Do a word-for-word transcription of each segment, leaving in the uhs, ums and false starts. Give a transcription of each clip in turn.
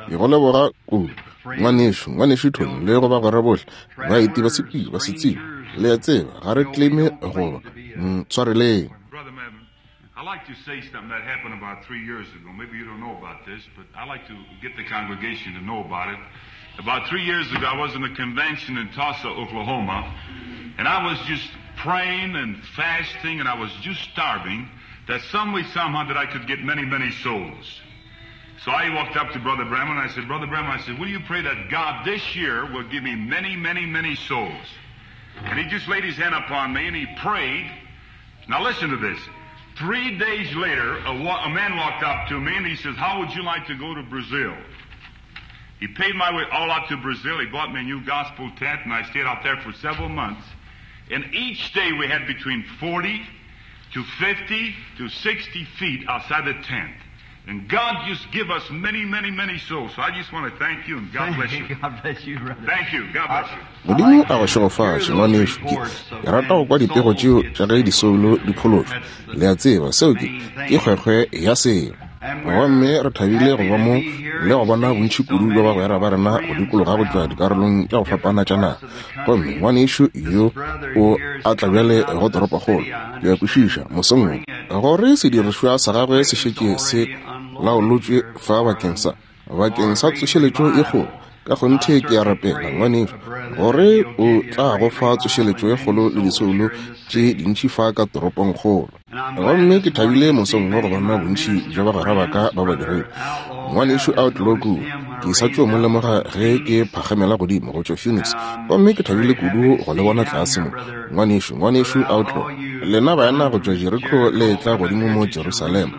Ke go leboga kudu, ngwanešu, ngwanešu Tony, le go bagwera bohle, baeti ba sepedi ba setsebi. Le a tseba, ga re claime goba ntshwareleng. I'd like to say something that happened about three years ago. Maybe you don't know about this, but I'd like to get the congregation to know about it. About three years ago, I was in a convention in Tulsa, Oklahoma, and I was just praying and fasting, and I was just starving that some way, somehow, that I could get many, many souls. So I walked up to Brother Branham and I said, Brother Branham, I said, will you pray that God this year will give me many, many, many souls? And he just laid his hand upon me and he prayed. Now listen to this. Three days later, a, wa- a man walked up to me and he says, how would you like to go to Brazil? He paid my way all out to Brazil. He bought me a new gospel tent and I stayed out there for several months. And each day we had between forty to fifty to sixty feet outside the tent. And God just give us many, many, many souls. So I just want to thank you and God bless you. God bless you, brother. Thank you. God bless you. Modimo a go šegofatše, ngwanešu. Ke ke rata go kwa dipego tšeo tša ge disoulo di phološwa. Le a tseba, seo ke ke kgwekgwe ya selo. Gomme re thabile go ba mo le go bona bontši kudu bja bagwera ba rena go dikologa go tšwa dikarolong tša go fapana tša naga. Gomme ngwanešu yo o a tla bjale go toropokgolo, ke a kwešiša, mosong wo, gore sedirišwa sa gagwe se šetše se laolotšwe fa bakeng sa bakeng sa tsošeletšo e kgolo. Ka kgonthe ke a rapela, ngwanešu, gore o tla go fa tsošeletšo e kgolo le disoulo tše dintši fa ka toropongkgolo. Gomme ke thabile mosong wo go bona bontši bja bagwera ba ka ba badiredi. Ngwanešu Outlaw kua, ke sa tšo mo lemoga ge ke phagamela godimo go tšwa Phoenix, gomme ke thabile kudu go le bona tlase mo. Ngwanešu, ngwanešu Outlaw, lena baena go tšwa Jericho le tla godimo mo Jerusalema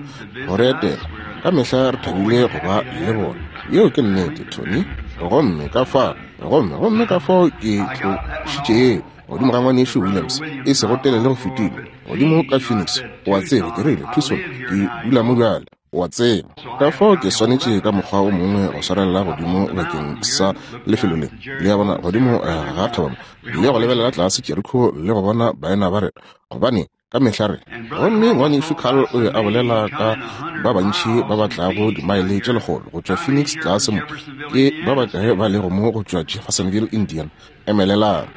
go re etela. Ka mehla re thabile go ba le bona. Yeo ke nnete, Tony. Gomme ka fa, gomme gomme ka fao ke tlošitše yeo godimo ga ngwanešu Williams, e sego telele go fetile, godimo ka Phoenix. O a tseba, ke rile, Tucson, ke dula mo bjale, o a tseba. Ka fao ke swanetše ka mokgwa o mongwe go swarelela godimo bakeng sa lefelo le, le a bona, godimo ga thaba mo, le go lebelela tlase Jericho le go bona baena ba rena, gobane ka mehla re. Gomme ngwanešu Carl o be a bolela ka ba bantši ba ba tlago dimaele tše lekgolo go tšwa Phoenix tlase mo. Ke ba bakae ba lego mo go tšwa Jeffersonville, Indiana? Emelelang.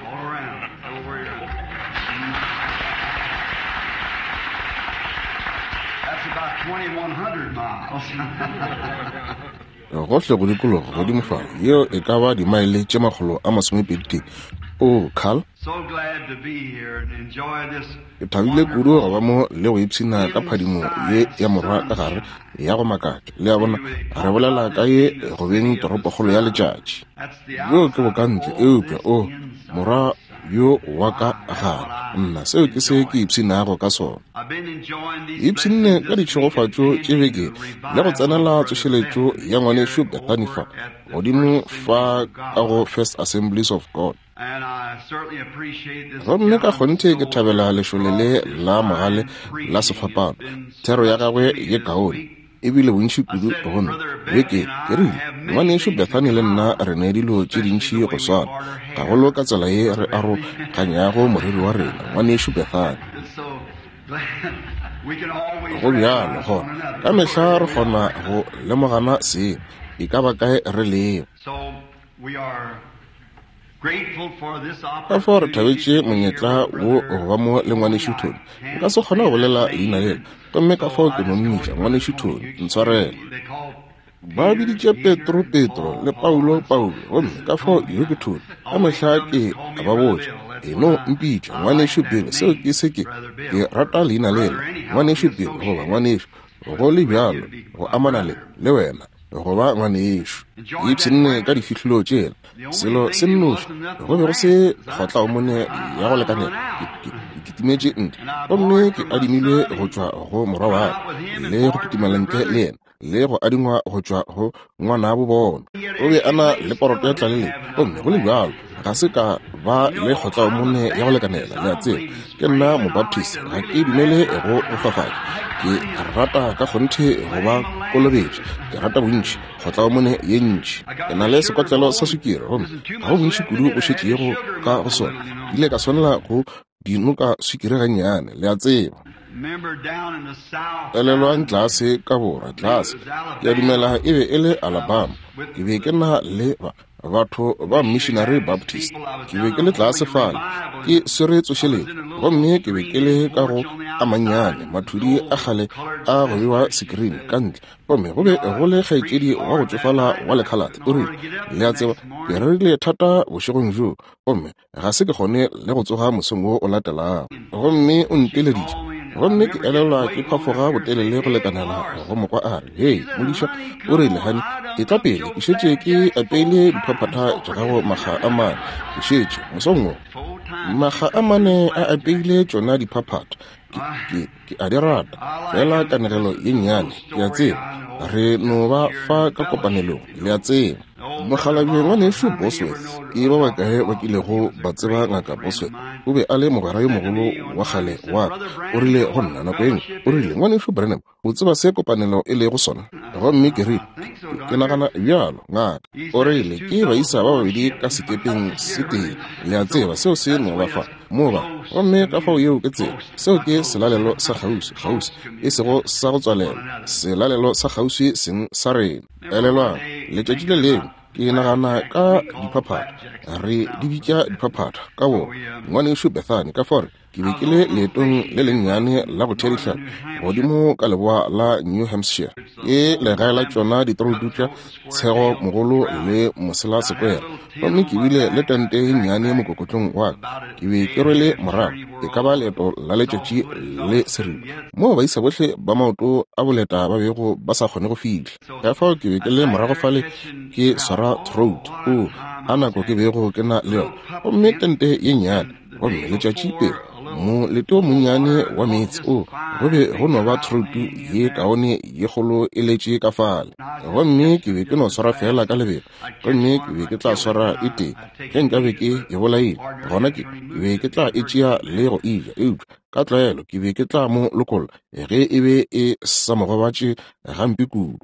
That's about twenty-one hundred miles. Gohle go dikologa godimo fa, yeo e ka ba dimaele tše makgolo a masomepedi tee. Oh, Carl, So glad to be here and enjoy this ke thabile kudu go ba mo le go ipshina ka phadimo ye ya morwa ka gare ya go makatša. Le a bona, re bolela ka ye go beng toropokgolo ya letšatši. That's the Bjo ke bokantle, eupša o morwa yo wa ka gare. Nna, seo ke se ke ipshinago ka sona. I've been enjoying these Ipshinne ka ditšhegofatšo tše beke le go tsenela tsošeletšo ya ngwanešu Bethany fa godimo fa ka go First Assemblies of God. And I certainly appreciate this Gomme ka kgonthe ke thabela lešole le la mogale la sefapano. Thero ya gagwe ye kaone ebile bontši kudu go nna. Beke ke rile, ngwanešu Bethany le nna re ne dilo tše dintši go swana, gagolo ka tsela ye re aroganyago moriri wa rena, ngwanešu Bethany. And so we can always Go bjalo recognize gona, one another. ka mehla re kgona go lemogana seng, e ka ba kae re lego. So we are grateful for this Ka fao re opportunity thabetše to be here monyetla with wo Brother go ba mo le ngwanešu Tony. Nka se kgone go bolela leina lela, gomme ka fao ke no mmitša ngwanešu Tony, ntshwarele. They call Ba biditše Petro Petro le Paulo Paulo, gomme ka fao yo ke Tony. Ka mehla ke a ba botša, e no mpitša ngwanešu Bill, seo ke se ke ke rata leina lela, ngwanešu Bill goba ngwanešu, go le bjalo go amana le le wena go ba ngwanešu. Ipshinne ka difihlolo tšela, selo se nnoši go be go se kgotlaomone ya go lekanela. Ke ke- ke kitimetše ntle, gomme ke adimilwe go tšwa go morwa wa ka, le go kitimela ntle le yena, le go adingwa go tšwa go ngwanabo bona. O be a na le poroto ya tlaleletšo, gomme go le bjalo ga se ka ba le kgotlaomone ya go lekanela. Le a tseba, ke nna Mobaptist, ga ke dumele go go fafatša. Ke rata ka kgonthe go ba kolobetša, ke rata bontši kgotlaomone ye ntši. Ke na le sekotlelo sa sukiri, gomme ga go bontši kudu bo šetšego ka go sona. Ke ile ka swanela go dinoka sukiri gannyane, le a tseba. Elelwang tlase ka borwa, tlase, ke a dumela e be e le Alabama. Ke be ke na le ba batho ba Missionary Baptist. Ke be ke le tlase fale, ke swere tsošeletšo, gomme ke be ke le ka go a mannyane mathudi a kgale a go bewa sekrini ka ntle, gomme go be go le kgaetšedi wa go tšofala wa lekhalate. O rile, le a tseba, ke rerile thata bošegong bjo, gomme ga se ke kgone le go tsoga mosong wo o latelago. Gomme o nteleditše, gomme ke elelwa ke phafoga botelele go lekanela go mokwa a re, hei modiša, o rile, hani, etla pele, ke šetše ke apeile diphaphatha tša gago makga a mane, ke šetše mosong wo makga a mane a apeile tšona diphaphatha, ke, ke, ke a di rata, fela kanegelo ye nnyane, ke a tseba, re no ba fa ka kopanelong, le a tseba. Mokgalabje ngwanešu Bosworth, ke ba bakae ba kilego ba tseba ngaka Bosworth? O be a le mogwera yo mogolo wa kgale wa ka. O rile go nna nako engwe, o rile, ngwanešu Branham, o tseba se kopanelo e lego sona? Gomme ke rile, ke nagana bjalo, ngaka. O rile, ke baisa ba babedi ka sekepeng se tee, le a tseba seo se no ba fa mo ba, gomme ka fao yeo ke tsela. Seo ke selalelo sa kgauswi, kgauswi, e sego sa go tswalela, selalelo sa kgauswi seng sa rena. Elelwang, letšatši le lengwe ke nagana ka diphaphatha, re di bitša diphaphatha ka bo ngwanešu Bethany, ka fore ke be ke le leetong le lennyane la go thea dihlapi godimo ka leboa la New Hampshire, ke legae la tšona ditorotu tša Tshego Mogolo le Mosela Sekwere, gomme ke bile le tente ye nnyane mokokotlong wa ka. Ke be ke rwele morago e ka ba leeto la letšatši le seripa, moo baisa bohle ba maoto a boleta ba bego ba sa kgone go fihla. Ka fao ke be ke le morago fale ke swara trout, o a nako ke bego ke na le yona, gomme tente ye nnyane, gomme letšatši pele molete o monnyane wa meetse o go be go no ba trout ye kaone ye kgolo e letše ka fale, gomme ke be ke no swara fela ka lebelo, gomme ke be ke tla swara e tee ge nka be ke e bolaile, gona ke be ke tla e tšea le go e ja, eupša ka tlwaelo ke be ke tla mo lokolla ge e be e sa mo gobatše gampe kudu.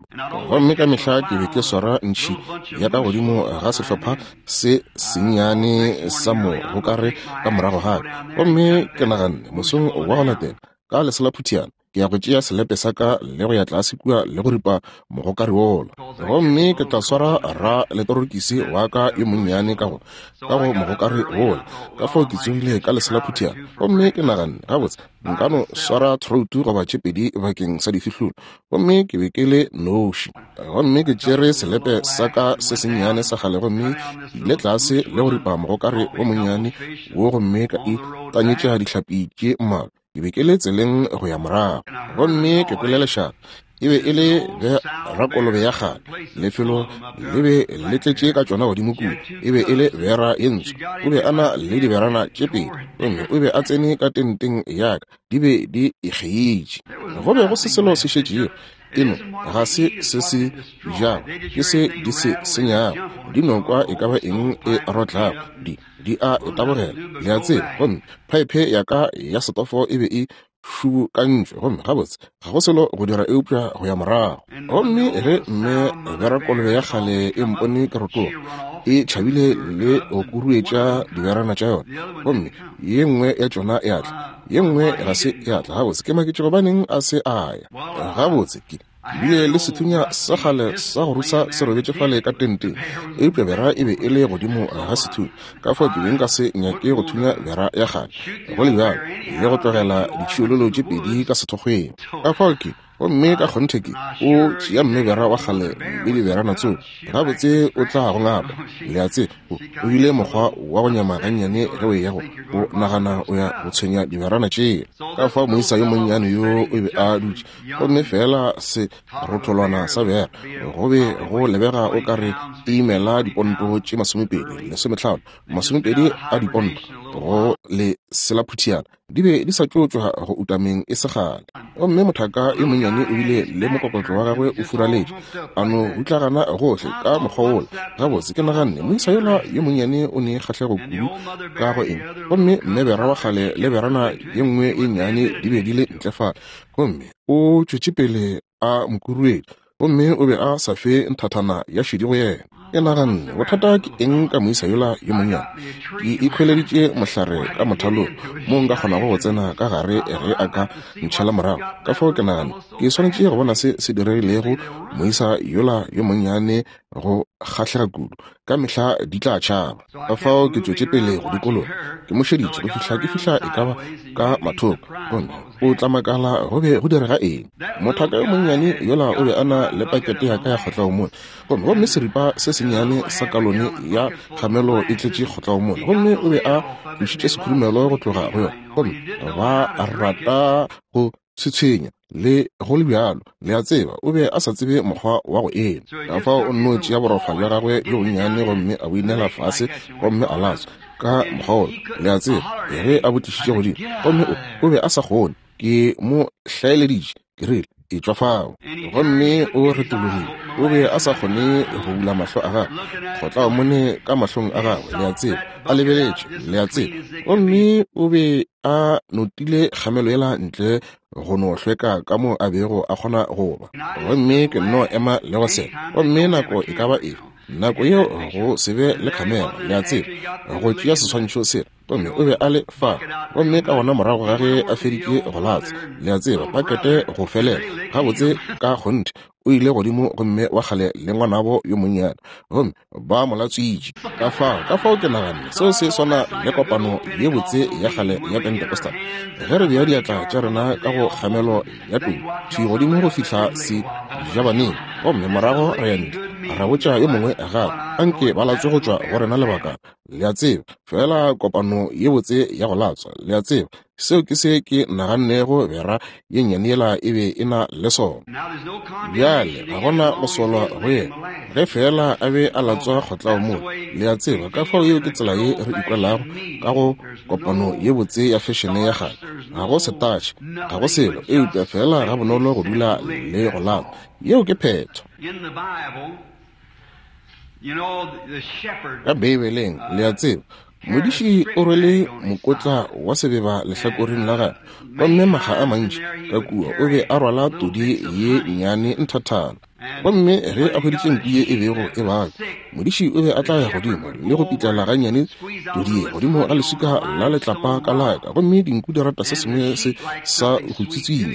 Gomme ka mehla ke be ke swara ntšhi ya ka godimo ga sehlopha se sennyane sa mo gokare ka morago ga ka, gomme ke naganne mosong wa go latela ka leselaphutiana ke ya go tšea selepe sa ka le go ya tlase kua le go ripa mogokare wola, gomme ke tla swara ra letorokisi wa ka yo monnyane ka go ka go mogokare wola. Ka fao ke tsogile ka leselaphutiana, gomme ke naganne, gabotse nka no swara throutu goba tše pedi bakeng sa difihlolo, gomme ke be ke le noši. Gomme ke tšere selepe sa ka se sennyane sa kgale, gomme ke ile tlase le go ripa mogokare wo monnyane wo, gomme ka e tanyetša dihlapi tše mmalwa. Ke be ke le tseleng go ya morago, gomme ke kwele lešata. E be e le rakolobe ya kgale, lefelo le be le tletše ka tšona godimo kua. E be e le bera ye ntsho, o be a na le diberana tše pedi, gomme o be a tsene ka tenteng ya ka, di be di ikgeitše. Go be go se selo se šetšego, eno ga se se se jago, ke se di se senyago, di nokwa e ka ba eng e rotlago, di di a e tabogela, le a tseba. Gomme phaephe ya ka ya setofo e be e šubukantšwe, gomme gabotse ga go selo go dira eupša go ya morago. Gomme ge mme berakolobe ya kgale e mpone ke rotoga, e tšhabile le go kuruetša diberana tša yona, gomme ye nngwe ya tšona ya tla, ye nngwe ga se ya tla. Gabotse ke maketše gobaneng a se a ya. Gabotse ke bile le sethunya sa kgale sa go rusa se robetše fale ka tenteng, eupša bera e be e le godimo ga sethunya, ka fao ke be nka se nyake go thunya bera ya kgale go le bjalo le go tlogela ditšhiololo tše pedi ka sethokgweng. Ka fao ke gomme ka kgonthe ke o tšea mme bera wa kgale le diberana tseo, gabotse o tla go ngapa, le a tseba. O bile mokgwa wa go nyama gannyane ge o eya go o nagana o ya go tshwenya diberana tšeo. Ka fao moisa yo monnyane yo o be a dutše, gomme fela se rotholwana sa bera go be go lebega o ka re e imela diponto tše masomepedi lesometlhano masomepedi a diponto go le selaphutiana, di be di sa tšo tšwa go utameng e se kgale. Gomme mothaka yo monnyane o bile le mokokotlo wa gagwe o furaletše, a no rutlagana gohle ka mokgwa wola. Gabotse ke naganne moisa yola yo monnyane o ne kgahlego kudu ka go eng, gomme mme bera wa kgale le berana ye nngwe ye nnyane di be di le ntle fale, gomme o tšwetše pele a mokuruetša, gomme o be a sa fe nthathana ya šedi go yena. Ke naganne, bothata ke eng ka moisa yola yo monnyane? Ke ikhweleditše mohlare ka mothalong mo nka kgonago go tsena ka gare ge a ka ntšhala morago. Ka fao ke naganne, ke swanetše go bona se se diregilego moisa yola yo monnyane go kgahlega kudu. Ka mehla di tla tšhaba. Ka fao ke tšwetše pele go dikologa, ke mo šeditše go fihla ke fihla e ka ba ka mathoko, gomme o tla makala go be go direga eng. Mothaka yo monnyane yola o be a na le pakete ya ka ya kgotlaomone, gomme gomme seripa se sennyane sa kalone ya kgamelo e tletše kgotlaomone, gomme o be a tlošitše sekhurumelo go tloga go yona, gomme ba rata go tshwetshwenya le go le bjalo. Le a tseba, o be a sa tsebe mokgwa wa go ena. Ka fao o nno tšea borofa bja gagwe bjo bonnyane gomme a bo inela fase gomme a latswa ka mokgwa wola. Le a tseba, ge a bo tlišitše godimo, gomme o, o be a sa kgone. Ke mo hlaeleditše, ke rile, etšwa fao. Gomme o retologile. O be a sa kgone go bula mahlo a gagwe, kgotlaomone ka mahlong a gagwe, le a tseba, a lebeletše, le a tseba. Gomme o be a notile kgamelo yela ntle go no hlweka ka mo a bego a kgona go ba. Gomme ke nno ema le go sela. Gomme nako e ka ba efe, nako yeo go se be le khamera, le a tseba, go tšea seswantšho sela. Gomme o be a le fa. Gomme ka gona morago ga ge a feditše go latswa, le a tseba, pakete go felela gabotse ka kgonthe, o ile godimo gomme wa kgale le ngwanabo yo monnyane, gomme ba mo latswitše. Ka fao, ka fao ke naganne seo se swana le kopano ye botse ya kgale ya Pentecostal, ge re bea diatla tša rena ka go kgamelo ya tou thwi godimo go fihla sejabaneng, gomme morago re ya ntle ra botša yo mongwe gape, anke ba latswe go tšwa go rena lebaka. Le a tseba, fela kopano ye botse ya go latswa, le a tseba, seo ke se ke nagannego bera ye nnyane yela e be e na le sona. Bjale ga gona go solwa go yena ge fela a be a latswa kgotlaomone, le a tseba. Ka fao yeo ke tsela ye re ikwelago ka go kopano ye botse ya fešene ya kgale. Ga go setatšhe, ga go selo, eupša fela ga bonolo go dula le go latswa. Yeo ke phetho. Ka Beibeleng, le a tseba, modiši o rwele mokotla wa sebeba lehlakoreng la gagwe, gomme makga a mantši ka kua o be a rwala todi ye nnyane nthathana. Gomme ge a hweditše nku ye e bego e babja, modiši o be a tla ya godimo le go pitlela gannyane todi ye godimo ga leswika la letlapa ka laka, gomme dinku di rata se sengwe se sa go tswitsinya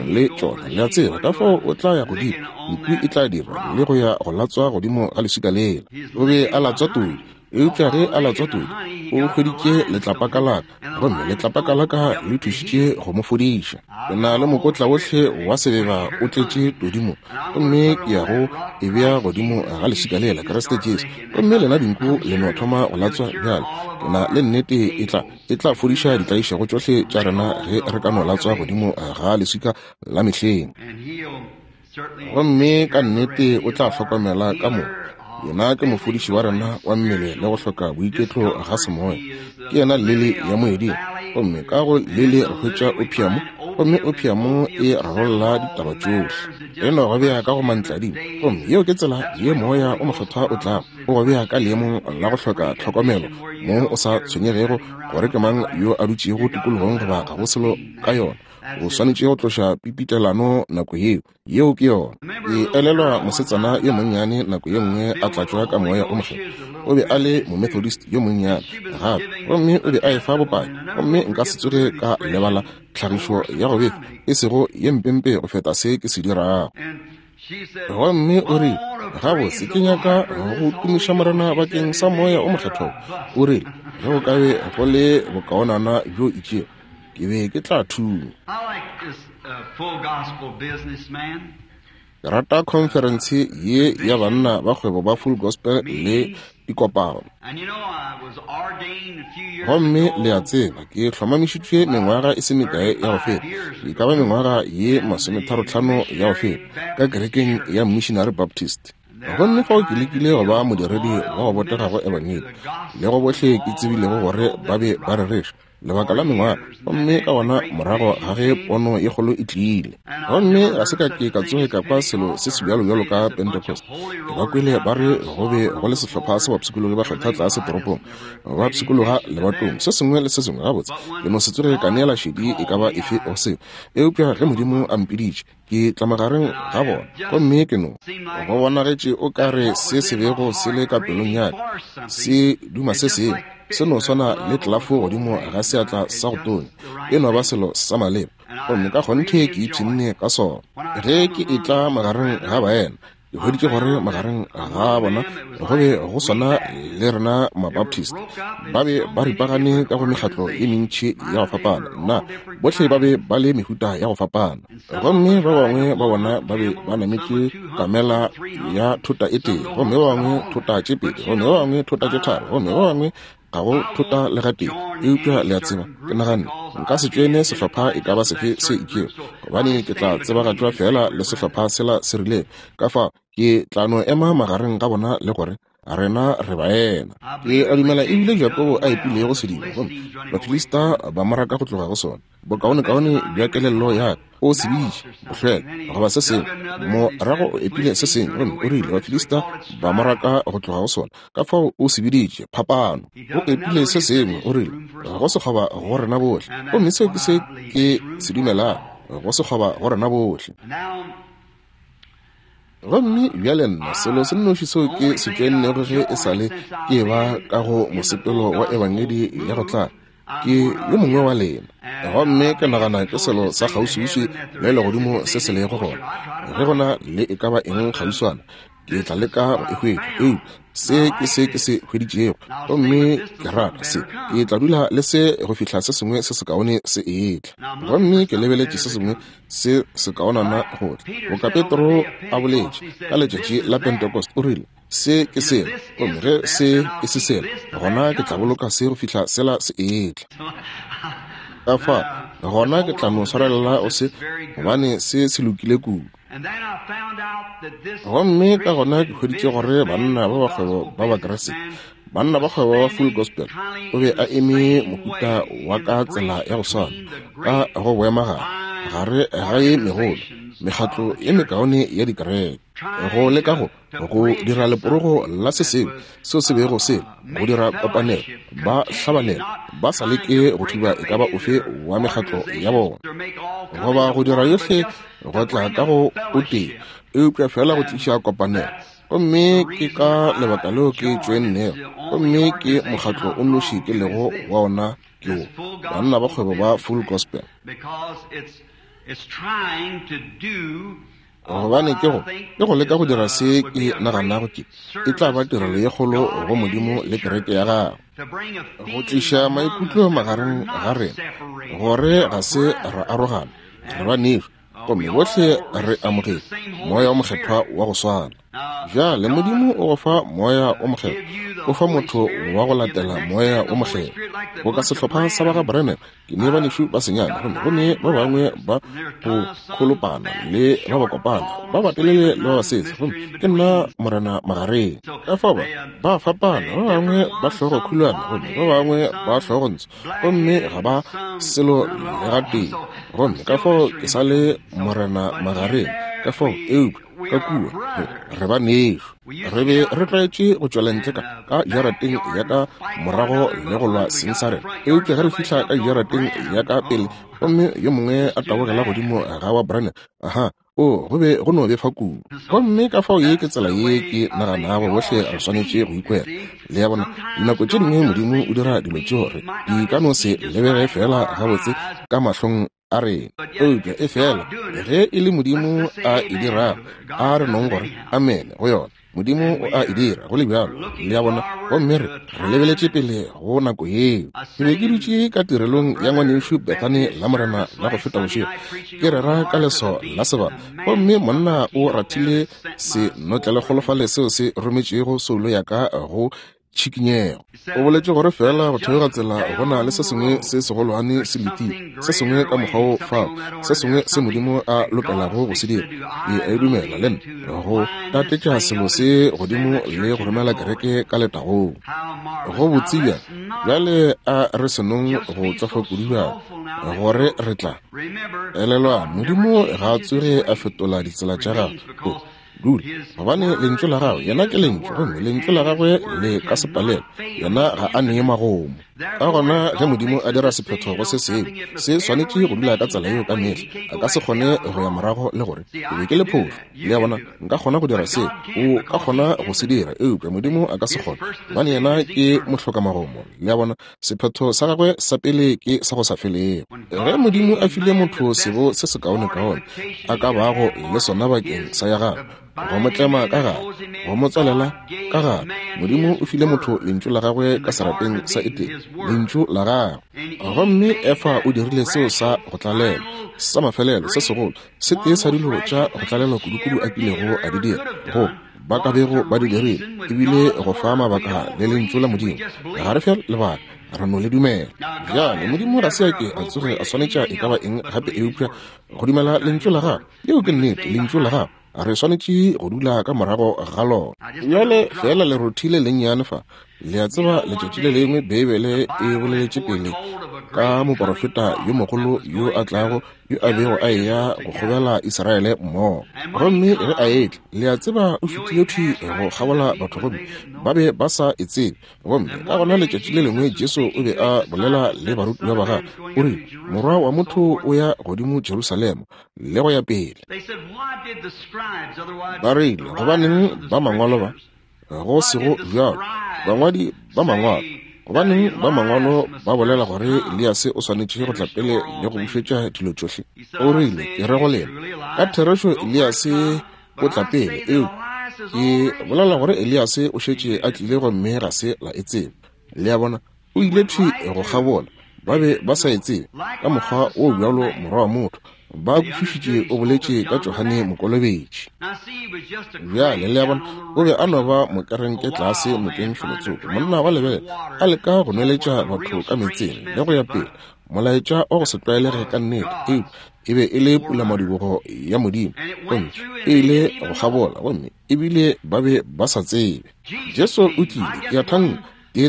le tšona, le a tseba. Ka fao o tla ya godimo, nku e tla dira le go ya go latswa godimo ga leswika lela. O be a latswa todi, eupša ge a latswa todi, o hweditše letlapa ka laka, gomme letlapa ka laka le thušitše go mo fodiša. Ke na le mokotla wohle wa sebeba o tletše todi mo, gomme ke ya go e bea godimo ga leswika lela, Kriste Jesu. Gomme lena dinku le no thoma go latswa bjale. Ke na le nnete e tla e tla fodiša ditlaišego tšohle tša rena ge re ka no latswa godimo ga leswika la mehleng. Gomme ka nnete o tla hlokomela ka mo. Yena ke mofodiši wa rena wa mmele le go hloka boiketlo ga semoya. Ke yena lili ya moeding, gomme ka go lili re hwetša opiamo, gomme opiamo e rarolla ditaba tšohle. E no go bea ka go mantladimo, gomme yeo ke tsela ye moya o mokgethwa o tlago o go bea ka leemong la go hloka tlhokomelo, mo o sa tshwenyegego gore ke mang yo a dutšego tikologong goba ga go selo ka yona. O swanetše go tloša pipitelano nako yeo. Yeo ke yona. Ke elelwa mosetsana yo monnyane nako ye nngwe a tlatšwa ka moya o mokgethwa. O be a le momethodist yo monnyane gape, gomme o be a efa bopaki, gomme nka se tsoge ka lebala tlhagišo ya go befa, e sego ye mpempe go feta se ke se dirago. Gomme o rile, gabotse ke nyaka go tumiša Morena bakeng sa moya o mokgethwa. O rile, ge go ka be go le bokaonana bjo itšego, ke be ke tla thunya. Ke rata khonferense ye ya banna ba kgwebo ba Full Gospel le dikopano. Gomme le a tseba, ke hlomamišitšwe mengwaga e se mekae ya go feta, e ka ba mengwaga ye masometharotlhano ya go feta, ka kerekeng ya Missionary Baptist. Gomme fao ke lekile go ba modiredi wa go botega go Ebangedi, le go bohle ke tsebilego gore ba be ba rereša, lebaka la mengwaga, gomme ka gona morago ga ge pono ye kgolo e tlile. Gomme ga se ka ke ka tsoge ka kwa selo se sebjalo-bjalo ka Pentecost. Ke ba kwele ba re go be go le sehlopha sa bapshikologi ba kgetha tlase toropong, ba pshikologa lebatong, se sengwe le se sengwe. Gabotse, ke no se tsoge ka neela šedi e ka ba efe go seo. Eupša ge Modimo a mpiditše, ke tla magareng ga bona, gomme ke no go bonagetše o ka re se se bego se le ka pelong ya ka se duma se sengwe, se no swana le tlelafo godimo ga seatla sa go tonya, e no ba selo sa maleba, gomme ka kgonthe ke ipshinne ka sona. Ge ke etla magareng ga baena, ke hweditše gore magareng ga bona go be go swana le rena Mabaptist, ba be ba ripagane ka go mekgatlo ye mentši ya go fapana. Nna, bohle ba be ba le mehuta ya go fapana, gomme ba bangwe ba bona ba be ba nametše kamela ya thota e tee, gomme ba bangwe thota tše pedi, gomme ba bangwe thota tše tharo, gomme ba bangwe ga go thota le gatee. Eupša le a tseba, ke naganne nka se tšwene sehlopha e ka ba sefe se itšego, gobane ke tla tsebagatšwa fela le sehlopha sela se rilego. Ka fao ke tla no ema magareng ga bona le gore rena re baena. Ke a dumela ebile Jakobo a epilego sediba, gomme Bafilista ba mo raka go tloga go sona. Bokaonekaone bja kelello ya ka o se bitše bohlwela goba se sengwe, morago o epile se sengwe, gomme o rile Bafilista ba mo raka go tloga go sona. Ka fao o se biditše phapano. O epile se sengwe, o rile go sekgoba go rena bohle, gomme seo ke se ke se dumelago, go sekgoba go rena bohle. Gomme bjale nna, selo se nnoši seo ke se tšwennego ge e sa le ke ba ka go mosepelo wa ebangedi ya go tla, ke yo mongwe wa lena. Gomme ke nagana ke selo sa kgauswiuswi le legodimo se se lego gona. Ge go na le e ka ba eng kgauswana, ke tla leka go e hwetša. Eupša se ke se ke se hweditšego, gomme ke rata se. Ke tla dula le se go fihla se sengwe se sekaone se etla. Gomme ke lebeletše se sengwe se sekaonana go tla. Boka Petro a boletše ka letšatši la Pentecost, o rile se ke sela, gomme ge se e se sela, gona ke tla boloka se go fihla sela se etla. Ka fa gona ke tla no swarelela o se, gobane se se lokile kudu. Gomme ka gona ke hweditše gore banna ba bakgwebo ba Bakriste, banna ba kgwebo ba Full Gospel, o be a eme mohuta wa ka tsela ya go swana ka go boemagare gare ga ye megolo mekgatlo ye mekaone ya dikereke, go leka go go dira leporogo la se sengwe seo se bego se go dira kopanelo, ba hlabanelo, ba sa leke go thiba e ka ba ofe wa mekgatlo ya bona, goba go dira yohle go tla ka go o tee, eupša fela go tliša kopanelo. Gomme ke ka lebaka leo ke tšwennego, gomme ke mokgatlo o nnoši ke lego wa ona ke wo, banna ba kgwebo ba Full Gospel. Gobane ke go ke go leka go dira se ke naganago ke e tla ba tirelo ye kgolo go Modimo le kereke ya gagwe, go tliša maikutlo magareng ga rena gore ga se ra arogana, re banešu, gomme bohle re amogetše Moya o Mokgethwa wa go swana. Bjale Modimo o go fa Moya o Mokgethwa, o fa motho wa go latela Moya o Mokgethwa. Boka sehlopha sa ba ga Branham, ke ne banešu ba senyane, gomme go ne ba bangwe ba go kholopana le ba ba kopana, ba batelele le ba basese, gomme ke nna morena magareng. Ka fao ba ba fapana, ba bangwe ba hlogo khulwana, gomme ba bangwe ba hlogo ntsho, gomme ga ba selo le gatee. Gomme ka fao ke sa le morena magareng, ka fao eupša ka kua re ba nešo. Re be re tlwaetše go tšwela ntle ka ka jarateng ya ka morago le go lwa seng sa rena, eupša ge re fihla ka jarateng ya ka pele, gomme yo mongwe a tabogela godimo ga wa Branham, aha, o go be go no befa kudu. Gomme ka fao ye ke tsela ye ke naganago bohle re swanetše go ikwela. Le ya bona, dinako tše dingwe Modimo o dira dilo tše gore di ka no se lebege fela gabotse ka mahlong a rena, eupša e fela ge e le Modimo a e dirago, a re nong gore amene go yona. Modimo o a e dira go le bjalo, le ya bona. Gomme re re lebeletše pele go nako yeo. Ke be ke dutše ka tirelong ya ngwanešu Bethane la Morena la go feta bošego, ke rera ka leso la sebaka, gomme monna o rathile senotlelekgolofale seo se rometšego soulo ya ka go tšhikinyego. O boletše gore fela go theoga tsela go na le se sengwe se segolwane se letile, se sengwe ka mokgwa o fao, se sengwe se Modimo a lokelago go se dira. Ke a e dumela le nna, go tatetša selo se godimo le go romela kereke ka letagong. Go botse bjang. Bjale a re senong go tšwafa kudu bjalo gore re tla elelwa Modimo ga a tsoge a fetola ditsela tša gagwe. O dule gobane lentšu la gagwe, yena ke lentšu, gomme lentšu la gagwe le ka se palelwe. Yena ga a nee magomo. Ka gona ge Modimo a dira sephetho go se sengwe, se swanetše go dula ka tsela yeo ka mehla. A ka se kgone go ya morago le gore ke be ke le phošo. Le a bona, nka kgona go dira se, o ka kgona go se dira, eupša Modimo a ka se kgone, gobane yena ke mohlokamagomo. Le a bona, sephetho sa gagwe sa pele ke sa go sa felego. Ge Modimo a file motho sebo se sekaonekaone a ka bago le sona bakeng sa ya gagwe, go mo tlema ka gare, go mo tswalela ka gare, Modimo o file motho lentšu la gagwe ka serapeng sa Edene, lentšu la gagwe. Gomme Efa o dirile seo sa go tlalela, sa mafelelo se segolo, se tee sa dilo tša go tlalelwa kudukudu a kilego a di dira, go ba ka bego ba di dirile, ebile go fa mabaka le lentšu la Modimo. Ga re fe lebaka, re no le dumela. Bjale Modimo ga se a ke a tsoge a swanetša e ka ba eng gape eupša go dumela lentšu la gagwe. Yeo ke nnete, lentšu la gagwe. Re swanetše go dula ka morago ga lona. Bjale fela le rothile lennyane fa. Le a tseba letšatši le lengwe Beibele e boleletše pele ka moporofeta yo mogolo yo a tlago, yo a bego a eya go kgobela Israele mmogo. Gomme ge a etla, le a tseba o fetile thwi go kgabola batho gomme ba be ba sa e tsebe. Gomme ka gona letšatši le lengwe Jesu o be a bolela le barutiwa ba gagwe, o rile, Morwa wa motho o ya godimo Jerusalema le go ya pele. Ba rile, gobaneng ba mangwalo ba go sego bjalo, bangwadi ba mangwalo, gobaneng ba mangwalo ba bolela gore Eliase o swanetše go tla pele le go bušetša dilo tšohle? O rile, ke re go lena, ka therešo Eliase o tla pele, eupša ke bolela gore Eliase o šetše a tlile gomme ga se la e tsebe. Le a bona, o ile thwi go kgabola, ba be ba sa e tsebe. Ka mokgwa o bjalo morwa wa motho ba kwešišitše o boletše ka Johane Mokolobetši. Bjale le a bona, o be a no ba mokerenke tlase nokeng felotsoko, monna wa lebele a leka go nweletša batho ka meetseng le go ya pele, molaetša wa go se tlwaelege ka nnete, eupša e be e le pulamadibogo ya Modimo, gomme e ile go kgabola, gomme ebile ba be ba sa tsebe. Jesu o tlile, ke a thanka,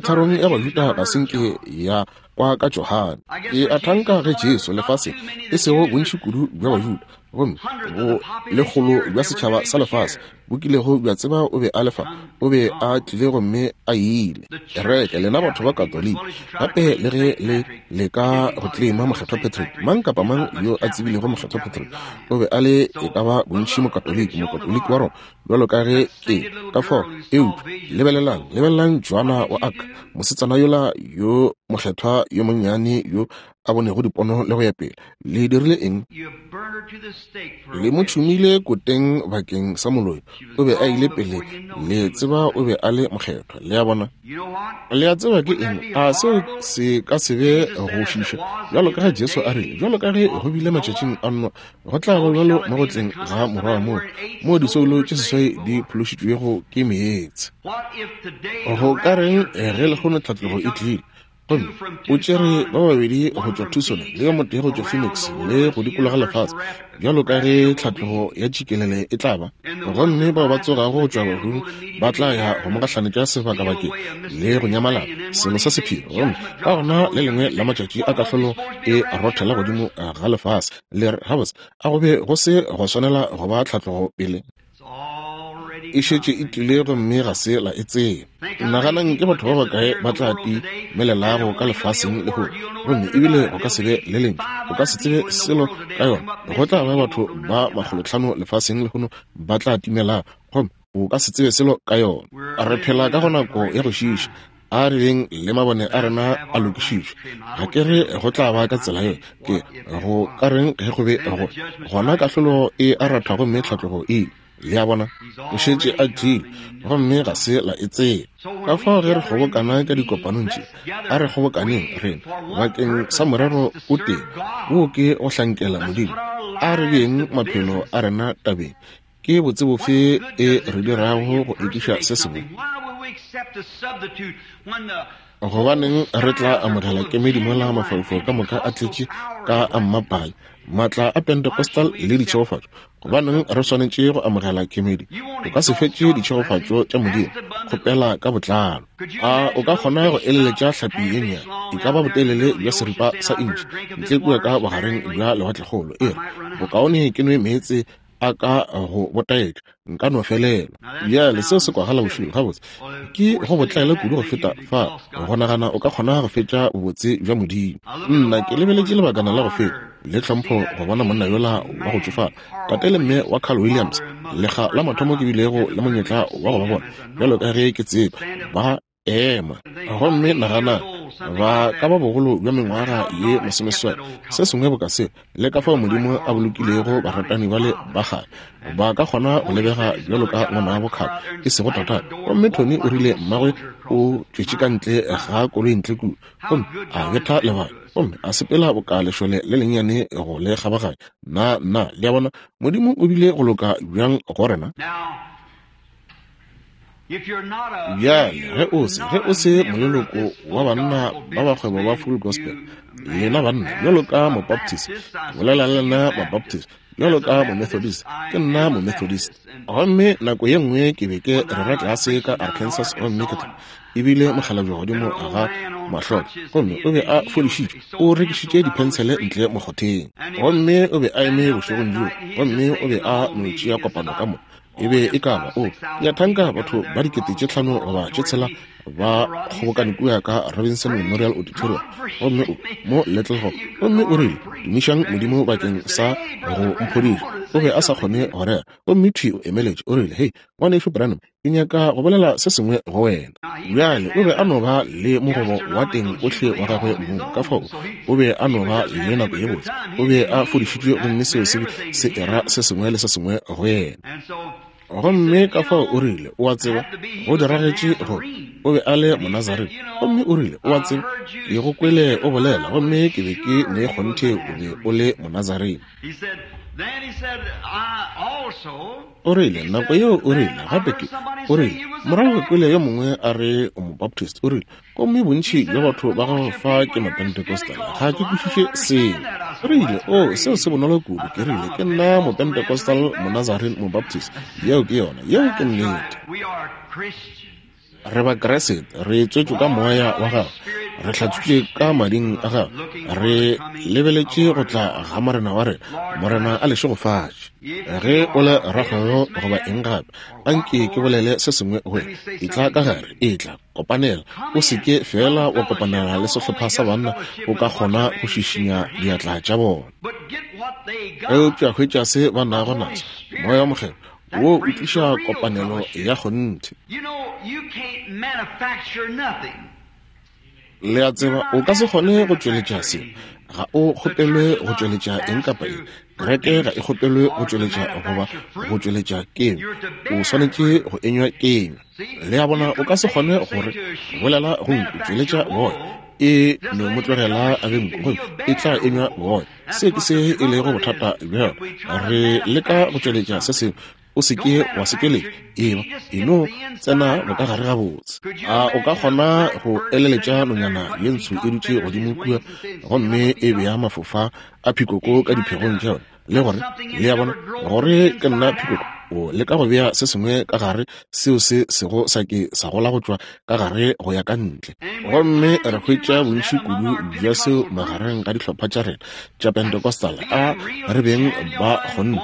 tharong ya Bajuda ga se nke ya kwa ka Johane. Ke a thanka ge Jesu lefaseng, e sego bontši kudu bja Bajuda, gomme bo lekgolo bja setšhaba sa lefase bo kilego bja tseba o be a lefa, o be a tlile gomme a ile. Kereke, lena batho ba Katoliki, gape le ge le leka go claima Mokgethwa Patrick, mang kapa mang yo a tsebilego Mokgethwa Patrick o be a le e ka ba bontši Mokatoliki, Mokatoliki wa Roma, bjalo ka ge ke ka fao. Eupša lebelelang, lebelelang Joana wa Arc, mosetsana yola yo mokgethwa yo monnyane yo a bonego dipono le go ya pele. Le dirile eng? Le mo tšhumile koteng bakeng sa moloi. O be a ile pele, le tseba o be a le mokgethwa. Le a bona, le a tseba ke eng? A seo se ka se be go šiša, bjalo ka ge Jesu a rile, bjalo ka ge go bile matšatšing a Noa, go tla ba bjalo mo go tleng ga morwa wa motho, mo disoulo tše seswai di phološitšwego ke meetse. Go ka reng ge lehono tlhatlogo e tlile, gomme o tšere ba babedi go tšwa Tucson le yo motee go tšwa Phoenix le go dikologa lefase, bjalo ka ge tlhatlogo ya tšikelele e tla ba, gomme bao ba tsogago go tšwa bahung ba tla ya go mo gahlanetša sebakabakeng le go nyamalala selo sa sephiri. Gomme ka gona le lengwe la matšatši a kahlolo e rothela godimo ga lefase, le re, gabotse, a go be go se go swanela go ba tlhatlogo pele? E šetše e tlile gomme ga se la e tseba. Naganang ke batho ba bakae ba tla timelelago ka lefaseng lehono, gomme ebile go ka se be le lentšu, o ka se tsebe selo ka yona. Go tla ba batho ba makgolotlhano lefaseng lehono ba tla timelago, gomme o ka se tsebe selo ka yona. Re phela ka go nako ya go šiiša. A re beng le mabone a rena a lokišitšwe. Ga ke re go tla ba ka tsela ye, ke go ka reng ge go be go gona kahlolo e a ratha gomme tlhatlogo e ile. Le a bona, o šetše a tlile gomme ga se la e tseba. Ka fao ge re kgobokana ka dikopanong tše, a re kgobokaneng rena bakeng sa morero o tee, wo ke go hlankela Modimo. A re beeng maphelo a rena tabeng. Ke botse bofe e re dirago go ekiša se sengwe? Gobaneng re tla amogela kemedi mola mafaufau ka moka a tletše ka a mmapale, Maatla a Pentecostal le ditšhegofatšo, gobaneng re swanetše go amogela kemedi? O ka se fetše ditšhegofatšo tša Modimo, kgopela ka botlalo. A o ka kgona go eleletša hlapi ye nnyane, e ka ba botelele bja seripa sa intšhi, ntle kua ka bogareng bja lewatlekgolo, e re, bokaone ke nwe meetse a ka go botaetša, nka no felelwa. Bjale seo se kwagala bošilo gabotse, ke go botlaela kudu go feta fa go nagana o ka kgona go fetša bobotse bja Modimo. Nna ke lebeletše lebakana la go feta le tlhompho go bona monna yola wa go tšofala, tate le mme wa Carl Williams, lekga la mathomo ke bilego le monyetla wa go ba bona, bjalo ka ge ke tseba, ba ema. Gomme nagana, ba ka ba bogolo bja mengwaga ye masomeseswai, se sengwe boka seo, le ka fao Modimo a bolokilego baratani bale ba kgale, ba ka kgona go lebega bjalo ka ngwanabo Carl, e sego tatagwe. Gomme Tony o rile mmagwe o tšwetše ka ntle ga koloi ntle kua, gomme a betha lebala, gomme a sepela boka lešole le lennyane go le kgabaganya. Nna, nna, le a bona, Modimo o bile go loka bjang go rena? Bjale, ge o se, ge o se moleloko wa banna ba bakgwebo ba Full Gospel, lena banna, bjalo ka Mobaptist, ke bolela le lena Mabaptist, bjalo ka Momethodist, ke nna Momethodist. Gomme nako ye nngwe ke be ke rera tlase ka Arkansas, gomme ke tla ebile mokgalabje godimo ga mahloko, gomme o be a fodišitšwe, o rekišitše diphensele ntle mokgotheng, gomme o be a eme bošegong bjoo, gomme o be a no tšea kopano ka mo. E be e ka ba o ya thanka batho ba dikete tše tlhano goba tše tshela ba kgobokane kua ka Robinson Memorial Auditorium, gomme o mo Little Rock, gomme o rile, tumišang Modimo bakeng sa go mphodiša. O be a sa kgone go rera, gomme thwi o emeletše, o rile, hei, ngwanešu Branham, ke nyaka go bolela se sengwe go wena. Bjale o be a no ba le mogobo wa teng ohle wa gagwe mong, ka fao o be a no ba le nako ye botse, o be a fodišitšwe, gomme seo se se era se sengwe le se sengwe go yena. Gomme ka fao o rile, o a tseba, go diragetše gore o be a le Monazarene, gomme o rile, o a tseba, ke go kwele o bolela, gomme ke be ke ne kgonthe o be o le Monazarene. O rile, nako yeo o rile, gape ke, o rile, morago ke kwele yo mongwe a re o Mobaptist, o rile, gomme bontši bja batho ba gago fa ke Mapentecostal, ga ke kwešiše seo. O rile, o, seo se bonolo kudu, ke rile, ke nna Mopentecostal, Monazarene, Mobaptist, yeo ke yona, yeo ke nnete. Re ba Kriste, re tswetšwe ka moya wa gagwe, re hlatswitšwe ka mading a gagwe, re lebeletše go tla ga Morena wa rena. Morena a le šegofatše. Ge o le rakgwebo goba eng gape, anke ke bolele se sengwe go wena, etla ka gare, etla kopanela. O se ke fela wa kopanela le sehlopha sa banna, o ka kgona go šišinya diatla tša bona, eupša hwetša se ba nago naso, Moya o Mokgethwa wo o tliša kopanelo ya kgonthe. Le a tseba, o ka se kgone go tšweletša se, ga o kgopelwe go tšweletša eng kapa eng. Kereke ga e kgopelwe go tšweletša goba go tšweletša kenywa, o swanetše go enywa kenywa. Le a bona, o ka se kgone gore bolela go nku, tšweletša boya, e no mo tlogela a be nku, gomme e tla enywa boya. Se ke se e lego bothata bja re leka go tšweletša se sengwe, o se ke wa se tšweletša, eba e no tsena bokagare gabotse. A o ka kgona go eleletša nonyana ye ntsho e dutše godimo kua, gomme e bea mafofa a phikoko ka diphegong tša yona, le gore, le a bona, gore ke nna phikoko, o leka go bea se sengwe ka gare seo se sego sa ke sa gola go tšwa ka gare go ya ka ntle. Gomme re hwetša bontši kudu bja seo magareng ga dihlopha tša rena tša Pentecostal, a re beng ba kgonthe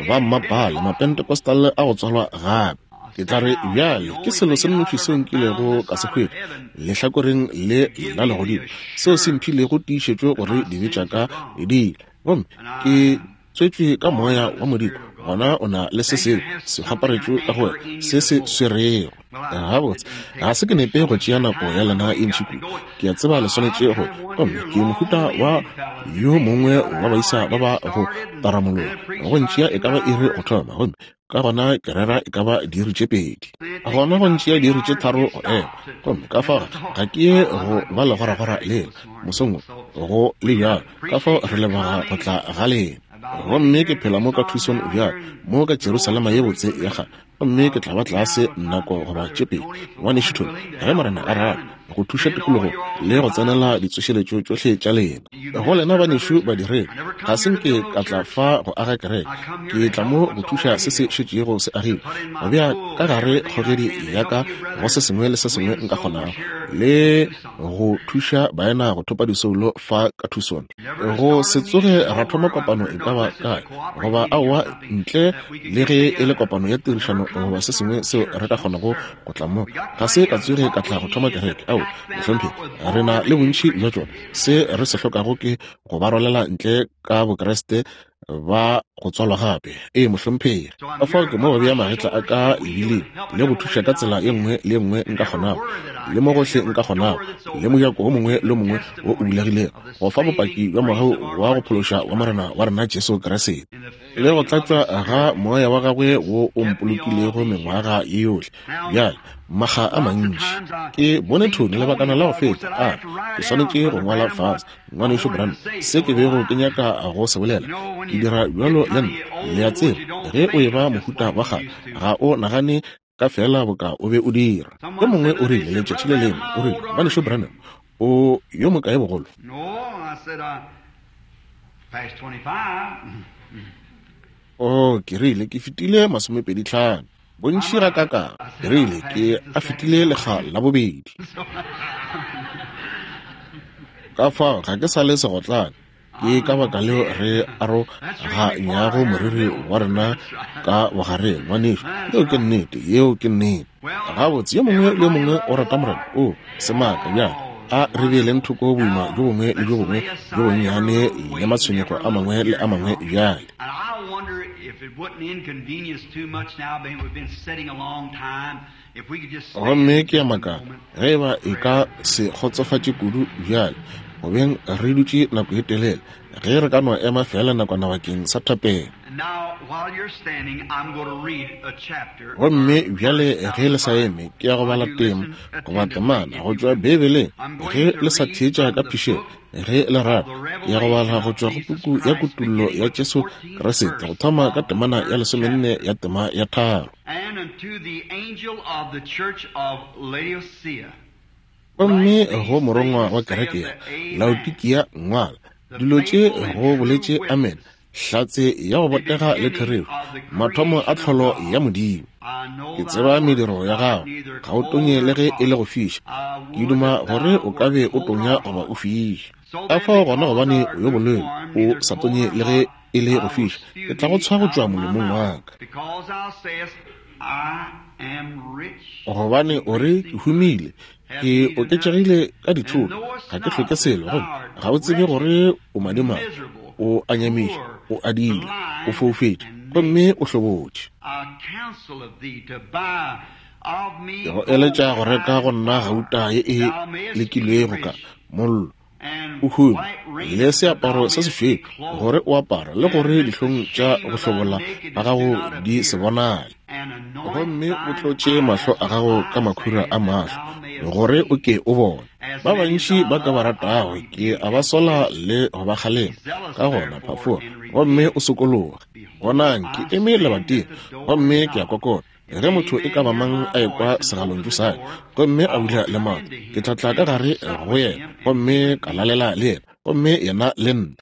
ba mmapale Mapentecostal a go tswalwa gape. Ke tla re bjale ke selo se nnoši seo nkilego ka se hwetša lehlakoreng le la legodimo, seo se mphilego tiišetšo gore dibe tša ka di ile, gomme ke tswetšwe ka moya wa Modimo. Gona o na le se sengwe se kgaparetšwe ka go wena, se se swerego. Gabotse, ga se ke nepe go tšea nako ya lena e ntši kudu, ke a tseba le swanetše go, gomme ke mohuta wa yo mongwe wa baisa ba ba go taramologa, go ntšea e ka ba iri go thoma, gomme ka gona ke rera e ka ba diiri tše pedi, gona go ntšea diiri tše tharo go ema, gomme ka fao ga ke ye go ba legoragora lela mosong go le bjalo. Ka fao re leboga go tla ga lena. Gomme ke phela mo ka Tucson bjalo, mo ka Jerusalema ye botse ya kgale, gomme ke tla ba tlase nako goba tše pedi, ngwanešu Tony, ge Morena a rata. go thuša tikologo le go tsenela ditsošeletšo tšohle tša lena. Go lena banešu badiredi, ga se nke ka tla fa go aga kereke, ke tla mo go thuša se se šetšego se agilwe, go bea ka gare kgogedi ya ka go se sengwe le se sengwe nka kgonago, le go thuša baena go thopa disoulo fa ka Tucson. Go se tsoge ra thoma kopano e ka ba kae goba aowa ntle le ge e le kopano ya tirišano goba se sengwe seo re ka kgonago go tla mo. Ga se ka tsoge ka tla go thoma kereke, ao mohlomphegi, re na le bontši bja tšona. Se re se hlokago ke go ba rwalela ntle ka Bokreste ba go tswalwa gape. Ee mohlomphegi, ka fao ke mo go bea magetla a ka lebileng le go thuša ka tsela ye nngwe le ye nngwe nka kgonago, le mo gohle nka kgonago, le mojako wo mongwe le mongwe wo o bulegilego, go fa bopaki bja mogau wa go phološa wa Morena wa rena Jesu Kriste, le go tlatšwa ga moya wa gagwe wo o mpolokilego mengwaga ye yohle. Bjale makga a mantši ke bone Tony lebakana la go feta a ke swanetše go ngwala fase, ngwanešu Branham, se ke bego ke nyaka go se bolela. Ke dira bjalo le nna, le a tseba, ge o eba mohuta wa kgale ga o nagane ka fela boka o be o dira. Yo mongwe o rile letšatši le lengwe, o rile, ngwanešu Branham, o yo mokae bogolo? O ke rile ke fetile masomepedi tlhano. Bontši ga kaka, ke rile ke a fetile lekga la bobedi. Ka fao ga ke sa le segotlane. Ke ka baka leo re aroganyago moriri wa rena ka bogareng, ngwanešu. Yeo ke nnete, yeo ke nnete. Gabotse, yo mongwe le yo mongwe o rata Morena. O semaka bjale, a re beeleng thoko boima bjo bongwe le bjo bongwe bjo bonnyane le matshwenyego a mangwe le a mangwe bjale. Gomme ke a makala ge eba e ka se kgotsofatše kudu bjale, go beng re dutše nako e telele, ge re ka no ema fela nakwana bakeng sa thapelo. Gomme bjale ge le sa eme, ke ya go bala tema goba temana go tšwa Beibeleng. Ge le sa theetša ka phišego, ge le rata, ke ya go bala go tšwa go puku ya Kutullo ya Jesu Kriste, go thoma ka temana ya lesomenne ya tema ya tharo. Gomme go morongwa wa kereke ya Laodikia ngwala, dilo tše go boletše Amen, hlatse ya go botega le therešo, mathomo a tlholo ya Modimo. Ke tseba mediro ya gago, ga o tonye le ge e le go fiša. Ke duma gore o ka be o tonya goba o fiša. Ka fao gona gobane o yo bolelo, o sa tonye le ge e le go fiša, ke tla go tshwa go tšwa molomong wa ka. Gobane o re ke humile, ke oketšegile ka dithoto, ga ke hloke selo, gomme ga o tsebe gore o madimabe, o a nyamiša, o adile, o foufetše, gomme o hlobotše. Ke go eletša go reka go nna gauta ye e lekilwego ka mollo, o hume, le seaparo se sešweu gore o apara, le gore dihlong tša go hlobola ga gago di se bonale. Gomme o tlotše mahlo a gago ka makhura a mahlo gore o ke o bone. Ba bantši ba ka ba ratago ke a ba sola le go ba kgalema, ka gona phafoga gomme o sokologe. Bonang, ke eme lebating gomme ke a kokota. Ge motho e ka ba mang a ekwa segalontšu sa ka gomme a bula le maoto, ke tla tla ka gare go yena gomme ka lalela le yena, gomme yena le nna.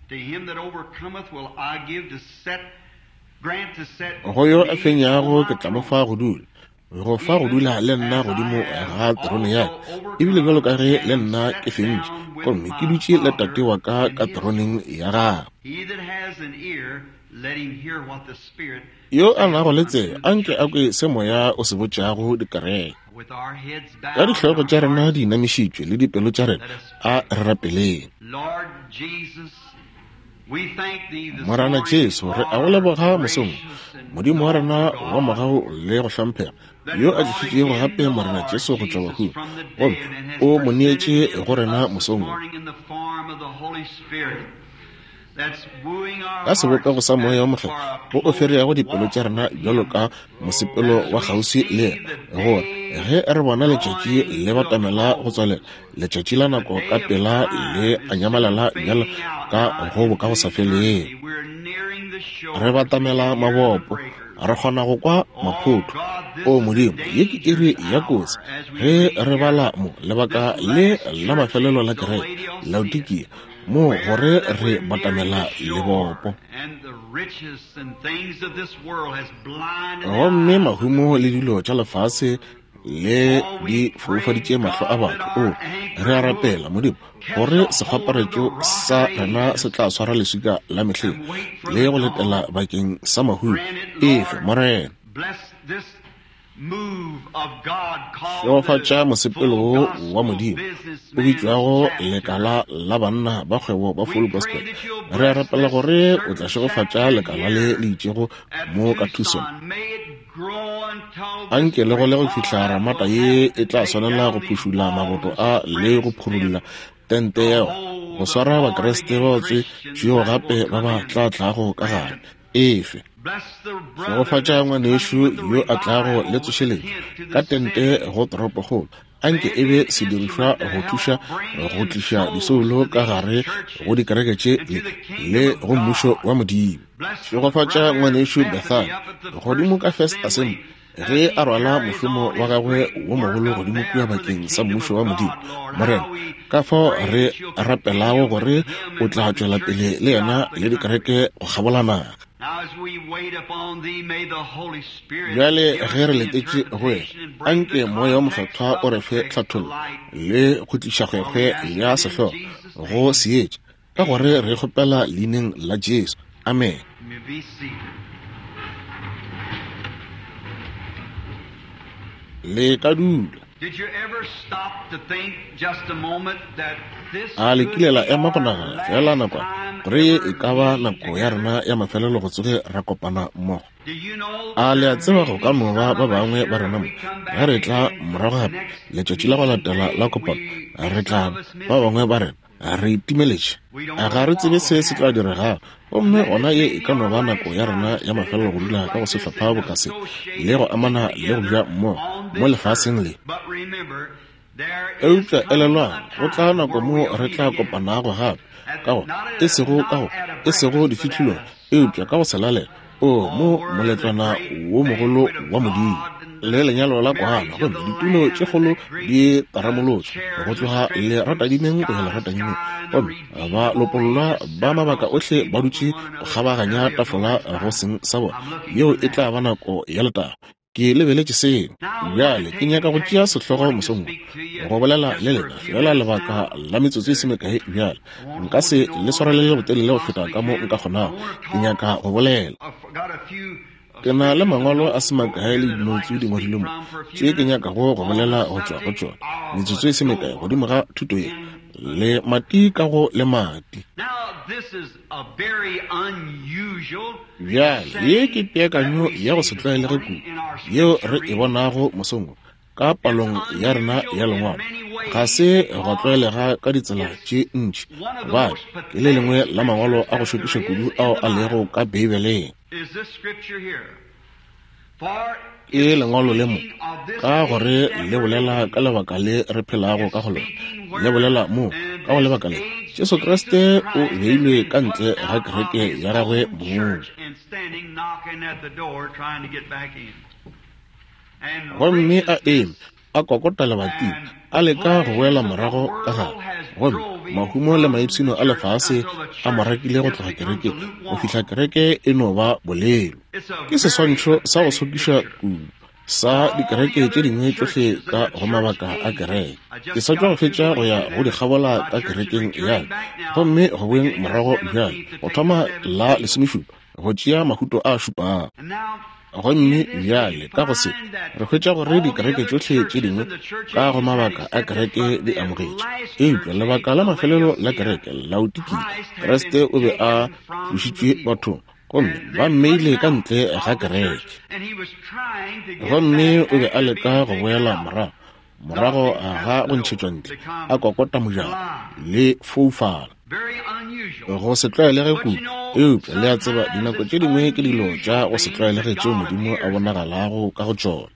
Go yo a fenyago ke tla mo fa go dula, go fa go dula le nna godimo ga terone ya ka, ebile bjalo ka ge le nna ke fentše gomme ke dutše le Tate wa ka ka teroneng ya gagwe. Yo a nago le tsebe a nke a kwe se moya o se botšago dikereke. Ka dihlogo tša rena di inamišitšwe le dipelo tša rena, a re rapeleng. Morena Jesu, re a go leboga mosong, Modimo wa rena wa mogau le go hlomphega, yo a tlišitšego gape Morena Jesu go tšwa bahung, gomme o mo neetše go rena mosong wo. Ka sebopego sa moya wa Mokgethwa wo o fereago dipelo tša rena bjalo ka mosepelo wa kgauswi le yena, gore ge re bona letšatši le batamela go tswalela, letšatši la nako ka pela le a nyamalala bjalo ka go bo ka go sa feleng. Re batamela mabopo, re kgona go kwa maphotho. O Modimo, ye ke iri ya kotsi ge re bala mo lebaka le la mafelelo la kereke Laodikia, mo gore re batamela lebopo. Gomme mahumo le dilo tša lefase le di foufaditše mahlo a batho. O re a rapela Modimo gore sekgwaparetšo sa rena se tla swara leswika la mehleng le go letela bakeng sa mahumo. Efe Morena, šegofatša mosepelo wo wa Modimo o bitšwago lekala la banna ba kgwebo ba Full Gospel. Re a rapela gore o tla šegofatša lekala le le itšego mo ka Tucson. Anke le go le go fihla ramata ye e tla swanela go phušula maboto a le go phurulla tente yeo go swara Bakriste ba tswetšwego gape ba ba tla tlago ka gare. Efe šegofatša ngwanešu yo a tlago le tsošeletšo ka tente go toropokgolo. Anke e be sedirišwa go thuša go tliša disoulo ka gare go dikereke tše le go mmušo wa Modimo. Šegofatša ngwanešu Bethany godimo ka First Assembly ge a rwala mošomo wa gagwe wo mogolo godimo kua bakeng sa mmušo wa Modimo. Morena, ka fao re rapelago gore o tla tšwela pele le yena le dikereke go kgabola naga. Bjale ge re letetše go wena, anke Moya wo Mokgethwa o re fe tlhathollo le go tliša kgwekgwe ya sehlogo go seetša, ka gore re kgopela leineng la Jesu. Amen. Le ka dula. A le kile la ema go nagana fela nakwana gore ye e ka ba nako ya rena ya mafelelo go tsoge ra kopana mmogo? A le a tseba go ka no ba ba bangwe ba rena mo ge re tla morago gape letšatši la go latela la kopano, re tla ba bangwe ba rena re itimeletše, ga re tsebe se se tla diregago. Gomme gona ye e ka no ba nako ya rena ya mafelelo go dula ka go sehlopha boka se le go amana le go ja mmogo mo lefaseng le. Eupša elelwang, go tla nako mo re tla kopanago gape, ka go e sego ka go e sego difihlolong, eupša ka go selalela o mo moletlwana wo mogolo wa Modimo le lenyalo la kwana. Gomme ditulo tše kgolo di taramolotšwe go tloga leratadimeng go ya leratadimeng, gomme ba lopollwa ba mabaka ohle ba dutše go kgabaganya tafola go seng sa bona. Yeo e tla ba nako ya letago. Ke lebeletše seo. Bjale ke nyaka go tšea sehlogo mosong wo go bolela le lena fela lebaka la metsotso e se mekae. Bjale nka se le swarelele botelele go feta ka mo nka kgonago. Ke nyaka go bolela. Ke na le mangwalo a se makae le dinoutsu di ngwadilwe mo tše ke nyakago go bolela go tšwa go tšona metsotso e se mekae godimo ga thuto ye le mati ka go le mati. Bjale ye ke peakanyo ya go se tlwaelege kudu yeo re e bonago mosong wo ka palong ya rena ya lengwalo. Ga se go tlwaelega ka ditsela tše ntši, gobane ke le lengwe la mangwalo a go šokiša kudu ao a lego ka Beibeleng. Ke lengwalo le mo ka gore le bolela ka lebaka le re phelago ka go lona. Le bolela mo ka go lebaka le Jesu Kriste o beilwe ka ntle ga kereke ya gagwe mong, gomme a eme a kokota lebating a leka go boela morago ka gare. Gomme mahumo le maipshino a lefase a mo rakile go tloga kerekeng go fihla kereke e no ba bolelo. Ke seswantšho sa go sokiša kudu sa dikereke tše dingwe tšohle ka go mabaka a kereke. Ke sa tšwa go fetša go ya go di kgabola ka kerekeng ya ka, gomme go boeng morago bjale go thoma la lesomešupa go tšea mahuto a šupago. Gomme bjale ka go se re hwetša gore dikereke tšohle tše dingwe ka go mabaka a kereke di amogetše, eupša lebaka la mafelelo la kereke Laodikia, Kriste o be a tlošitšwe bathong gomme ba mmeile ka ntle ga kereke. Gomme o be a leka go boela morago morago ga go ntšhetšwa ntle, a kokota mojako le foufala. Go se tlwaelege kudu, eupša le a tseba dinako tše dingwe ke dilo tša go se tlwaelege tšeo Modimo a bonagalago ka go tšona.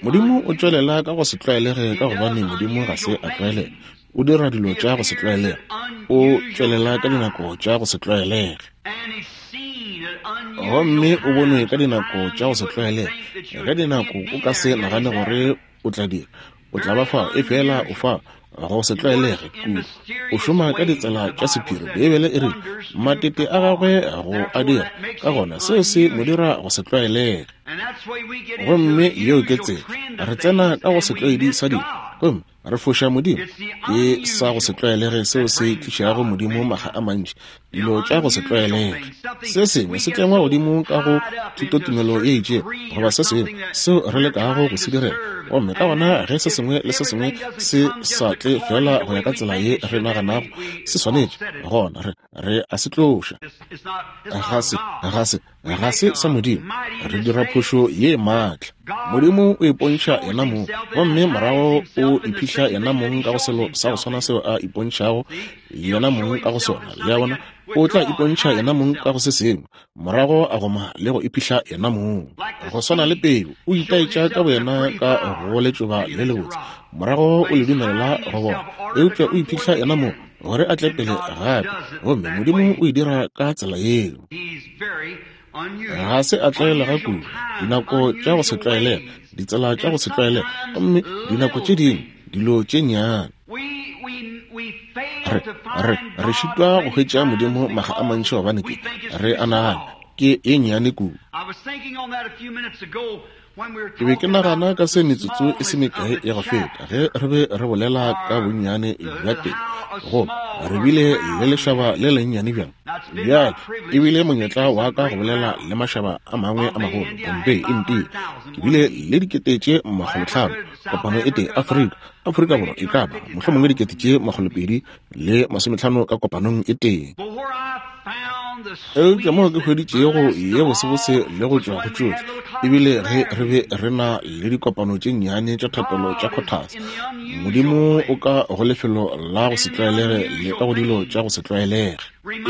Modimo o tšwelela ka go se tlwaelege ka gobane Modimo ga se a tlwaelega. O dira dilo tša go se tlwaelege. O tšwelela ka dinako tša go se tlwaelege. Gomme o bonwe ka dinako tša go se tlwaelege. Ge dinako o ka se nagane gore o tla dira, o tla ba fa, efela o fa go se tlwaelege kudu. O šoma ka ditsela tša sephiri. Beibele e re matete a gagwe go a dira, ka gona seo se mo dira go se tlwaelege. Gomme yeo ke tsela re tsena ka go setlwaedi sa dilo, gomme re foša Modimo. Ke sa go se tlwaelege seo se tlišago Modimo maga a mantši, dilo tša go se tlwaelege. Se sengwe se tlengwa godimo ka go thutotumelo ye itšego, goba se sengwe seo re lekago go se direla. Gomme ka gona ge se sengwe le se sengwe se sa tle fela go ya ka tsela ye re naganago se swanetše, gona re re a se tloša. Ga se, ga se, ga se sa Modimo. Re dira phošo ye maatla. Modimo o ipontšha yena mong, gomme morago o iphihla yena mong ka go selo sa go swana seo a ipontšhago yena mong ka go sona. Le a bona? O tla ipontšha yena mong ka go se sengwe, morago a goma le go iphihla yena mong. Go swana le peu, o itaetša ka boyena ka go letšoba le lebotse, morago o le dumelela go bona, eupša o iphihla yena mong gore a tle pele gape. Gomme Modimo o e dira ka tsela yeo. Ga se a tlwaelega kudu, dinako tša go se tlwaelege, ditsela tša go se tlwaelege, gomme dinako tše dingwe dilo tše nnyane. Re, re, re šitwa go hwetša Modimo maga a mantši gobane ke re a nagana ke e nnyane kudu. Ke be ke nagana ka se metsotso e se mekae ya go feta ge re be re bolela ka bonnyane bja teng, goba re bile le lešaba le lennyane bjang. Bjale e bile monyetla wa ka go bolela le mašaba a mangwe a magolo, Bombay, India. Ke bile le dikete tše makgolotlhano kopano e tee Afrika, Afrika Borwa e ka ba mohlomongwe dikete tše makgolopedi le masometlhano ka kopanong e tee. Eupša moo ke hweditšego ye bosebose le go tšwa go tšohle, ebile ge re be re na le dikopano tše nnyane tša thapelo tša kgothatsa. Modimo o ka go lefelo la go se tlwaelege le ka go dilo tša go se tlwaelege.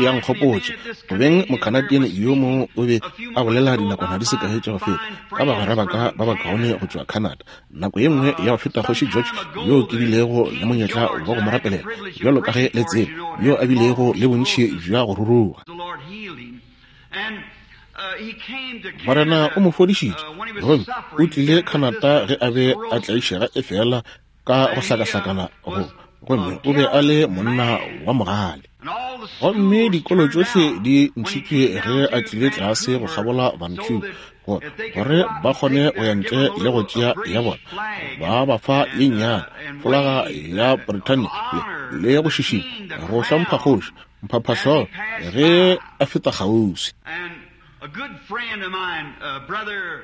Ya nkgopotša go beng Mocanadian yo mongwe o be a bolela dinakwana di se kae tša go feta ka bagwera ba ka ba bakaone go tšwa Canada. Nako ye nngwe ya go feta Kgoši George, yo ke bilego le monyetla wa go mo rapelela, bjalo ka ge le tseba, yo a bilego le bontši bja go ruruga. Morena o mo fodišitše, gomme o tlile Canada ge a be a tlaišega efela ka go hlakahlakana go, gomme o be a le monna wa mogale. Gomme dikolo tšohle di ntšhitšwe ge a tlile tlase go kgabola Vancouver, gore ba kgone go ya ntle le go tšea ya bona. Ba ba fa ye nnyane folaga ya Britannia le go šišinya go hlompha kgoši mphaphahlogo ge a feta kgauswi.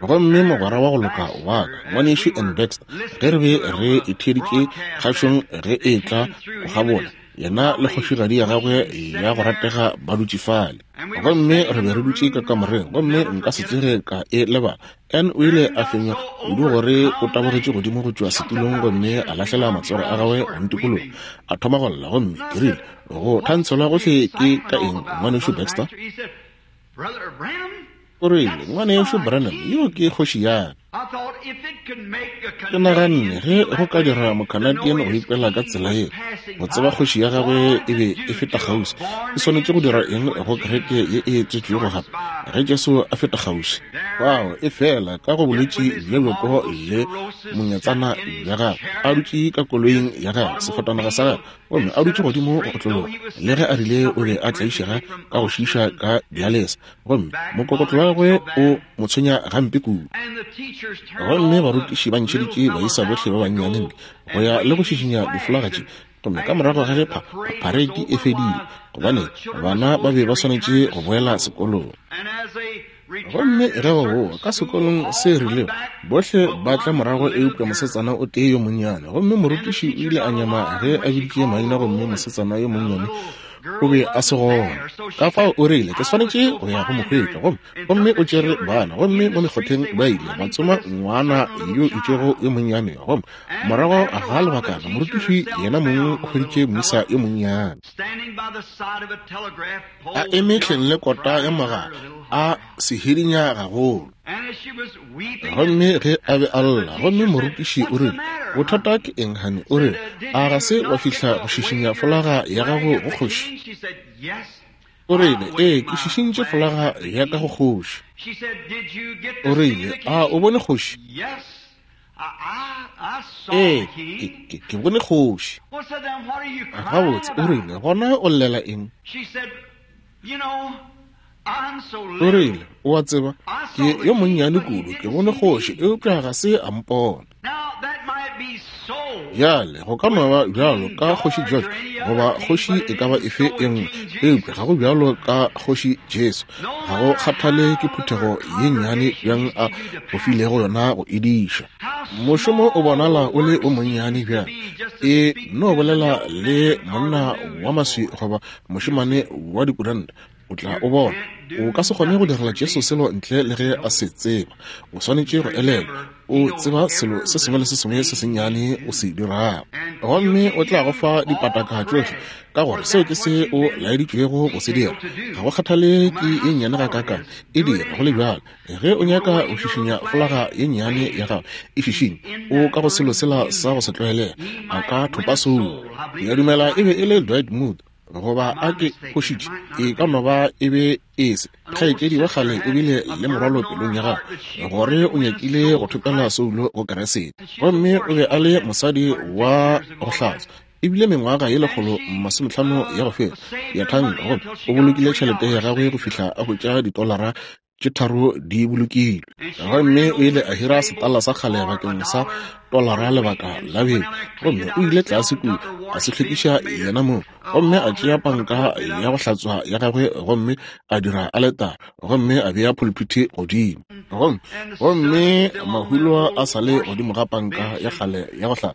Gomme mogwera wa go loka wa ka, ngwanešu N. Baxter, ge re be re itheeditše kgašong ge e tla go kgabola, yena le kgošigadi ya gagwe ya go ratega ba dutše fale. Gomme re be re dutše ka kamoreng, gomme nka se tsoge ka e lebala. N o ile a fenywa kudu gore o tabogetše godimo go tšwa setulong gomme a lahlela matsogo a gagwe go ntikologa, a thoma go lla. Gomme ke rile, go thantshelwa gohle ke ka eng, ngwanešu Baxter? O rile, ngwanešu Branham, yo ke kgoši ya ka. Ke naganne ge go ka dira Mocanadian go ikwela ka tsela ye, go tseba kgoši ya gagwe e be e feta kgauswi, e swanetše go dira eng go kereke ye e tswetšwego gape ge Jesu a feta kgauswi? Fao e fela ka go bolwetši bja bjoko le monyetsana bja gagwe, a dutše ka koloing ya gagwe, sefatanaga sa gagwe, gomme a dutše godimo go otlologa, le ge a rile o be a tlaišega ka go šiiša ka dialesa, gomme mokokotlo wa gagwe o mo tshwenya gampe kudu. Gomme barutiši ba ntšheditše baisa bohle ba bannyane ntle go ya le go šišinya difolaga tše, gomme ka morago ga ge phareiti e fedile, gobane bana ba be ba swanetše go boela sekolong. Gomme ge ba boa ka sekolong se rilego, bohle ba tla morago eupša mosetsana o tee yo monnyane. Gomme morutiši o ile a nyama ge a biditše maina, gomme mosetsana yo monnyane o be a se gona. Ka fao o rile, ke swanetše go ya go mo hwetša. Gomme gomme o tšere bana, gomme mo mekgotheng ba ile ba tsoma ngwana yo itšego yo monnyane. Gomme morago ga lebakana morutiši yena mong o hweditše moisa yo monnyane a eme hleng le kota ya mogala, a sehidinya gagolo. Gomme ge a be a lla, gomme morutiši o rile, bothata ke eng, honey? O rile, a ga se wa fihla go šišinya folaga ya gago go kgoši? O rile, ee, ke šišintše folaga ya ka go kgoši. O rile, a o bone kgoši? Ee, ke, ke, ke bone kgoši. Gabotse, o rile, gona o llela eng? O rile, o a tseba, ke yo monnyane kudu, ke bone kgoši, eupša ga se a mpona. Bjale, go ka no ba bjalo ka kgoši George goba kgoši e ka ba efe e nngwe, eupša ga go bjalo ka kgoši Jesu. Ga go kgathale ke phuthego ye nnyane bjang a go filego yona go ediša. Mošomo o bonala o le o monnyane bjang. E no bolela le monna wa maswi goba mošemane wa dikuranta, o tla o bona. O ka se kgone go direla Jesu selo ntle le ge a se tseba. O swanetše go elelwa, o tseba selo se sengwe le se sengwe se sennyane o se dirago, gomme o tla go fa dipataka tšohle, ka gore seo ke se o laeditšwego go se dira. Ga go kgathale ke ye nnyane gakaakang, e dira go le bjalo. Ge o nyaka go šišinya folaga ye nnyane ya gago, e šišinye. O ka go selo sela sa go se tlwaelega, a ka thopa soulo. Ke a dumela e be e le Dwight Moody, goba a ke phošitše, e ka no ba e be e se. Kgaetšedi wa kgale o bile le morwalo pelong ya gagwe gore o nyakile go thopela soulo go Keresete, gomme o be a le mosadi wa go hlatswa. Ebile mengwaga ye lekgolo masometlhano ya go feta ya thanka, gomme o bolokile tšhelete ya gagwe go fihla a hwetša ditolara tše tharo di bolokilwe. Gomme o ile a hira setala sa kgale bakeng sa tolara lebaka la beke, gomme o ile tlase kua a se hlwekiša yena mong, gomme a tšea panka ya go hlatswa ya gagwe gomme a dira aletara, gomme a bea pulpiti godimo, gomme gomme mahulo a sa le godimo ga panka ya kgale ya go hlatswa.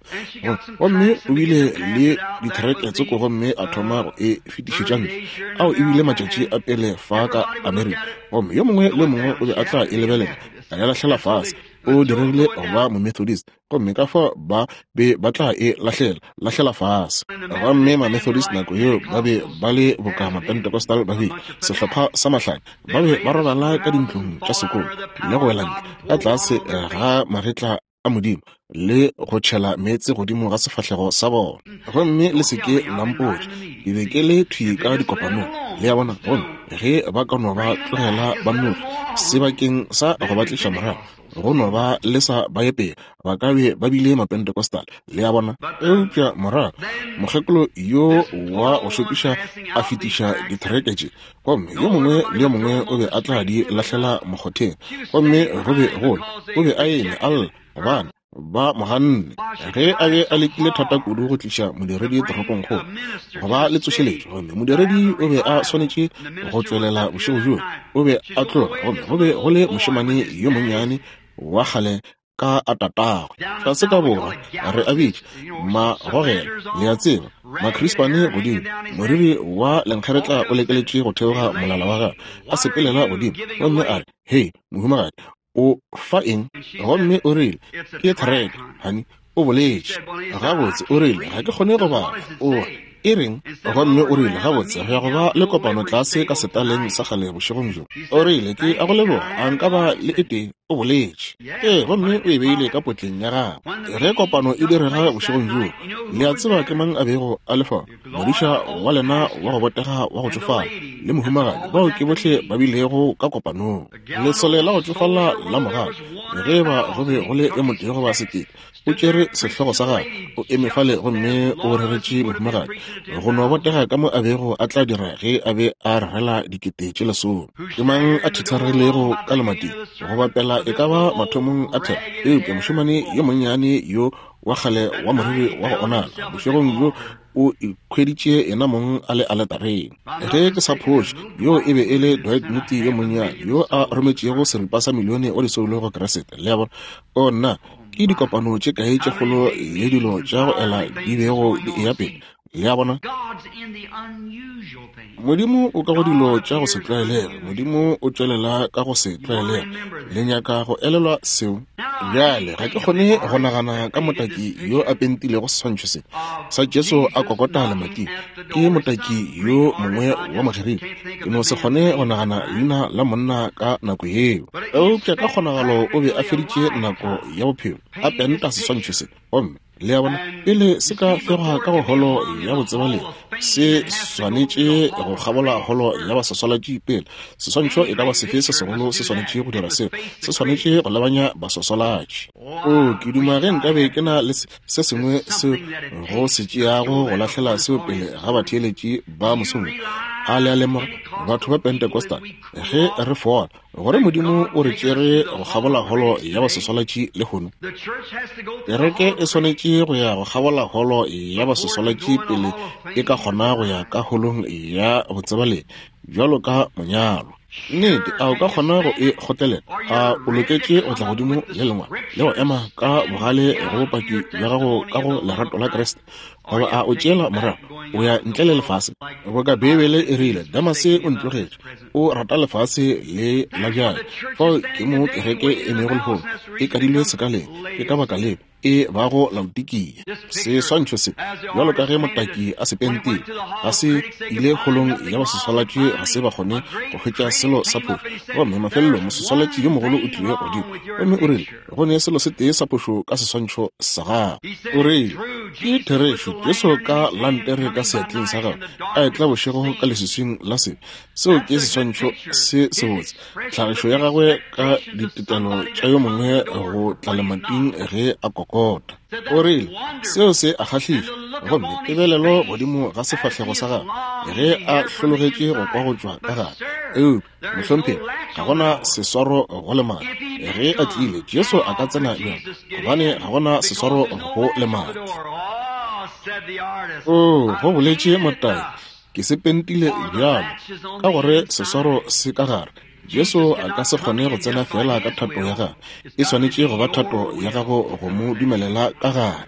Gomme o bile le dithereke tsoko, gomme a thoma go e fetišetša ntle. Ao ebile matšatši a pele fa ka Amerika, gomme yo mongwe le mongwe o be a tla e lebelela, a ya lahlela fase. O diregile go ba Momethodist, gomme ka fao ba be ba tla e lahlela lahlela fase. Gomme Mamethodist nako yeo ba be ba le boka Mapentecostal ba bile sehlopha sa mahlanya, ba be ba robala ka dintlong tša sekolo le go wela ntle ka tlase ga magetla a Modimo le go tšhela meetse godimo ga sefahlego sa bona. Gomme le se ke la mpotša, ke be ke le thwi ka dikopanong, le a bona. Gomme ge ba ka no ba tlogela ba nnoši sebakeng sa go ba tliša morago, go no ba le sa ba ye pele, ba ka be ba bile Mapentecostal, le a bona. Eupša morago mokgekolo yo wa go šokiša a fetiša dithereke tše, gomme yo mongwe le yo mongwe o be a tla di lahlela mokgotheng, gomme go be gole o be a eme a lla gobane ba moganne. Ge a be a lekile thata kudu go tliša modiredi toropongkgolo go ba le tsošeletšo, gomme modiredi o be a swanetše go tšwelela bošego bjoo, o be a tloga, gomme go be go le mošemane yo monnyane wa kgale ka a tatagwe tlase ka borwa, re a bitša magogela, le a tseba, Macrispane godimo, moriri wa lenkgeretla o lekeletše go theoga molala wa gagwe, a sepelela godimo, gomme a re, hei mohumagadi, o fa eng? Gomme o rile, ke thereke, honey, o boletše. Gabotse, o rile, ga ke kgone go bala. O e reng? Gomme o rile, gabotse, re ya go ba le kopano tlase ka setaleng sa kgale bošegong bjo. O rile, ke a go leboga, a nka ba le e tee? O boletše. Ee, gomme o e beile ka potleng ya gagwe. Ge kopano e direga bošegong bjo, le a tseba ke mang a bego a le fa? Modiša wa lena wa go botega wa go tšofala le mohumagadi, bao ke bohle ba bilego ka kopanong. Lesole la go tšofala la mogala, ge ba go be go le e motee goba sekete, o tšere sehlogo sa gagwe, o eme fale gomme o reretše mohumagadi go no botega ka mo a bego a tla dira ge a be a rerela dikete tše lesome. Ke mang a thitharilego ka lemating go bapela e ka ba mathomong a thero? Eupša mošemane yo monnyane yo wa kgale wa moriri wa go onala bošegong bjo o ikhweditše yena mong a le aletareng. Ge ke sa phoše, yo e be e le Dwight Moody yo monnyane yo a rometšego seripa sa milione wa disoulo go Keresete. Le a bona? O nna, ke dikopano tše kae tše kgolo le dilo tša go ela di bego di eya pele. Le a bona? Modimo o ka go dilo tša go se tlwaelege. Modimo o tšwelela ka go se tlwaelege. Le nyaka go elelwa seo? Bjale ga ke kgone go nagana ka motaki yo a pentilego seswantšho se sa Jesu a kokota lemating. Ke motaki yo mongwe wa Mogerika. Ke no se kgone go nagana leina la monna ka nako yeo. Eupša ka kgonagalo o be a feditše nako ya bophelo a penta seswantšho se. Gomme le a bona, pele se ka fegwa ka go holo ya botsebalegi, se swanetše go kgabola holo ya baswaswalatši pele. Seswantšho e ka ba sefe se segolo se swanetše go dira seo, se swanetše go lebanya baswaswalatši. O, ke duma ge nkabe ke na le se sengwe seo go se tšeago go lahlela seo pele ga batheeletši ba mosong. A le a lemoga, batho ba Pentecostal, ge re fola, gore Modimo o re tšere go kgabola holo ya baswaswalatši lehono. Kereke e swanetše go ya go kgabola holo ya baswaswalatši pele e ka kgona go ya ka holong ya botsebalegi bjalo ka monyalo. Nnete, a o ka kgona go e kgotlelela? A o loketše go tla godimo le lengwalo le go ema ka bogale go bopaki bja gago ka go lerato la Kriste? Goba a o tšeela morago o ya ntle le lefase? Boka Beibele e rile, Damase o ntlogetše, o rata lefase le la bjale. Fao ke mo kereke e emego lehono, e kadilwe sekaleng, ke ka baka leo e bago Laodikia. Seswantšho se, bjalo ka ge motaki a se pentile, ga se ile holong ya baswaswalatši, ga se ba kgone go hwetša selo sa phošo. Gomme mafelelong moswaswalatši yo mogolo o tlile godimo gomme o rile, go ne selo se tee sa phošo ka seswantšho sa gago. O rile, ke therešo, Jesu ka lantere ka seatleng sa gagwe a etla bošego ka leswiswing la sebe. Seo ke seswantšho se sebotse, tlhagišo ya gagwe ka ditetelo tša yo mongwe go tla lemating ge a kokota. O rile, seo se a kgahliša. Gomme tebelelo godimo ga sefahlego sa gagwe ge a hlologetše go kwa go tšwa ka gare. Eupša mohlomphegi, ga gona seswaro go lemati. Ge a tlile, Jesu a ka tsena bjang? Gobane ga gona seswaro go lemati. O, go boletše motaki, ke se pentile bjalo ka gore seswaro se ka gare. Jesu a ka se kgone go tsena fela ka thato ya gagwe. E swanetše go ba thato ya gago go mo dumelela ka gare.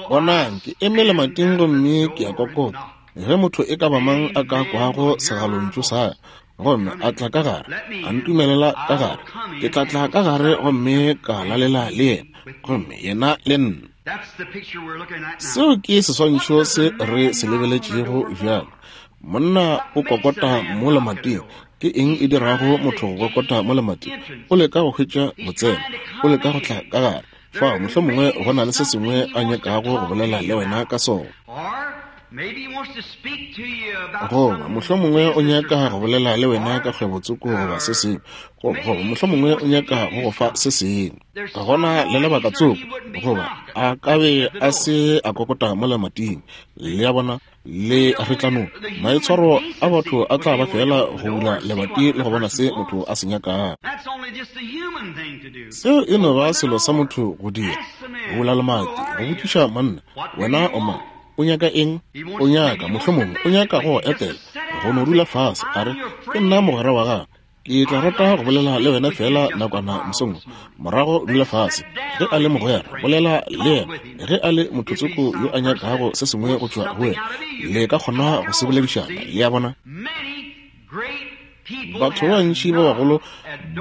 Bonang, ke eme lemating gomme ke a kokota. Ge motho e ka ba mang a ka kwago segalontšu sa ka gomme a tla ka gare, a ntumelela ka gare, ke tla tla ka gare gomme ka lalela le yena, gomme yena le nna. Seo ke seswantšho se re se lebeletšego bjalo. Monna o kokota mo lemating. Ke eng e dirago motho go kokota mo lemating? O leka go hwetša botseno, o leka go tla ka gare. Fao mohlomongwe go na le se sengwe a nyakago go bolela le wena ka sona. Goba mohlomongwe o nyaka go bolela le wena ka kgwebotsoko goba se sengwe. Goba mohlomongwe o nyaka go go fa se sengwe. Gona le lebaka tsoko, goba a ka be a se a kokota mo lemating. Le a bona, le retlanong, maitshwaro a batho a tla ba fela go bula lebati le go bona se motho a se nyakago. Seo e no ba selo sa motho go dira, go bula lemati, go botšiša monna, wena o mang? O nyaka eng? O nyaka, mohlomongwe o nyaka go etela, go no dula fase, a re, ke nna mogwera wa gago. Ke tla rata go bolela le wena fela nakwana mosong. Morago dula fase. Ge a le mogwera, bolela le yena. Ge a le mothotsoko yo a nyakago se sengwe go tšwa go wena, le ka kgona go se boledišana. Le a bona? Batho ba bantši ba bagolo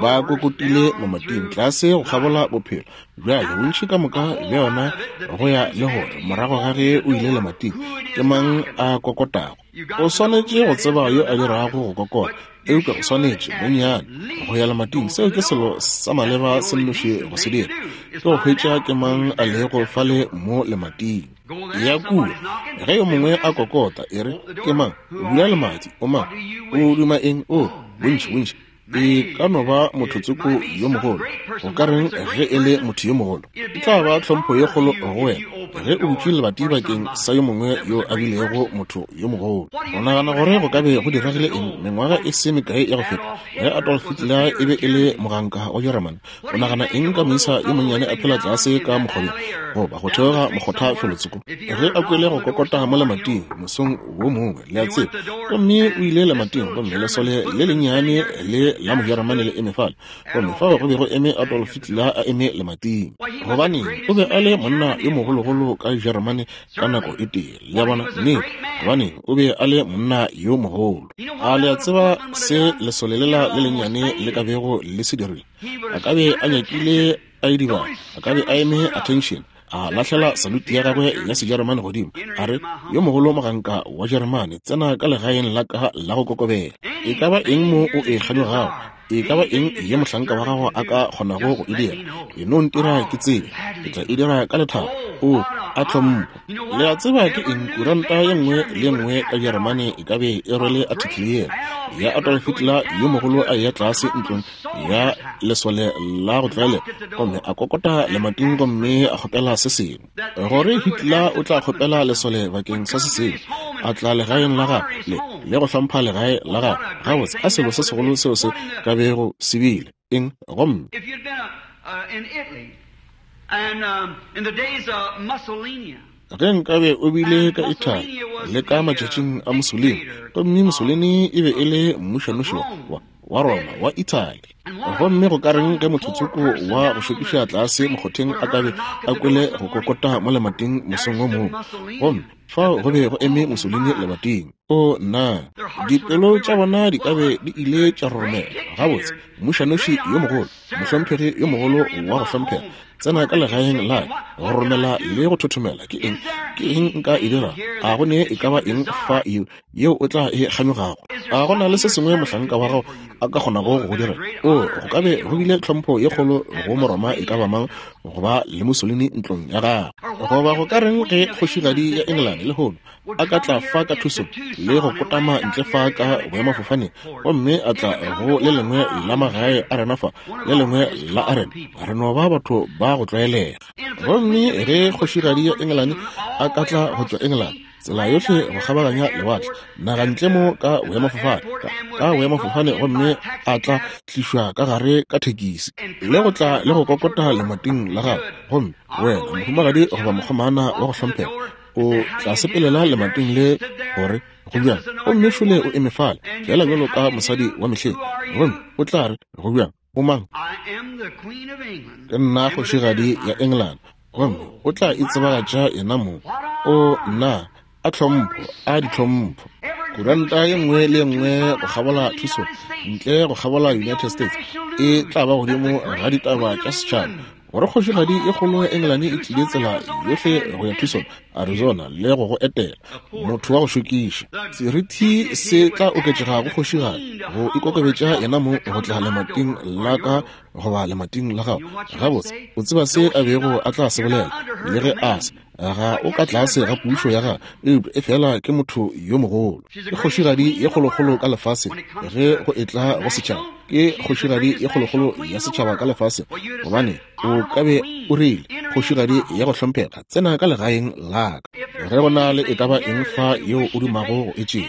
ba kokotile mamating tlase go kgabola bophelo. Bjale bontši ka moka bja yona go ya le gore morago ga ge o ile lemating, ke mang a kokotago. O swanetše go tseba yo a dirago go kokota, eupša o swanetše bonnyane go ya lemating. Seo ke selo sa maleba se nnoši go se dira, ke go hwetša ke mang a lego fale mo lemating. Ya kua, ge yo mongwe a kokota, e re, ke mang? Bula lemati, o mang? O duma eng? O, bontši, bontši. E ka no ba mothotsoko yo mogolo. Go ka reng ge e le motho yo mogolo? E tla ba tlhompho ye kgolo go wena ge o butše lebati bakeng sa yo mongwe yo a bilego motho yo mogolo. O nagana gore go ka be go diregile eng mengwaga e se mekae ya go feta ge Adolf Hitler e be e le moganka wa Jeremane? O nagana eng ka moisa yo monnyane a phela tlase ka mokgobeng goba go theoga mokgotha felotsoko ge a kwele go kokota mo lemating mosong wo mongwe, le a tseba? Gomme o ile lemating, gomme lesole le lennyane le la Mojeremane le eme fale, gomme fao go be go eme Adolf Hitler a eme lemating. Gobaneng, o be a le monna yo mogologolo bagolo ka Jeremane ka nako e tee. Le a bona? Nnete, gobane o be a le monna yo mogolo. A le a tseba se lesole lela le lennyane le ka bego le se dirile? A ka be a nyakile a idibala, a ka be a eme attention, a lahlela saluti ya gagwe ya Sejeremane godimo, a re, yo mogolo moganka wa Jeremane, tsena ka legaeng la ka la go kokobela. E ka ba eng mo o e kganyogago, e ka ba eng ye mohlanka wa gago a ka kgonago go e dira, e no ntira ke tsebe, ke tla e dira ka lethabo. O a tlhompho. Le a tseba ke eng? Kuranta ye nngwe le ye nngwe ka Jeremane e ka be e rwele article yela ya Adolf Hitler yo mogolo a eya tlase ntlong ya lesole la go tlwaelega gomme a kokota lemating gomme a kgopela se sengwe. Gore Hitler o tla kgopela lesole bakeng sa se sengwe, a tla legaeng la gagwe le le go hlompha legae la gagwe. Gabotse, a selo se segolo seo se ka bego se bile eng? Gomme If you'd been uh, in Italy and um, in the days of Mussolini, ge nkabe o bile ka Italy le ka matšatšing a Mussolini, gomme Mussolini e be e le mmušanoši wa, wa Roma wa Italy, gomme go ka reng ge mothotsoko wa go šokiša tlase mokgotheng a ka be a kwele go kokota mo lemating mosong wo mongwe, gomme fao go be go eme Mussolini lebating. O nna, dipelo tša bona di ka be di ile tša roromela. Gabotse, mmušanoši yo mogolo, mohlomphegi yo mogolo wa go hlomphega, tsena ka legaeng la ka, go romela le go thothomela. Ke eng, ke eng nka e dira? A go ne e ka ba eng fa yeo yeo o tla e kganyogago? A go na le se sengwe mohlanka wa gago a ka kgonago go go dira? O, go ka be go bile tlhompho ye kgolo go Moroma e ka ba mang go ba le Mussolini ntlong ya gagwe. Goba go ka reng ge kgošigadi ya England lehono a ka tla fa ka thuso le go kotama ntle fa ka boemafofaneng, gomme a tla go le lengwe la magae a rena fa, le lengwe la a rena, re no ba batho ba go tlwaelega. Gomme ge kgošigadi ya England a ka tla go tšwa England, tsela yohle go kgabaganya lewatle, naga ntle mo ka boemafofane, ka boemafofane, gomme a tla tlišwa ka gare ka thekisi le go tla le go kokota lemating la gagwe, gomme wena mohumagadi goba mokgomana wa go hlomphega o tla sepelela lemating le gore go bjang, gomme šole o eme fale fela bjalo ka mosadi wa mehleng, gomme o tla re, go bjang, o mang? I am the Queen of England. Ke nna kgošigadi ya England, gomme o tla itsebagatša yena mong. O nna, a tlhompho, a ditlhompho. Kuranta ye nngwe le ye nngwe go kgabola Tucson, ntle go kgabola United States, e tla ba godimo ga ditaba tša setšhaba gore kgošigadi e kgolo ya England e tlile tsela yohle go ya Tucson, Arizona le go go etela. Motho wa go šokiša. Serithi se tla oketšega go kgošigadi go ikokobetša yena mong go tla lemating la ka goba lemating la gago. Gabotse, o tseba se a bego a tla se bolela, le ge a se ga o ka tlase ga pušo ya gagwe, eupša e fela ke motho yo mogolo. Ke kgošigadi ye kgolokgolo ka lefaseng ge go etla go setšhaba. Ke kgošigadi ye kgolokgolo ya setšhaba ka lefaseng, gobane o ka be o rile, kgošigadi ya go hlomphega, tsena ka legaeng la ka. Ge go na le e ka ba eng fa yeo o dumago go e tšea,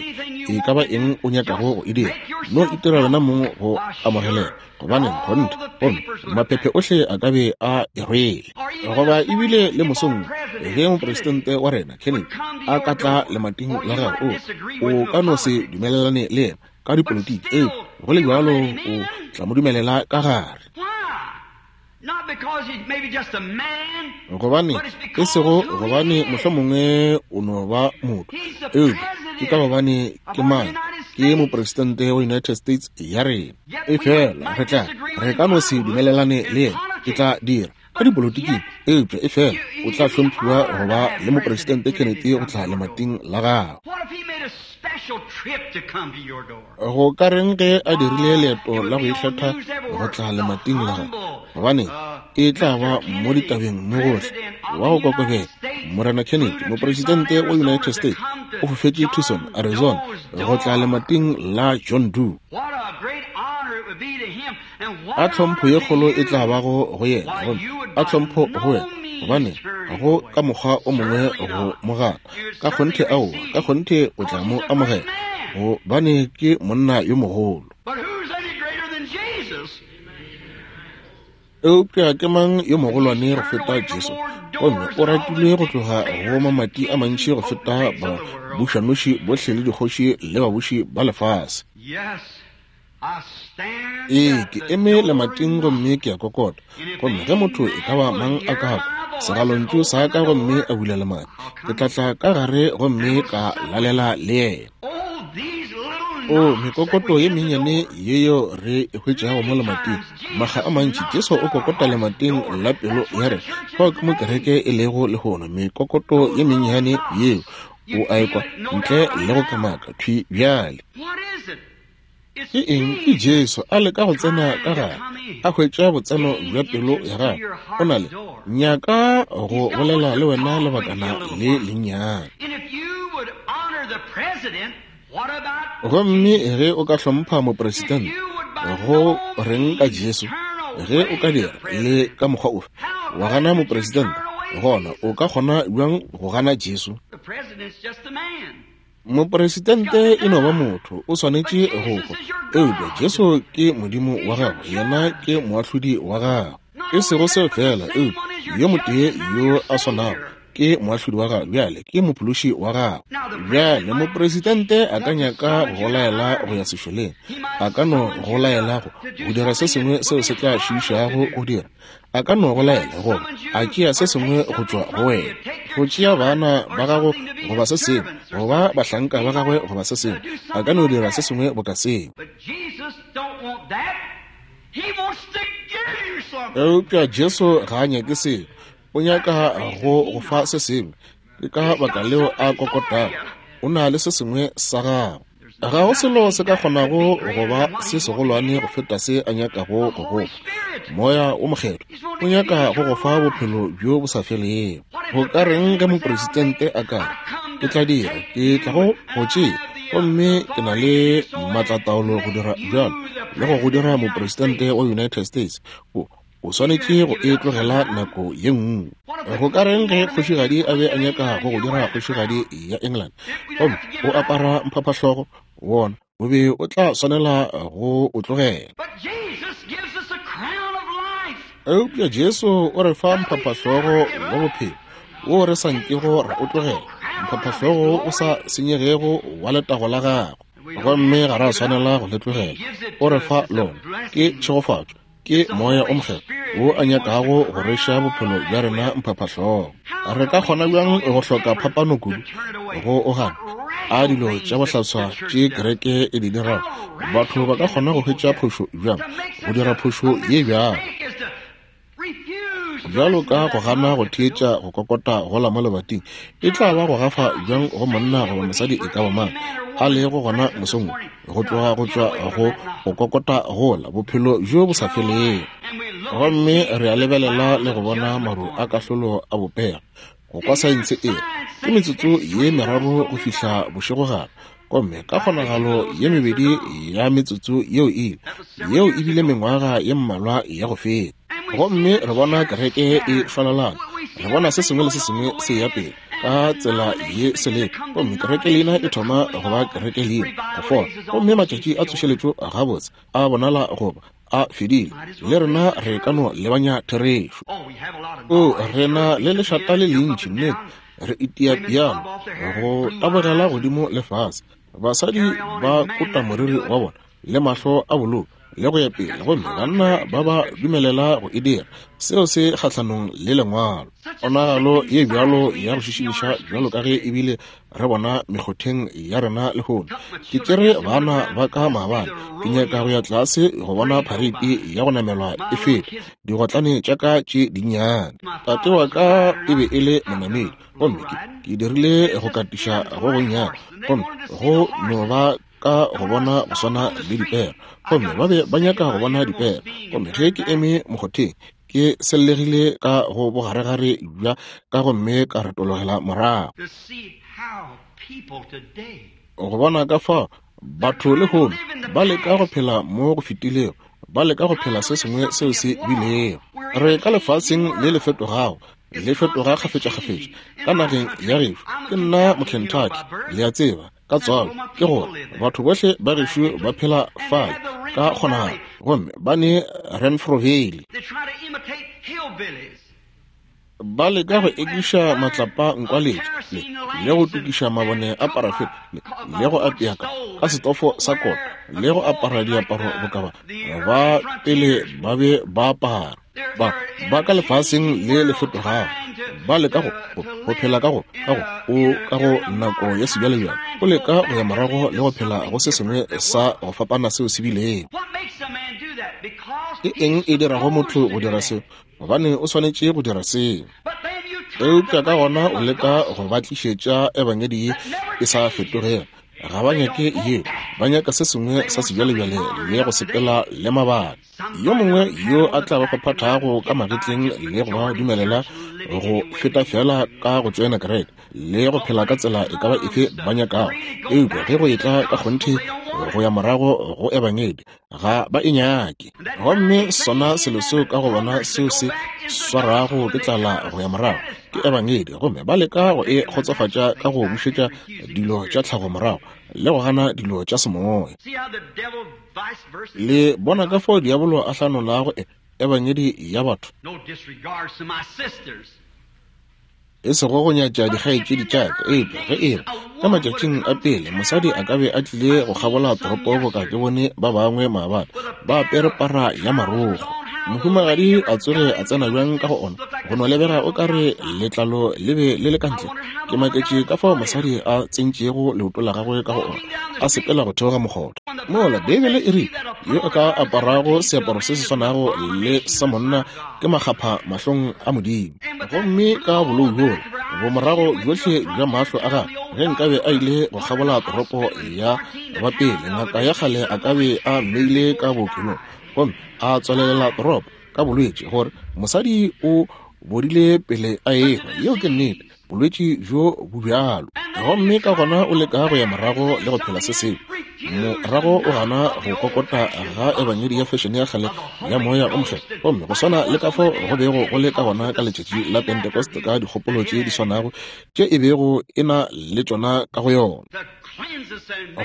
e ka ba eng o nyakago go e dira, no itira wena mong go amogelela, gobane kgonthe, gomme maphephe ohle a ka be a e rwele. Goba ebile le mosong ge mopresidente wa rena Kennedy a ka tla lemating la gagwe, o o ka no se dumelelane le yena ka dipolitiki, eupša go le bjalo o tla mo dumelela ka gare. Why? Not because he's maybe just a man, Gobane e sego gobane mohlomongwe o no ba motho, eupša ke ka gobane ke mang? Ke mopresidente wa United States ya rena. E fela re tla re ka no se dumelelane le yena, ke tla dira ka dipolitiking, eupša e fela o tla hlomphiwa go ba le mopresidente Kennedy go tla lemating la gagwe. What if he made a special trip to come to your door? Go ka reng ge a dirile leeto la go ikgetha go tla lemating la gagwe? Gobane e tla ba mo ditabeng mo gohle wa go kokobela. Morena Kennedy, mopresidente wa United States, o fofetše Tucson, Arizona, go tla lemating la John Doe. What a great honor it would be to him, and what A an tlhompho honor ye to kgolo e you. tla bago go yena, gomme a tlhompho go wena, gobane go ka mokgwa o mongwe go mo gana. Ka kgonthe aowa, ka kgonthe o tla mo amogela, gobane ke monna yo mogolo. But who's any greater than Jesus? Eupša ke mang yo mogolwane go feta Jesu? Gomme o ratile go tloga go mamati a mantši go feta babušanoši bohle le dikgoši le babuši ba lefase. Yes, I stand Ee, at ke the eme door lemating and gomme knock. ke a kokota. Gomme ge motho e ka ba mang a ka kwa segalontšu sa ka gomme a bula lemati, ke tla tla ka gare gomme ka lalela le yena. O mekokoto ye mennyane yeo re e hwetšago mo lemating, makga a mantši Jesu o kokota lemating la pelo ya rena. Fao ke mo kereke e lego lehono, mekokoto ye mennyane yeo o a ekwa ntle le go kamaka thwi bjale. Ke eng? Ke Jesu a leka go tsena ka gare, a hwetša botseno bja pelo ya gagwe. O na le nyaka go bolela le wena lebakana le lennyane. Gomme ge o ka hlompha mopresidente, go reng ka Jesu? Ge o ka dira le ka mokgwa ofe wa gana mopresidente, gona o ka kgona bjang go gana Jesu? Mopresidente e no ba motho, o swanetše go hwa. Eupša Jesu ke Modimo wa gago, yena ke moahlodi wa gago. E sego seo fela, eupša yo motee yo a swanago ke moahlodi wa gago bjale, ke mophološi wa gago. Bjale mopresidente a ka nyaka go laela go ya sešoleng, a ka no go laela go go dira se sengwe seo se tla šiišago go dira, a ka no go laela goba a tšea se sengwe go tšwa go wena, go tšea bana ba gago goba se sengwe, goba bahlanka ba gagwe goba se sengwe, a ka no dira se sengwe boka seo. Eupša Jesu ga a nyake seo, o nyaka go go fa se sengwe. Ke ka baka leo a kokotago, o na le se sengwe sa gago. Ga go selo se ka kgonago go ba se segolwane go feta se a nyakago go go fa. Moya o Mokgethwa o nyaka go go fa bophelo bjo bo sa felego. Go ka reng ge mopresidente a ka re, ke tla dira, ke tla go go tšea, gomme ke na le maatlataolo go dira bjalo le go go dira mopresidente wa United States, o o swanetše go e tlogela nako ye nngwe. Go ka reng ge kgošigadi a be a nyaka go go dira kgošigadi ya England, gomme o apara mphaphahlogo wona, o be o tla swanela go o tlogela. Eupša Jesu o re fa mphaphahlogo wa bophelo wo re sa nkego ra o tlogela, mphaphahlogo o sa senyegego wa letago la gagwe, gomme ga ra swanela go le tlogela. O re fa lona, ke tšhegofatšo, ke Moya o Mokgethwa wo a nyakago go reša bophelo bja rena mphaphahlogo. Re ka kgona bjang go hloka phapano kudu go o gana a dilo tša bohlaswa tše kereke e di dirago? Batho ba ka kgona go hwetša phošo bjang, go dira phošo ye bjalo? Bjalo ka go gana go theetša go kokota gola mo lebating, e tla ba go gafa bjang go monna goba mosadi e ka ba mang a lego gona mosong go tloga go tšwa go go kokota gola bophelo bjo bo sa felego. Gomme re a lebelela le go bona maru a kahlolo a bopega. Go kwa saense e ke metsotso ye meraro go fihla bošegogare, gomme ka kgonagalo ye mebedi ya metsotso yeo ile yeo e bile mengwaga ye mmalwa ya go feta. Gomme re bona kereke e šwalalana, re bona se sengwe le se sengwe se ya pele ka tsela ye sele, gomme kereke leina e thoma go ba kereke leina go fola, gomme matšatši a tsošeletšo gabotse a bonala goba a fedile, le rena re ka no lebanya therešo. O rena le lešata le lentši, nnete re itia piano go tabogela godimo le fase, basadi ba kota moriri wa bona le mahlo a bolou le go ya pele, gomme banna ba ba dumelela go e dira. Seo se kgahlanong le lengwalo. Ponagalo ye bjalo ya go šišiša bjalo ka ge ebile re bona mekgotheng ya rena lehono. Ke tšere bana ba ka maabane, ke nyaka go ya tlase go bona phareiti ya go namelwa e feta digotlane tša ka tše dinnyane. Tate wa ka e be e le monamedi, gomme ke, ke dirile go katiša go gonnyane, gomme go no ba ka go bona go swana le dipere, gomme ba be ba nyaka go bona dipere. Gomme ge ke eme mokgotheng, ke sellegile ka go bogaregare bja ka gomme ka retologela morago go bona ka fao batho lehono ba leka go phela mo go fetilego, ba leka go phela se sengwe seo se bilego. Re ka lefaseng le le fetogago, le fetoga kgafetšakgafetša. Ka nageng ya gešo, ke nna Mokentucky, le a tseba ka tswalo, ke gore batho bohle ba gešo ba phela fale ka kgonagalo, gomme ba ne Renfro Valley. Ba leka go ekiša matlapa nkwaletša le, le go tukiša mabone a parafene le, le go apea ka, ka setofo sa kota le go apara diaparo boka ba ba pele ba be ba apara. Ba ba ka lefaseng le le fetogago, ba leka go go phela ka go ka go o ka go nako ya sebjalebjale, o leka go ya morago le go phela go se sengwe sa go fapana seo se bilego. Ke eng e dirago motho go dira seo? Gobane o swanetše go dira seo. Eupša ka gona o leka go ba tlišetša ebangedi ye e sa fetogego. Ga ba nyake yeo, ba nyaka se sengwe sa sebjalebjale le go sepela le mabaka. Yo mongwe yo a tla ba phaphathago ka magetleng le go ba dumelela go feta fela ka go tšoena kereke le go phela ka tsela e ka ba efe ba nyakago. Eupša ge go etla ka kgonthe go ya morago go ebangedi, ga ba e nyake. Gomme sona selo seo ka go bona seo se swarago ke tlala go ya morago ke ebangedi, gomme ba leka go e kgotsofatša ka go bušetša dilo tša tlhago morago le go gana dilo tša semoya. Le bona ka fao diabolo a hlanolago ebangedi ya batho, e sego go nyatša dikgaetšedi tša ka, eupša ge e ba ka matšatšing a pele mosadi a ka be a tlile go kgabola toropo boka ke bone ba bangwe maabane ba apere para ya marokgo, mohumagadi a tsoge a tsena bjang ka go ona, go no lebega o ka re letlalo le be le le ka ntle. Ke maketše ka fao mosadi a tsentšego leoto la gagwe ka go ona, a sepela go theoga mokgotha. Mola Beibele e rile yo a ka aparago seaparo se se swanago le sa monna ke makgapha mahlong a Modimo. Gomme ka bolou bjola bomorago bjohle bja mahlo a gagwe, ge nkabe a ile go kgabola toropo ya ba pele, ngaka ya kgale a ka be a mmeile ka bookelong gomme a tswalelela toropo ka bolwetši gore mosadi o bodile pele a ehwa. Yeo ke nnete, bolwetši bjo bo bjalo. Gomme ka gona o leka go ya morago le go phela se sengwe, morago o gana go kokota ga ebangedi ya fashion ya kgale ya moya o mokgethwa. Gomme go swana le ka fao go bego go le ka gona ka letšatši la Pentecost, ka dikgopolo tše di swanago tše e bego e na le tšona ka go yona,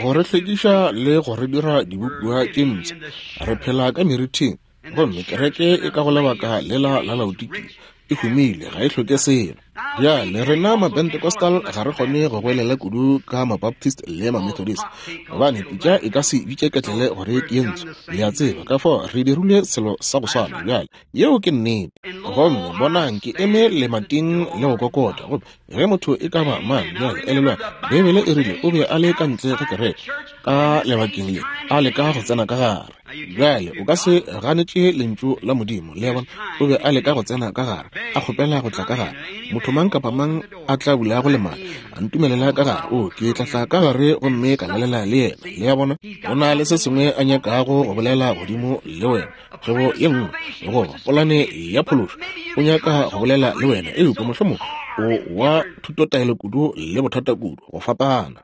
go re hlwekiša le go re dira dibopiwa tše mpsha. Re phela ka merithing, gomme kereke e ka go lebaka lela la Laodikia e humile, ga e hloke selo. Bjale rena ma-Pentecostal ga re kgone go goelela kudu ka ma-Baptist le ma-Methodist, gobane pitša e ka se bitše ketlele gore ke ye ntsho. Le a tseba, ka fao re dirile selo sa go swana. Bjale yeo ke nnete. Gomme bonang, ke eme lemating le go kokota, gomme ge motho e ka ba mang, bjale elelwang, Beibele e rile o be a le ka ntle ga kereke ka lebakeng le, a leka go tsena ka gare. Bjale o ka se ganetše lentšu la Modimo, le a bona. O be a leka go tsena ka gare, a kgopela go tla ka gare. Motho mang kapa mang a tla bulago lemati, a ntumelela ka gare, o ke tla tla ka gare gomme ka lalela le yena. Le a bona, go na le se sengwe a nyakago go bolela godimo le wena, kgwebo ye nngwe goba polane ya phološo, o nyaka go bolela le wena, eupša mohlomongwe o wa thutotaelo kudu le bothata kudu go fapana,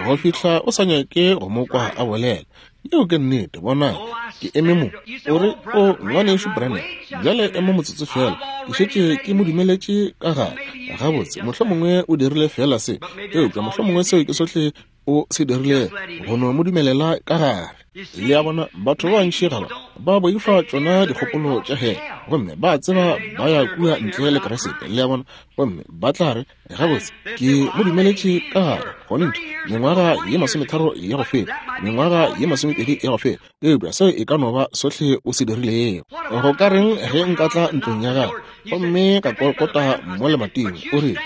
go fihla o sa nyake go mo kwa a bolela. Yeo ke nnete. Bona, ke eme mo, o re, o ngwanešu Branham, bjale ema motsotso fela, ke šetše ke mo dumeletše ka gare. Gabotse, mohlomongwe o dirile fela se, eupša mohlomongwe seo ke sohle o se dirile, go no mo dumelela ka gare. Le a bona, batho ba bantši ga ba ba boifa tšona dikgopolo tša hele, gomme ba tseba ba ya kua ntle le Kriste. Le a bona, gomme ba tla re, gabotse, ke mo dumeletše ka gare kgonthe mengwaga ye masometharo ya go feta, mengwaga ye masomepedi ya go feta, eupša seo e ka no ba sohle o se dirilego. Go ka reng ge nka tla ntlong ya gagwe gomme ka kokota mo lemating, o rile,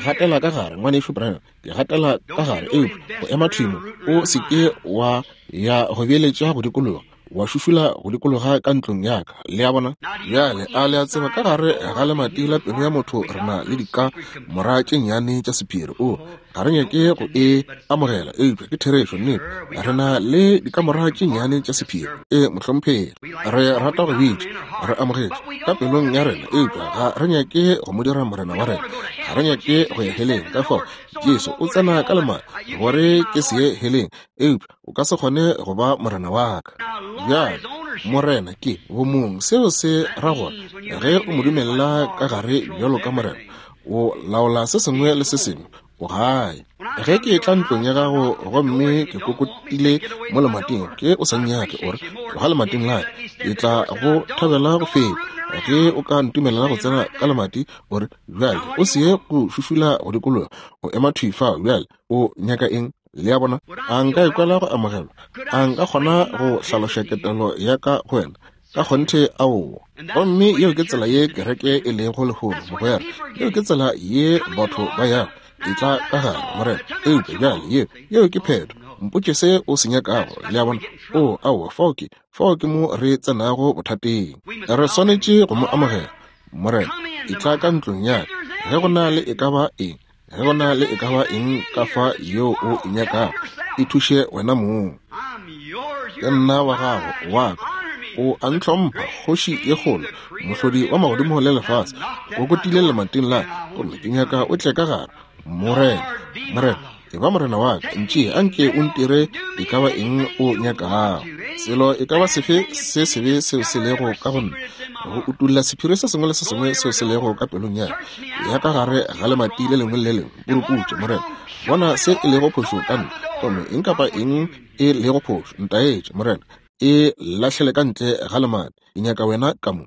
gatela ka gare ngwanešu Branham, ke gatela ka gare, eupša go ema thwi mo, o se ke wa ya go beeletša go dikologa, wa šušula go dikologa ka ntlong ya ka. Le a bona? Bjale a le a tseba, ka gare ga lemati la pelo ya motho re na le dikamora tše nnyane tša sephiri. O ga re nyake go e amogela, eupša ke therešo, nnete. Re na le dikamora tše nnyane tša sephiri. E mohlomphegi, re rata go bitša, re amogetše ka pelong ya rena, eupša ga re nyake go mo dira morena wa rena, ga re nyake go ya heleng. Ka fao Jesu o tsena ka lemati gore ke se ye heleng, eupša o ka se kgone go ba morena wa ka. Bjale morena ke bomong, seo se ra gore ge o mo dumelela ka gare bjalo ka morena, o laola se sengwe le se sengwe, o gae. Ge ke tla ntlong ya gago gomme ke kokotile mo lemating, ke o sa nnyake, o re tloga lemating la ka, ke tla go thabela go feta ge o ka ntumelela go tsena ka lemati. O re bjale o se ye go šušula go dikologa, o ema thwi fao. Bjale o nyaka eng? Le a bona, a nka ikwela go amogelwa? A nka kgona go hlaloša ketelo ya ka go wena? Ka kgonthe aowa. Gomme yeo ke tsela ye kereke e lego lehono, mogwera. Yeo ke tsela ye batho ba yago. E tla ka gare, morena. Eupša bjale yeo, yeo ke phetho. Mpotše se o se nyakago, le a bona. O, aowa, fao ke, fao ke mo re tsenago bothateng. Re swanetše go mo amogela. Morena, e tla ka ntlong ya ka. Ge go na le e ka ba eng, ge go na le e ka ba eng ka fa yeo o e nyakago, e thuše wena mong. Ke nna wa gago, wa ka. O a ntlhompha, kgoši ye kgolo, mohlodi wa magodimo le lefase, o kotile lemating la ka, gomme ke nyaka o tle ka gare. Morena, Morena, e ba morena wa ka, ntšee anke o ntire e ka ba eng o nyakago. Selo e ka ba sefe se sebe seo se lego ka go nna, go utulla sephiri se sengwe le se sengwe seo se lego ka pelong ya ka, ya ka gare ga lemati le lengwe le le lengwe, puruputše, Morena. Bona se e lego phošo ka nna, gomme eng kapa eng e lego phošo, ntaetše, Morena. E lahlele ka ntle ga lemati. Ke nyaka wena ka mo.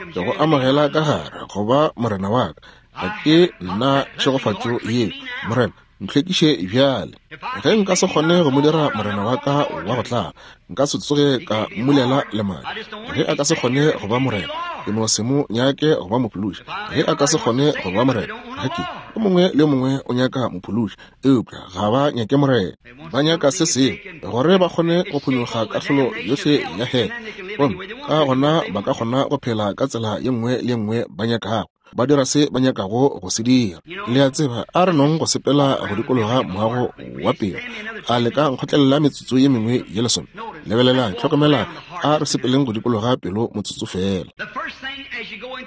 Ke go amogela ka gare go ba morena wa ka. Ga ke nna tšhegofatšo yeo, Morena. Ntlhwekiše bjale. Ge nka se kgone go mo dira morena wa ka wa go tlala, nka se tsoge ka mmulela lemati. Ge a ka se kgone go ba morena, ke no se mo nyake go ba mophološi. Ge a ka se kgone go ba morena, ga ke o mongwe le mongwe o nyaka mophološi, eupša ga ba nyake morena. Ba nyaka se sengwe gore ba kgone go phonyokga kahlolo yohle ya hele, gomme ka gona ba ka kgona go phela ka tsela ye nngwe le ye nngwe ba nyakago. Ba dira se ba nyakago go se dira. Le a tseba, a re nong go sepela go dikologa moago wa pelo. A le ka nkgotlelela metsotso ye mengwe ye lesome? Lebelelang, hlokomelang, a re sepeleng go dikologa pelo motsotso fela.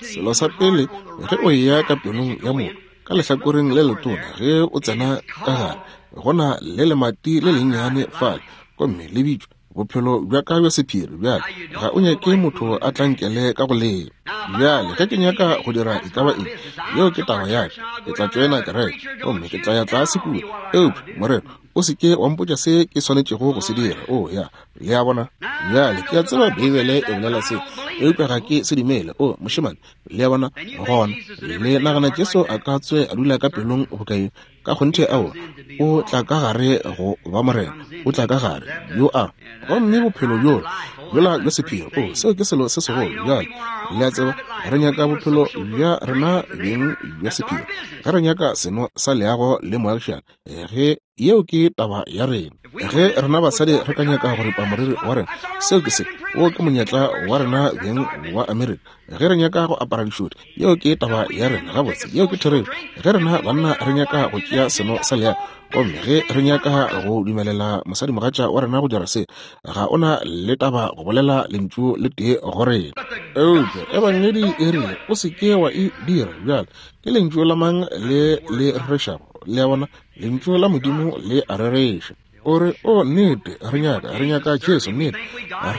Selo sa pele, ge o eya ka pelong ya motho, ka lehlakoreng le letona, ge o tsena ka gare, go na le lemati le lennyane fale, gomme le bitšwa bophelo bja ka bja sephiri. Bjale ga o nyake motho a tlankele ka go leo. Bjale ge ke nyaka go dira e ka ba eng, yeo ke taba ya ka. Ke tla tšoena kereke, gomme ke tla ya tlase kua. Eupša, morena, o se ke wa mpotša se ke swanetšego go se dira. O ya, le a bona. Bjale ke a tseba Beibele e bolela se, eupša ga ke se dumele. O mošemane, le a bona. Gona le nagana Jesu a ka tswe a dula ka pelong bokae? Ka kgonthe ao, o tla ka gare go ba morena, o tla ka gare yo a, gomme bophelo bjola bjola bja sephiri. O, seo ke selo se segolo. Bjale le a tseba, re nyaka bophelo bja rena beng bja sephiri. Ge re nyaka seno sa leago le moagišane, ge yeo ke taba ya rena. Ge rena basadi re ka nyaka go ripa moriri wa rena, seo ke se, wo ke monyetla wa rena beng wa Amerika. Ge re nyaka go apara dišoti, yeo ke taba ya rena. Gabotse, yeo ke therešo. Ge rena banna re nyaka go tšea seno sa leago, gomme ge re nyaka go dumelela mosadimogatša wa rena go dira se, ga ona le taba go bolela lentšu le tee go rena. Eupša Ebangedi e rile o se ke wa e dira. Bjale ke lentšu la mang le le rerešago? Le a bona, lentšu la Modimo le a rereša. O re, o nnete, re nyaka, re nyaka Jesu, nnete,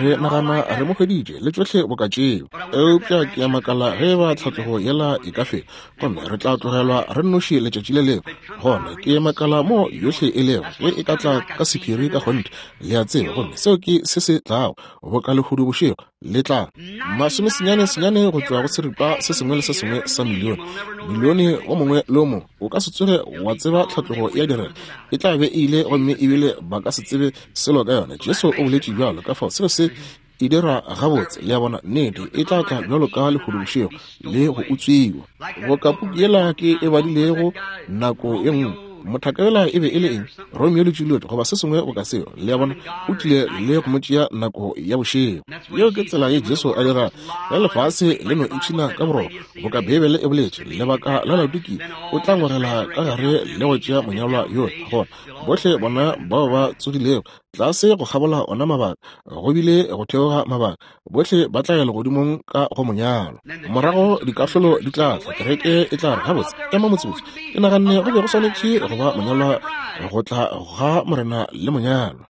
re nagana re mo hweditše le tšohle boka tšeo. Eupša ke a makala ge ba tlhatlogo yela e ka fela, gomme re tla tlogelwa re nnoši letšatši le lengwe. Gona ke makala mo yohle e lego, ge e ka tla ka sephiri ka kgonthe, le a tseba. Gomme seo ke se se tlago, boka lehodu bošego le tla masomesenyane senyane go tšwa go seripa se sengwe le se sengwe sa milione. Milione o mongwe le o mongwe o ka se tsoge wa tseba tlhatlogo ya direga, e tla be e ile, gomme ebile ba ka se tsebe selo ka yona. Jesu o boletše bjalo. Ka fao seo se e dira gabotse, le a bona. Nnete, e tla tla bjalo ka lehodu bošego le go utswiwa. Boka puku yela ke e badilego nako ye nngwe, mothaka yola e be e le eng? Romeo le Juliet goba se sengwe boka seo, le a bona. O tlile le go mo tšea nako ya bošego. Yeo ke tsela ye Jesu a dira ge lefase le no ipshina ka boroko, boka Beibele e boletše. Lebaka la Laodikia, o tla ngwegela ka gare le go tšea monyalwa yola. Gona bohle bona bao ba tsogilego tlase go kgabola ona mabaka, go bile go theoga mabaka, bohle ba tla ya legodimong ka go monyalwa. Morago dikahlolo di tla tla, kereke e tla re, gabotse, ema motsotso, ke naganne go be go swanetše go ba monyalwa, go tla ga morena le monyalwa.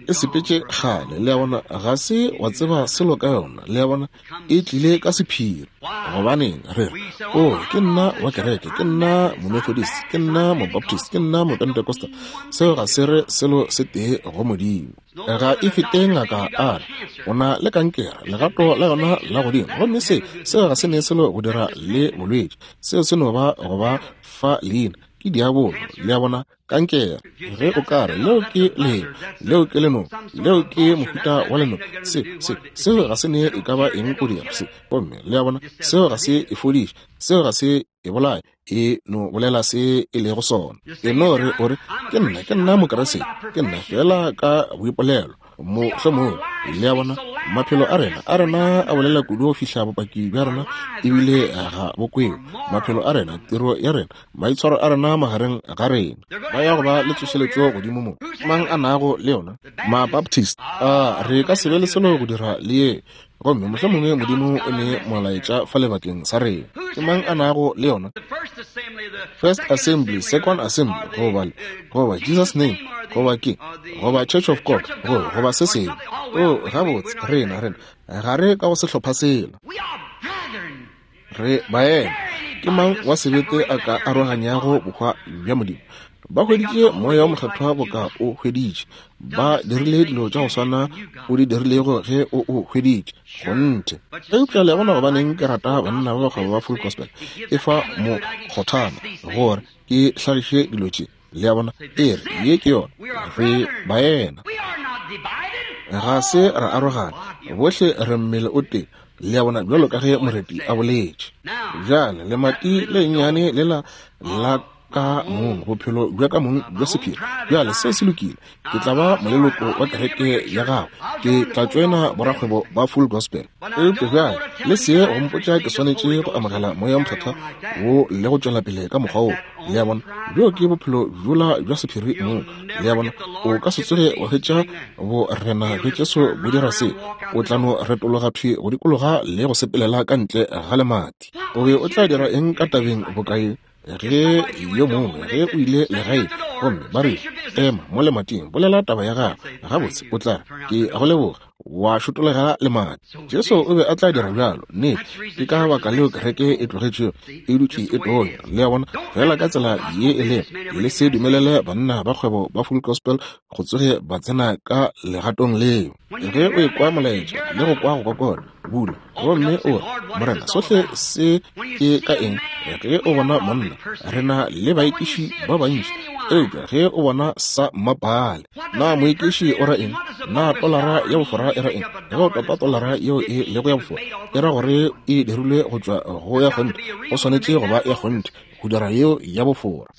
E sepetše kgale, le a bona, ga se wa tseba selo ka yona, le a bona, e tlile ka sephiri. Gobaneng re re, o, ke nna wa kereke, ke nna Momethodist, ke nna Mobaptist, ke nna Mopentecostal. Seo ga se re selo se tee go Modimo. Ga e fete ngaka a re o na le kankere, legato la yona la godimo, gomme se seo ga se ne selo go dira le bolwetši. Seo se no ba go ba fa leina. Ke diabolo, le a bona, kankere. Ge o ka re leo ke leo, leo ke lenong, leo ke mohuta wa lenong, se, se, seo ga se ne e ka ba eng go dira se. Gomme le a bona, seo ga se e fodiše, seo ga se e bolaye, e no bolela se e lego sona. E no re o re, ke nna, ke nna Mokriste, ke nna fela ka boipolelo. Mohlomongwe, le a bona, maphelo a rena a rena a bolela kudu go fihla bopaki bja rena ebile ga bo kwewe. Maphelo a rena, tiro ya rena, maitshwaro a rena magareng ga rena, ba ya go ba le tsošeletšo godimo mo. Mang a nago le yona? Mabaptist. A re ka se be le selo go dira le ye. Gomme mohlomongwe Modimo o ne molaetša fa lebakeng sa rena. Ke mang a nago le yona? First Assembly, Second Assembly, goba goba Jesus Name, goba ke, goba Church of God, goba goba se sengwe. O gabotse, rena rena ga re ka go sehlopha sela. Re baena. Ke mang wa sebete a ka aroganyago bohwa bja Modimo? Ba hweditše moya wa mokgethwa boka o hweditše. Ba dirile dilo tša go swana o di dirilego ge o o hweditše. Kgonthe. Eupša le a bona gobaneng ke rata banna ba bakgwebo ba Full Gospel. E fa mo kgothana gore ke hlagiše dilo tše. Le a bona, e re ye ke yona. Re baena. Ga se ra arogana. Bohle re mmele o tee. Le a bona, bjalo ka ge moreti a boletše. Bjale lemati le nnyane lela la ka mong, bophelo bja ka mong bja sephiri. Bjale se se lokile. Ke tla ba moleloko wa kereke ya gago. Ke tla tšoena borakgwebo ba Full Gospel. Eupša bjale le se go mpotša ke swanetše go amogela moya mokgethwa wo le go tšwela pele ka mokgwa wo. Le a bona, bjo ke bophelo bjola bja sephiri mong. Le a bona, o ka se tsoge wa hwetša borena bja Jesu bo dira se. O tla no retologa thwi go dikologa le go sepelela ka ntle ga lemati. O be o tla dira eng ka tabeng bokae ge yo mongwe ge o ile legae gomme ba re ema mo lemating, bolela taba ya gago gabotse, o tla re ke go leboga, wa šotolega lemati. Jesu o be a tla dira bjalo. Nnete, ke ka baka leo kereke e tlogetšego e dutše e tonya. Le a bona, fela ka tsela ye e lego. Le se dumelele banna ba kgwebo ba Full Gospel go tsoge ba tsena ka legatong leo. Ge o ekwa molaetša le go kwa go kokota, bula gomme o re, Morena, sohle se ke ka eng? Ge o bona monna, re na le baekiši ba bantši, eupša ge o bona sa mmapale. Na moekiši o ra eng? Na tolara ya bofora e ra eng? Ge o topa tolara yeo e lego ya bofora, e ra gore e dirilwe go tšwa go ya kgonthe. Go swanetše go ba ya kgonthe go dira yeo ya bofora.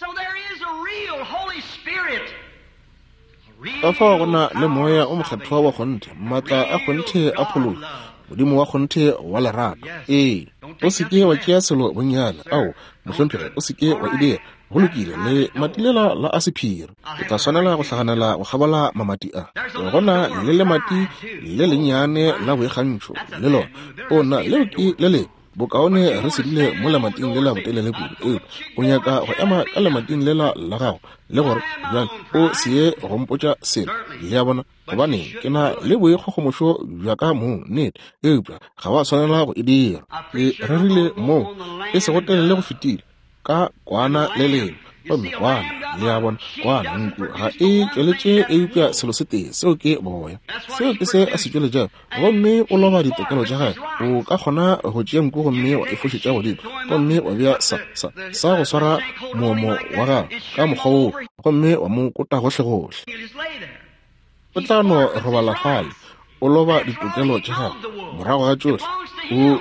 Ka fao go na le moya o mokgethwa wa kgonthe, maatla a kgonthe a phološo, Modimo wa kgonthe wa lerato. Ee, o se ke wa tšea selo bonnyane. Ao, mohlomphegi, o se ke wa e dira. Go lokile, le matilela la a sephiri. Ke tla swanela go hlaganela go kgabola mamati a. Go na le lemati le lennyane la boikgantšho le lona. O na leo ke le le bokaone re se dule mo lemating lela botelele kudu. Eupša o nyaka go ema ka lemating lela la gago le gore bjale o se ye go mpotša selo. Le a bona, gobaneng ke na le boikgogomošo bja ka mong, nnete. Eupša ga wa swanela go e dira. Ke rerile moo e sego telele go fetile ka kwana le lengwe. Gomme kwana, le a bona, kwana nku ga e tšweletše eupša selo se tee, seo ke boya. Seo ke se a se tšweletšago. Gomme o loba ditokelo tša gagwe. O ka kgona go tšea nku gomme wa e fošetša godimo, gomme wa bea sa, sa, sa go swara moomo wa gagwe ka mokgwa woo, gomme wa mo kota gohlegohle. O tla no robala fale, o loba ditokelo tša gagwe. Morago ga tšohle,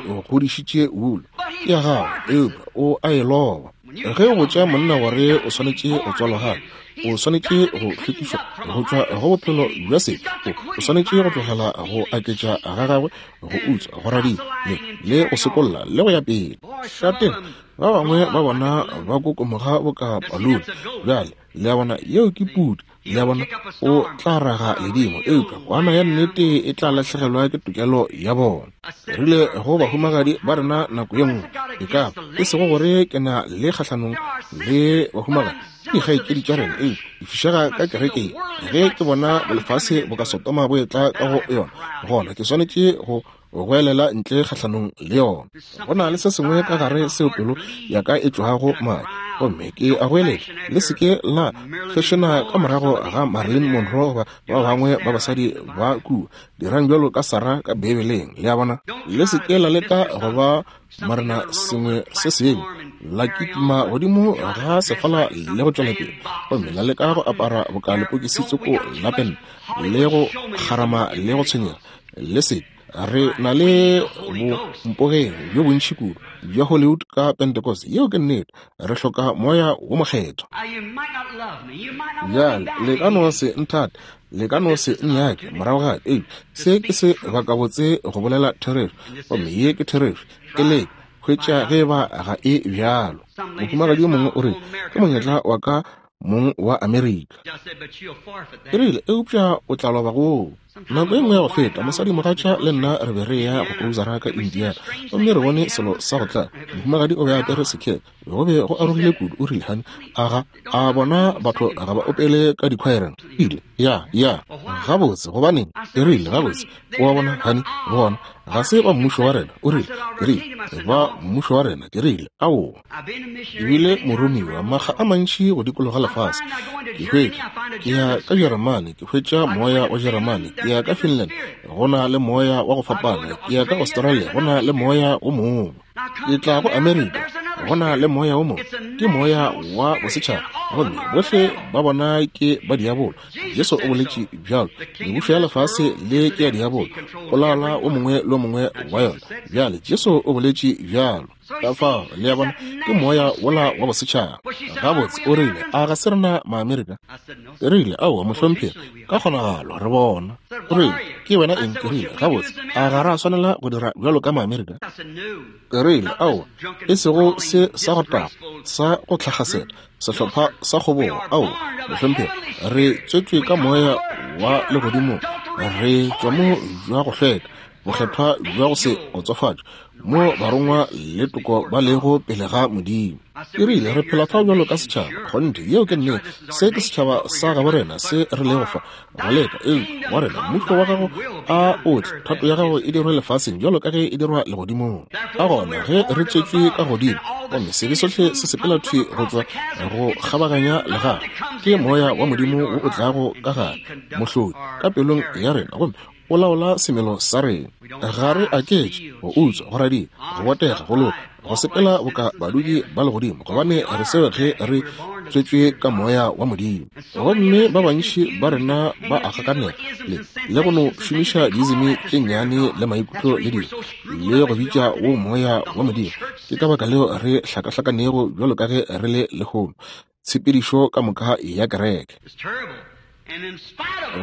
o godišitše wulu ke ya gagwe, eupša o a e loba. Ge o botša monna gore o swanetše go tswalwa gape, o swanetše go hlwekišwa go tšwa go bophelo bja sebe, o swanetše go tlogela go aketša ga gagwe, go utswa, go radia, le, le go sokolla le go ya pele. Šateng, ba bangwe ba bona ba kokomoga boka palune. Bjale, le a bona, yeo ke pudi. Le a bona, o tla raga ledimo, eupša kwana ya nnete e tla lahlegelwa ke tokelo ya bona. Rile go bahumagadi ba rena nako ye nngwe, e ka e sego gore ke na le kgahlanong le bahumagadi, ke dikgaetšedi tša rena, eupša di fišega ka kerekeng. Ge ke bona lefase boka Sodoma bo etla ka go yona, gona ke swanetše go goelela ntle kgahlanong le yona. Go na le se sengwe ka gare seo pelo ya ka e tšwago madi. Gomme ke a goeletša, le se ke la fešena ka morago ga Marilyn Monroe goba ba bangwe ba basadi ba kua. Dirang bjalo ka Sarah ka Beibeleng, le a bona. Le se ke la leka go ba morena sengwe se sengwe, la kitima godimo ga sefala le go tšwela pele, gomme la leka go apara boka lepokisi tsoko la pente le go kgarama le go tshwenyega. Le se re na le bompogeng bjo bontši kudu bja Hollywood ka Pentecost. Yeo ke nnete. Re hloka moya wo mokgethwa. Bjale le ka no se nthate, le ka no se nnyake morago ga ei, se ke se bakabotse go bolela therešo, gomme ye ke therešo. Ke leke hwetša ge ba ga e bjalo. Mohumagadi yo mongwe o re, ke monyetla wa ka mong wa Amerika. Ke rile, eupša o tla loba goo. Nako e nngwe ya go feta, mosadi mogatša le nna re be re ya go cruisera ka Indiana, gomme re bone selo sa go tla. Mohumagadi o be a apere sekhethe, go be go arogile kudu. O rile, honey, aga a bona batho ga ba opele ka dikhwaereng. Ile ya ya gabotse, gobaneng? Ke rile, gabotse, o a bona, honey, bona ga se ba mmušo wa rena. O rile, ke rile, ba mmušo wa rena. Ke rile, aowa. Ebile moromiwa makga a mantši go dikologa lefase. Ke hwetša ke ya ka Jeremane, ke hwetša moya wa Jeremane. Ke ya ka Finland, go na le moya wa go fapana. Ke ya ka Australia, go na le moya o mongwe. Ke tla go Amerika, go na le moya o mongwe. Ke moya wa bosetšhaba, gomme bohle ba bona ke ba diabolo. Jesu o boletše bjalo, mebušo ya lefase le ke ya diabolo, o laola o mongwe le o mongwe wa yona. Bjale Jesu o boletše bjalo. Ka fao, le a bona, ke moya wola wa bosetšhaba. Gabotse, o rile, a ga se rena Maamerika? Ke rile, aowa mohlomphegi, ka kgonagalo re bona. O rile, ke wena eng? Ke rile, gabotse, a ga ra swanela go dira bjalo ka Maamerika? Ke rile, aowa, e sego se sa go taga, sa go tlhagasela, sehlopha sa kgobogo. Aowa mohlomphegi, re tswetšwe ka moya wa legodimo, re tšwa mo bja go hlweka, bokgethwa bja go se otsofatšwe, mo barongwa le toko ba lego pele ga Modimo. Ke rile, re phela fa bjalo ka setšhaba. Kgonthe, yeo ke nnete. Se ke setšhaba sa gabo rena se re lego fa go leka. Ee, wa rena, mmušo wa gago a o tle, thato ya gago e dirwe lefaseng bjalo ka ge e dirwa legodimong. Ka gona ge re tswetšwe ka godimo, gomme sebe sohle se sepela thwi go tšwa go kgabaganya legae, ke moya wa Modimo wo o tlago ka gare, mohlodi ka pelong ya rena, gomme o laola semelo sa rena. Ga re aketše go utswa, go radia, go botega, go loka, go sepela boka badudi ba legodimo, gobane re seo ge re tswetšwe ka moya wa Modimo. Gomme ba bantši ba rena ba a gakanega le le go no šomiša diizimi tše nnyane le maikutlo le dilo, le go bitša wo moya wa Modimo. Ke ka baka leo re hlakahlakanego bjalo ka ge re le lehono, tshepedišo ka moka ya kereke.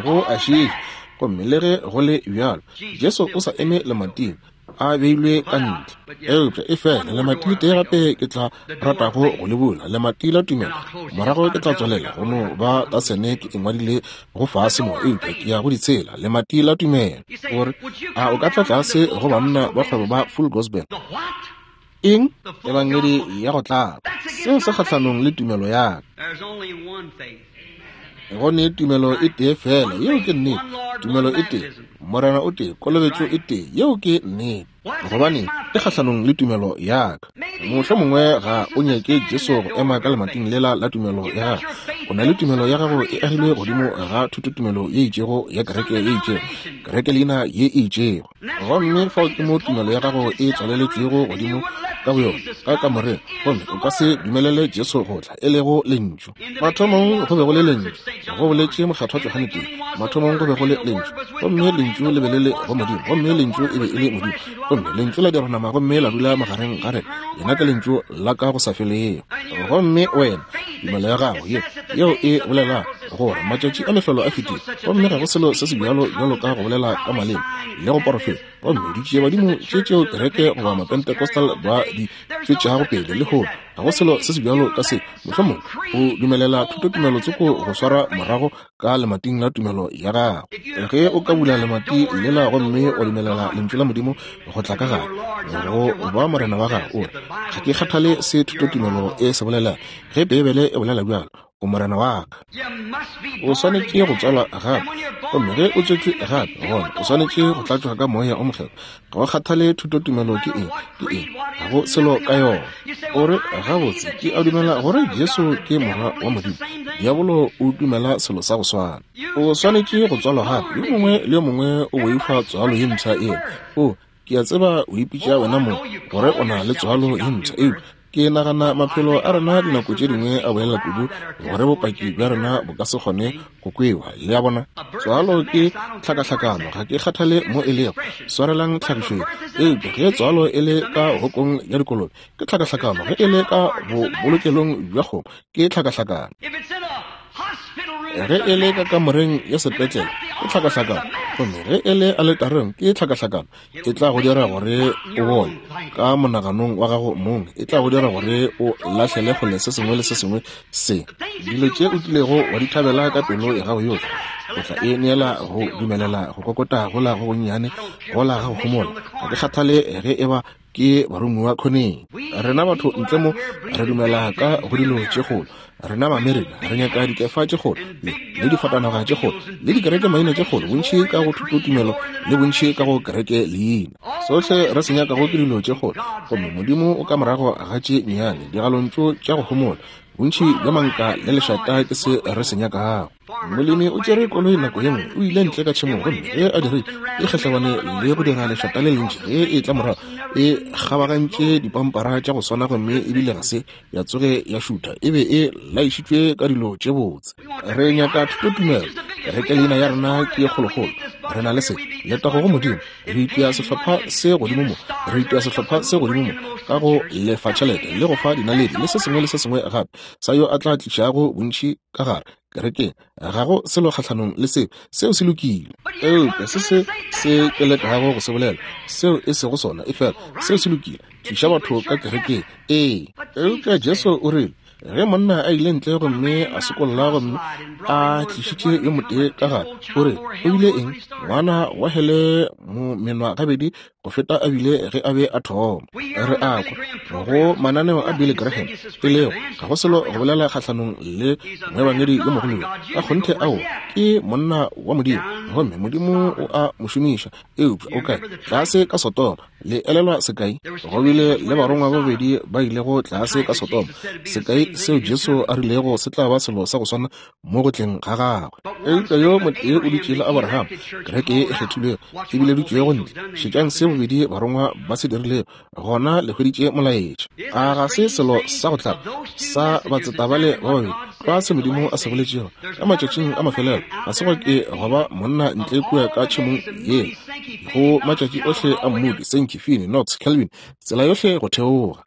Go a šiiša. Gomme le ge go le bjalo, Jesu o sa eme lemating, a beilwe ka ntle. Eupša e fela lemati le tee gape ke tla ratago go le bula, lemati la tumelo. Morago ke tla tswalela go no ba tasene ke engwadile go fase mo, eupša ke ya go di tshela. Lemati la tumelo. Gore a o ka tla tlase go banna ba kgwebo ba Full Gospel? Eng? Ebangedi ya go tlala. Seo se kgahlanong le tumelo ya ka. Go ne tumelo e tee fela, yeo ke nnete. Tumelo e tee, Morena o tee, kolobetšo e tee, yeo ke nnete. Gobane e kgahlanong le tumelo ya ka. Mohlomongwe ga o nyake Jesu go ema ka lemating lela la tumelo ya gago. O na le tumelo ya gago e agilwe godimo ga thutotumelo ye itšego ya kereke ye itšego, kereke leina ye e itšego. Gomme fao ke mo tumelo ya gago e tswaleletšwego godimo ka boyona, ka kamoreng, gomme o ka se dumelele Jesu go tla, e lego lentšu. Mathomong go be go le lentšu, go boletše mokgethwa Johane tee. Mathomong go be go le lentšu, gomme lentšu le be le le go Modimo, gomme lentšu e be e le Modimo, gomme lentšu la dirwa nama gomme la dula magareng ga rena. Yena ke lentšu la ka go sa felego. Gomme wena, tumelo ya gago ye yeo e bolela gore matšatši a mehlolo a fetile, gomme ga go selo se se bjalo bjalo ka go bolela ka maleme le go porofeta, gomme ditšiebadimo tše tšeo kereke goba Mapentecostal ba di tšwetšago pele lehono, ga go selo se se bjalo ka se. Mohlomongwe o dumelela thutotumelo tsoko go swara morago ka lemating la tumelo ya gago. Ge o ka bula lemati lela gomme wa dumelela lentšu la Modimo go tla ka gare, go ba morena wa gago, o re, ga ke kgathale se thutotumelo e se bolela, ge Beibele e bolela bjalo, O Morena wa ka. O swanetše go tswalwa gape. Gomme ge o tswetšwe gape, gona o swanetše go tlatšwa ka Moya o Mokgethwa. Ga o kgathale thutotumelo ke eng, ke eng, ga go selo ka yona. O re, gabotse, ke a dumela gore Jesu ke Morwa wa Modimo. Diabolo o dumela selo sa go swana. O swanetše go tswalwa gape. Yo mongwe le yo mongwe o boifa tswalo ye mpsha ena. O, ke a tseba o ipitša wena mong gore o na le tswalo ye mpsha, eupša ke nagana maphelo a rena dinako tše dingwe a bolela kudu gore bopaki bja rena bo ka se kgone go kwewa. Le a bona? Tswalo ke tlhakahlakano, ga ke kgathale mo e lego. Swarelang tlhagišo ye. Eupša ge tswalo e le ka hokong ya dikolobe, ke tlhakahlakano. Ge e le ka bobolokelong bja kgomo, ke tlhakahlakano. Ge e le ka kamoreng ya sepetlele, ke tlhakahlakano. Gomme ge e le aletareng, ke tlhakahlakano. E tla go dira gore o bone ka monaganong wa gago mong. E tla go dira gore o lahlele kgole se sengwe le se sengwe se dilo tše o kilego wa di thabela ka pelo ya gago yohle. O tla e neela go dumelela go kokota gola go gonnyane gola ga go homola. Ga ke kgathale ge e ba ke baromiwa khoneng. Rena batho ntle mo re dumela ka go dilo tše kgolo. Rena ba-Amerika re nyaka dikefa tše kgolo le, le difatanaga tše kgolo le dikereke maina tše kgolo, bontši ka go thutotumelo le bontši ka go kereke leina. Sohle re se nyakago ke dilo tše kgolo, gomme Modimo o ka morago ga tše nnyane digalontšu tša go homola. Bontši bja manka le lešata ke se re se nyakago. Molemi o tšere koloi nako ye nngwe, o ile ntle ka tšhemong, gomme ge a dirile e kgahlabane le go dira lešata le lentši. Ge e tla morago e kgabagantše dipampara tša go swana, gomme ebile ga se ya tsoge ya šutha. E be e laišitšwe ka dilo tše botse. Re nyaka thutotumelo. Kereke leina ya rena ke kgolokgolo. Re na le se letago go Modimo. Re itia sehlopha se godimo mo, re itia sehlopha se godimo mo ka go lefa tšhelete le go fa dinaledi le se sengwe le se sengwe gape sa yo a tla tlišago bontši ka gare kerekeng. Ga go selo kgahlanong le seo, seo se lokile. Eupša se se se ke lekago go se bolela, seo e sego sona, efela seo se lokile. Tliša batho ka kerekeng. Ee, eupša Jesu o rile ge monna a ile ntle gomme a sokolla gomme a tlišitše yo motee ka gare, o re o bile eng? Ngwana wa hele menwa gabedi go feta a bile ge a be a thoma. Re a kwa go mananeo a Billy Graham, e lego ga go selo go bolela kgahlanong le moebangedi yo mogolo yo. Ka kgonthe ao ke monna wa Modimo, gomme Modimo o a mo šomiša. Eupša o kae? Tlase ka Sodoma. Le elelwa sekai? Go bile le barongwa ba babedi ba ilego tlase ka Sodoma. Sekai seo Jesu a rilego se tla ba selo sa go swana mo go tleng ga gagwe. Eupša yo motee o dutše le Abraham, kereke ye e kgethilwego e bileditšwego ntle. Šetšang se bobedi barongwa ba se dirilego, gona le hweditše molaetša. A ga se selo sa go tlaba sa batseta bale ba babedi tlwa se Modimo a se boletšego ka matšatšing a mafelelo? Ga se gwa ke gwa ba monna ntle kua ka tšhemong yela go matšatši ohle a Moody, Sankey, Finney, Knox, Calvin, tsela yohle go theoga.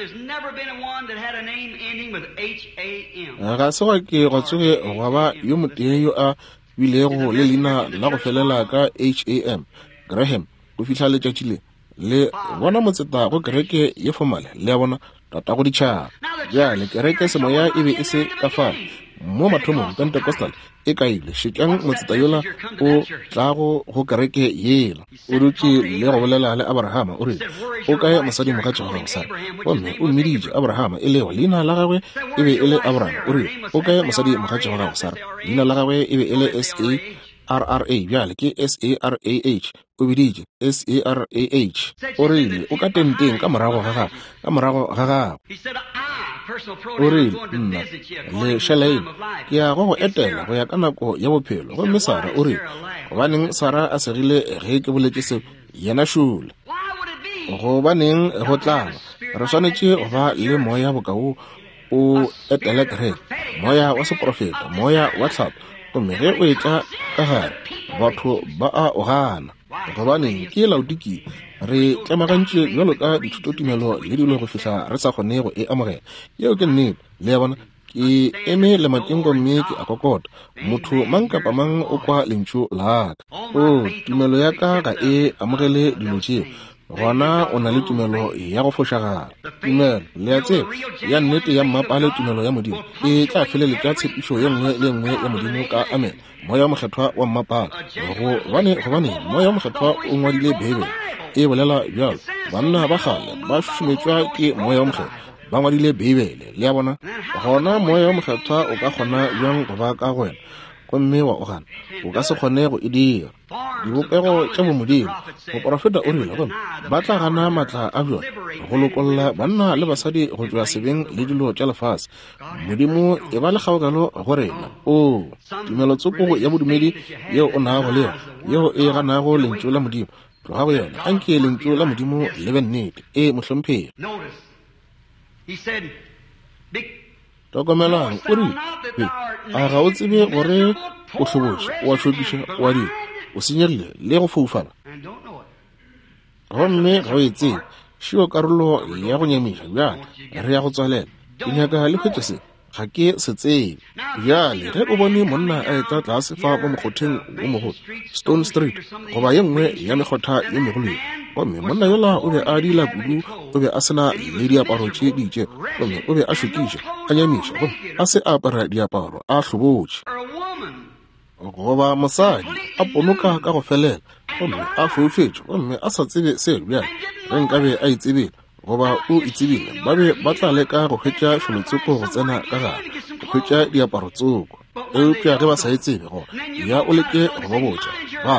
Ga se gwa ke gwa tsoge gwa ba yo motee yo a bilego le leina la go felela ka H A M, Graham, go fihla letšatši le. Le bona motseta go kereke ye fomale, le a bona, tatago ditšhaba. Bjale kereke semoya e be e se ka fale mo mathomong. Pentecostal e kaile. Šetšang motseta yola o tlago go kereke yela. O dutše le go bolela le Abrahama, o rile, o kae mosadi mogatša wa gago Sara? Gomme o mmiditše Abrahama, e lego leina la gagwe e be e le Abraham. O rile, o kae mosadi mogatša wa gago Sara? Leina la gagwe e be e le S A R R A, bjale ke S A R A H. O biditše S A R A H. O rile, o ka tenteng ka morago ga gagwe, ka morago ga gagwe. O rile, nna le Shalaine ke ya go go etela go ya ka nako ya bophelo. Gomme Sara o rile, gobaneng Sara a segile ge ke boletše seo? Yena šole. Gobaneng go tlaba? Re swanetše go ba le moya bokao o etele kereke, moya wa seprofeta, moya wa tlhapo. Gomme ge o etla ka gare, batho ba a o gana. Gobaneng ke Laodikia? Re tlemagantše bjalo ka dithutotumelo le dilo go fihla re sa kgone go e amogela. Yeo ke nnete. Le a bona? Ke eme lemateng gomme ke a kokota. Motho mang kapa mang o kwa lentšu la ka. O, tumelo ya ka ga e amogele dilo tšeo. Gona o na le tumelo ya go fošagala. Tumelo, le a tseba, ya nnete ya mmapale, tumelo ya Modimo e tla feleletša tshepišo ye nngwe le nngwe ya Modimo ka amen. Moya o Mokgethwa wa mmapale. Gobane, gobane Moya o Mokgethwa o ngwadile Beibele, e bolela bjalo. Banna ba kgale ba šušumetšwa ke Moya o Mokgethwa, Ba ngwadile Beibele, le a bona. Gona Moya wo Mokgethwa o ka kgona bjang go ba ka go wena gomme wa o gana? O ka se kgone go e dira. Dibopego tša bomodimo, moporofeta o rile, gomme ba tla gana maatla a bjona go lokolla banna le basadi go tšwa sebeng le dilo tša lefase. Modimo e ba le kgaogelo go rena. O tumelotsoko ya bodumedi yeo o nago le yona, yeo e ganago lentšu la Modimo, tloga go yona. Anke lentšu la Modimo le be nnete. E mohlomphegi. Hlokomelang, o rile, a ga o tsebe gore o hlobotše, o a šokiša, o a dira, o senyegile le go foufala, gomme ga o e tsebe. Šio karolo ya go nyamiša. Bjale re ya go tswalela. Ke nyaka le hwetše se. Ga ke se tsebe. Bjale ge o bone monna a etla tlase fa mo mokgotheng wo mogolo, Stone Street, goba ye nngwe ya mekgotha ye megolo ye, gomme monna yola o be a dila kudu, o be a se na le diaparo tše di itšego, gomme o be a šokiša, a nyamiša, gomme a se a apara diaparo, a hlobotše. Goba mosadi a ponoka ka go felela, gomme a foufetše, gomme a sa tsebe selo. Bjale ge nkabe a itsebile, goba o itsebile, ba be ba tla leka go hwetša felotsoko go tsena ka gare, go hwetša diaparo tsoko. Eupša ge ba sa e tsebe, gona ya o leke go ba botša, ba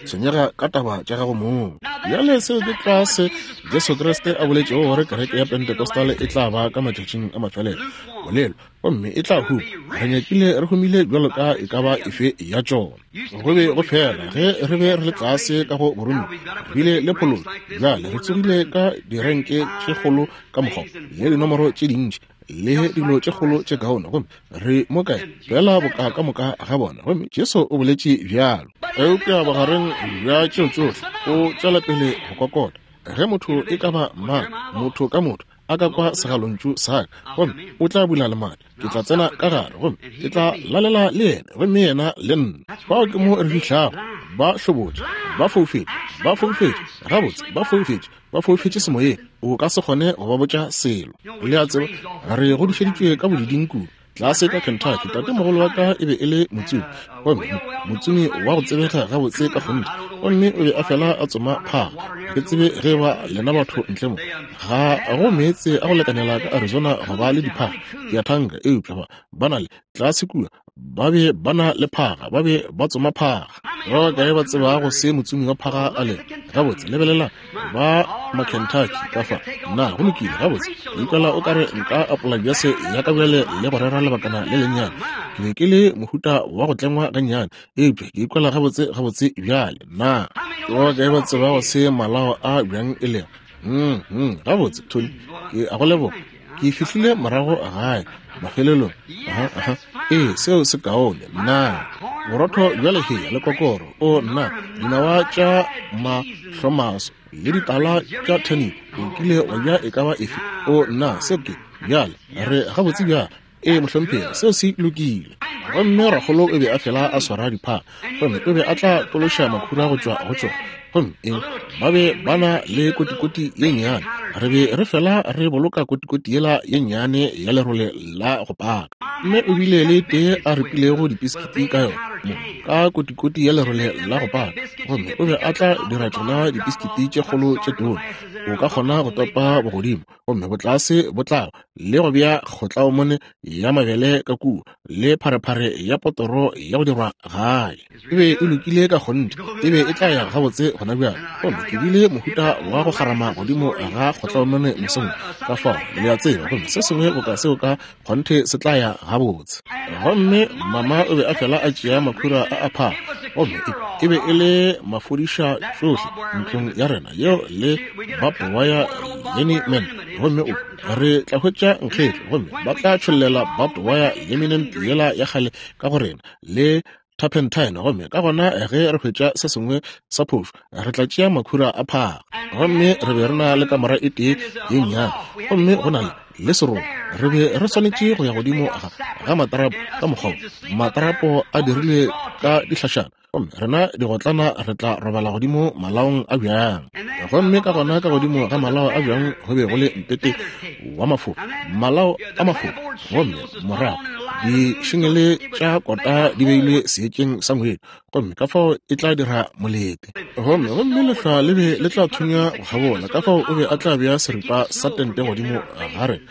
tshwenyega ka taba tša gago mong. Bjale seo ke tlwa se Jesu Kriste a boletšego gore kereke ya Pentecostal e tla ba ka matšatšing a mafelelo, bolelo, gomme e tla huma. Re nyakile re humile bjalo ka e ka ba efe ya tšona. Go be go fela ge re be re le tlase ka go boromiwa, re bile le phološo. Bjale re tsogile ka direnke tše kgolo ka mokgwa le dinomoro tše dintši le dilo tše kgolo tše kaone, gomme re mo kae fela boka ka moka ga bona. Gomme Jesu o boletše bjalo. Eupša bogareng bja tšeo tšohle o tšwela pele go kokota. Ge motho e ka ba mang, motho ka motho, a ka kwa segalontšu sa ka, gomme o tla bula lemati, ke tla tsena ka gare, gomme ke tla lalela le yena, gomme yena le nna. Fao ke mo re fihlago. Ba hlobotše, ba foufetše, ba foufetše, gabotse ba foufetše, ba foufetše semoyeng. O ka se kgone go ba botša selo. Le a tseba, re godišeditšwe ka bodiding kudu tlase ka Kentucky. Tatemogolo wa ka e be e le motsomi, gomme motsomi wa go tsebega gabotse ka kgonthe, gomme o be a fela a tsoma phaga. Ke tsebe ge ba lena batho ntle mo, ga go meetse a go lekanela ka Arizona go ba le diphaga, ke a thanka, eupša ba ba na le tlase kua, ba be ba na le phaga, ba be ba tsoma phaga. Ba bakae ba tsebago se motsomi wa phaga a lego? Gabotse, lebelela ba ma-Kentucky ka fa. Na go lokile? Gabotse, ke ikwela o kare nka apola bjase ya ka bjale le go rera lebakana le lennyane. Ke be ke le mohuta wa go tlengwa gannyane, eupša ke ikwela gabotse gabotse bjale. Na ke ba bakae ba tsebago se malao a bjang e lego? Mm, mm, gabotse, Tony, ke a go leboga. Ke fihlile morago gae mafelelong. Aha, aha. Ee, seo se kaone. Nna borotho bja lehea le kokoro, o nna dinawa tša mahlomaso le ditala tša turnip, o kile wa ja e ka ba efe? O nna seo ke bjale re gabotse bjale. Ee mohlomphegi, seo se lokile. Gomme rakgolo o be a fela a swara diphaga, gomme o be a tla tološa makhura go tšwa go tšona. Gomme eng, ba be ba na le kotikoti ye nnyane. Re be re fela re boloka kotikoti yela ye nnyane ya lerole la go paka. Mme o bile le tee a ripilego dipiskiti ka yona mo ka kotikoti ya lerole la go paka, gomme o be a tla dira tšona dipiskiti tše kgolo tše tona. O ka kgona go topa bogodimo, gomme botlase bo tla le go bea kgotlaomone ya mabele ka kua le pharephare ya potoro ya go dirwa gae. E be e lokile ka kgonthe, e be e tla ya gabotse gona bjale. Gomme ke bile mohuta wa go kgarama godimo ga kgotlaomone mosong ka fao, le a tseba, gomme se sengwe boka seo ka kgonthe se tla ya gabotse. Gomme mama o be a fela a tšea makhura a a phaga, gomme e be e le mafodiša tšohle ntlong ya rena yeo le barbed wire liniment. Gomme o re tla hwetša nkgetlo, gomme ba tla tšhollela barbed wire liniment yela ya kgale ka go rena le turpentine, gomme ka gona ge re hwetša se sengwe sa phošo, re tla tšea makhura a phaga. Gomme re be re na le kamora e tee ye nnyane, gomme go na le le serobo. Re be re swanetše go ya godimo ga ga matarapo ka mokgwa wo. Matarapo a dirilwe ka dihlašana, gomme rena digotlana re tla robala godimo malaong a bjang. Gomme ka gona ka godimo ga malao a bjang go be go le mpete wa mafofa, malao a mafofa, gomme morago dišingele tša kota di beilwe seetšeng sa ngwedi, gomme ka fao e tla dira molete. Gomme gomme lehlwa le be le tla thunya go kgabola, ka fao o be a tla bea seripa sa tente godimo ga rena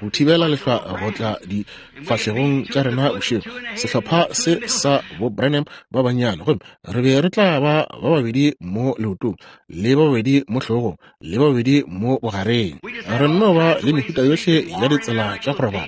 go thibela lehlwa go tla difahlegong tša rena bošego. Sehlopha se sa bo Branham ba bannyane, gomme re be re tla ba ba babedi mo leotong, le ba babedi mo hlogong, le ba babedi mo bogareng. Re nno ba le mehuta yohle ya ditsela tša go robala,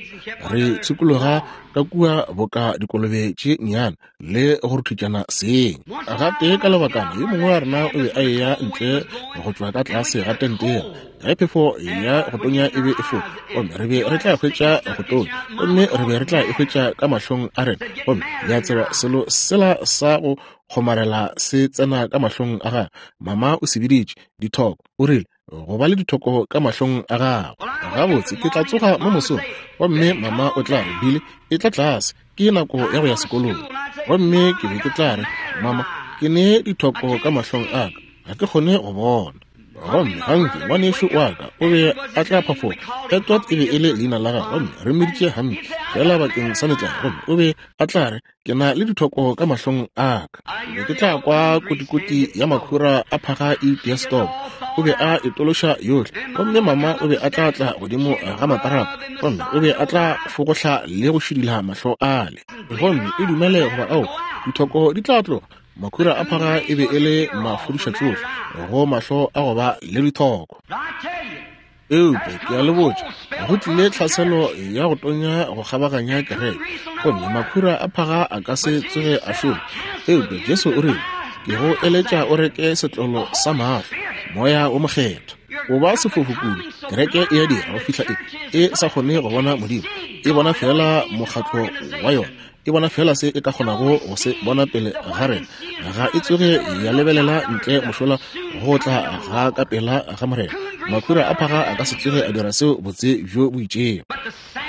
re tshikologa ka kua boka dikolobe tše nnyane le go ruthutšana seng. Gape ka lebakana yo mongwe wa rena o be a eya ntle go tšwa ka tlase ga tente yela ge phefo ya go tonya e be e foka, gomme re be re tla hwetša go tonya, gomme re be re tla e hwetša ka mahlong a rena. Gomme le a tseba selo sela sa go kgomarela se tsena ka mahlong a gagwe. Mama o se biditše dithoko, o rile go ba le dithoko ka mahlong a gagwe. Gabotse ke tla tsoga mo mosong, gomme mama o tla re, Billy, e tla tlase, ke nako ya go ya sekolong. Gomme ke be ke tla re, mama, ke ne dithoko ka mahlong a ka, ga ke kgone go bona. Gomme Hanke ngwanešu wa ka o be a tla phafoga. Edward e be e le leina la gagwe, gomme re mmiditše Hampi fela bakeng sa metlae. Gomme o be a tla re, ke na le dithoko ka mahlong a ka. Be ke tla kwa kotikoti ya makhura a phaga e itia stop. O be a itološa yohle, gomme mama o be a tla tla godimo ga matarapa, gomme o be a tla fogohla le go šidila mahlo ale. Gomme e dumele goba ao, dithoko di tla tloga. Makhura a phaga e be e le mafodišatšohle go mahlo a go ba le dithoko. Eupša ke a le botša, go tlile tlhaselo ya go tonya go kgabaganya kereke, gomme makhura a phaga a ka se tsoge a šoma. Eupša Jesu o rile, ke go eletša o reke setlolo sa mahlo, moya o mokgethwa. O ba sefofu kudu, kereke e a dira go fihla e e sa kgone go bona Modimo, e bona fela mokgatlo wa yona, e bona fela se e ka kgonago go se bona pele ga rena. Ga e tsoge ya lebelela ntle mošola go tla ga ka pela ga Morena. Makhura a phaga a ka se tsoge a dira seo botse bjo bo itšego.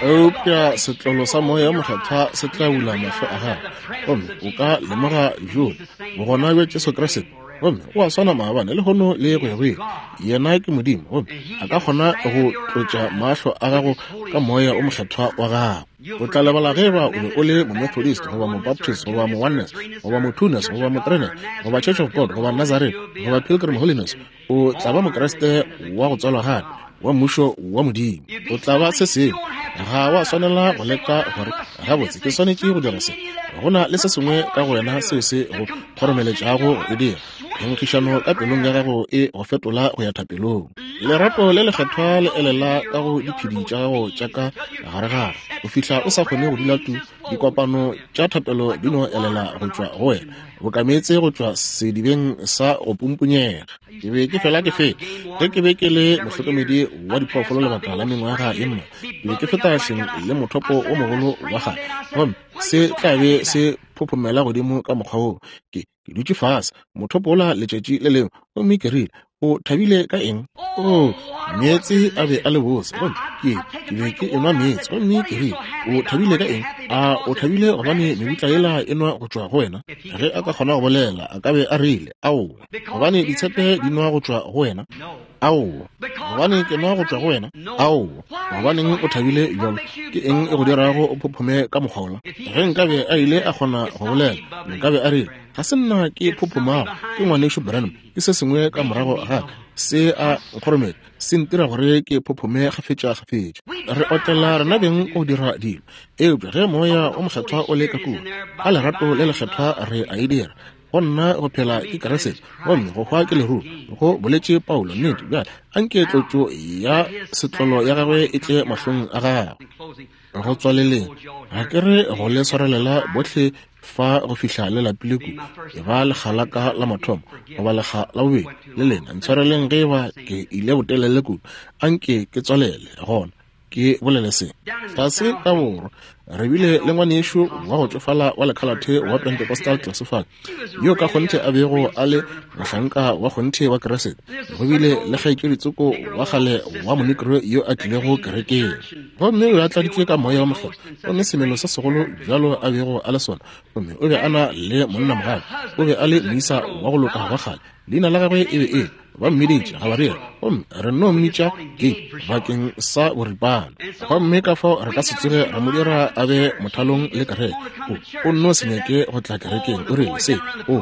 Eupša setlolo sa moya mokgethwa se tla bula mahlo a gago, gomme o ka lemoga bjona bogona bja Jesu Kriste. Gomme o a swana maabane lehono le go ya go ile. Yena ke Modimo, gomme a ka kgona go tlotša mahlo a gago ka moya o mokgethwa wa gago. O tla lebala ge eba o be o le Momethodist goba Mobaptist goba Mo-Oneness goba Mo-Twoness goba Mo-Threeness goba Church of God goba Nazarene goba Pilgrim Holiness. O tla ba Mokriste wa go tswalwa gape wa mmušo wa Modimo. O tla ba se sengwe. Ga wa swanela go leka gore gabotse ke swanetše go dira se. Go na le se sengwe ka go wena seo se go kgoromeletšago go e dira. Phenkgišano ka pelong ya gago e go fetola go ya thapelong. Lerato le lekgethwa le elela ka go diphedi tša gago tša ka garegare go fihla o sa kgone go dula tu. Dikopano tša thapelo di no elela go tšwa go wena boka meetse go tšwa sedibeng sa go pumpunyega. Ke be ke fela ke feta ge ke be ke le mohlokomedi wa diphoofolo lebaka la mengwaga ye mmalwa. Ke be ke feta hleng le mothopo o mogolo wa kgale, gomme se tla be se phophomela godimo ka mokgwa woo. Ke ke dutše fase mothopo ola letšatši le lengwe, gomme ke rile, o thabile ka eng? O, meetse a be a le bose, gomme ke ke be ke enwa meetse. Gomme ke rile, o thabile ka eng? A o thabile gobane mebutla yela e nwa go tšwa go wena? Ge a ka kgona go bolela, a ka be a rile, aowa, gobane ditshepe di nwa go tšwa go wena. Aowa, gobane ke nwa go tšwa go wena. Aowa, gobaneng o thabile bjalo? Ke eng e go dirago o phophome ka mokgwa wola? Ge nkabe a ile a kgona go bolela, nkabe a rile, ga se nna ke phophomago, ke ngwanešu Branham, ke se sengwe ka morago ga ka se a nkgorometša, se ntira gore ke phophome kgafetša-kgafetša. Re otlela rena beng go dira dilo, eupša ge moya o mokgethwa o le ka kua, ka lerato le lekgethwa re a e dira. Go nna go phela ke Kriste, gomme go hwa ke leruo, go boletše Paulo. Nnete bjale anke tlotšo ya setlolo ya gagwe e tle mahlong a gagwe. Go tswaleleng, ga ke re go le swarelela bohle fa go fihla le lapile kudu, e ba lekga la ka la mathomo goba lekga la bobedi le lena. Ntshwareleng ge eba ke ile botelele kudu, anke ke tswalele gona ke bolele se. Tlase ka borwa re bile le ngwanešu wa go tšofala wa lekhalathe wa Pentecostal tlase fale, yo ka kgonthe a bego a le mohlanka wa kgonthe wa Kriste. Go bile le kgaetšeditsoko wa kgale wa monekro yo a tlilego kerekeng, gomme o be a tladitšwe ka moya wa mohlolo, gomme semelo se segolo bjalo a bego a le sona. Gomme o be a na le monnamogale, o be a le moisa wa go loka wa kgale. Leina la gagwe e be e ba mmiditše Gabriel, Gomme re no mmitša Gabe bakeng sa boripana. Gomme ka fao re ka se tsoge ra mo dira a be mothalong le kereke. O, o nno se nyake go tla kerekeng. O rile se, o,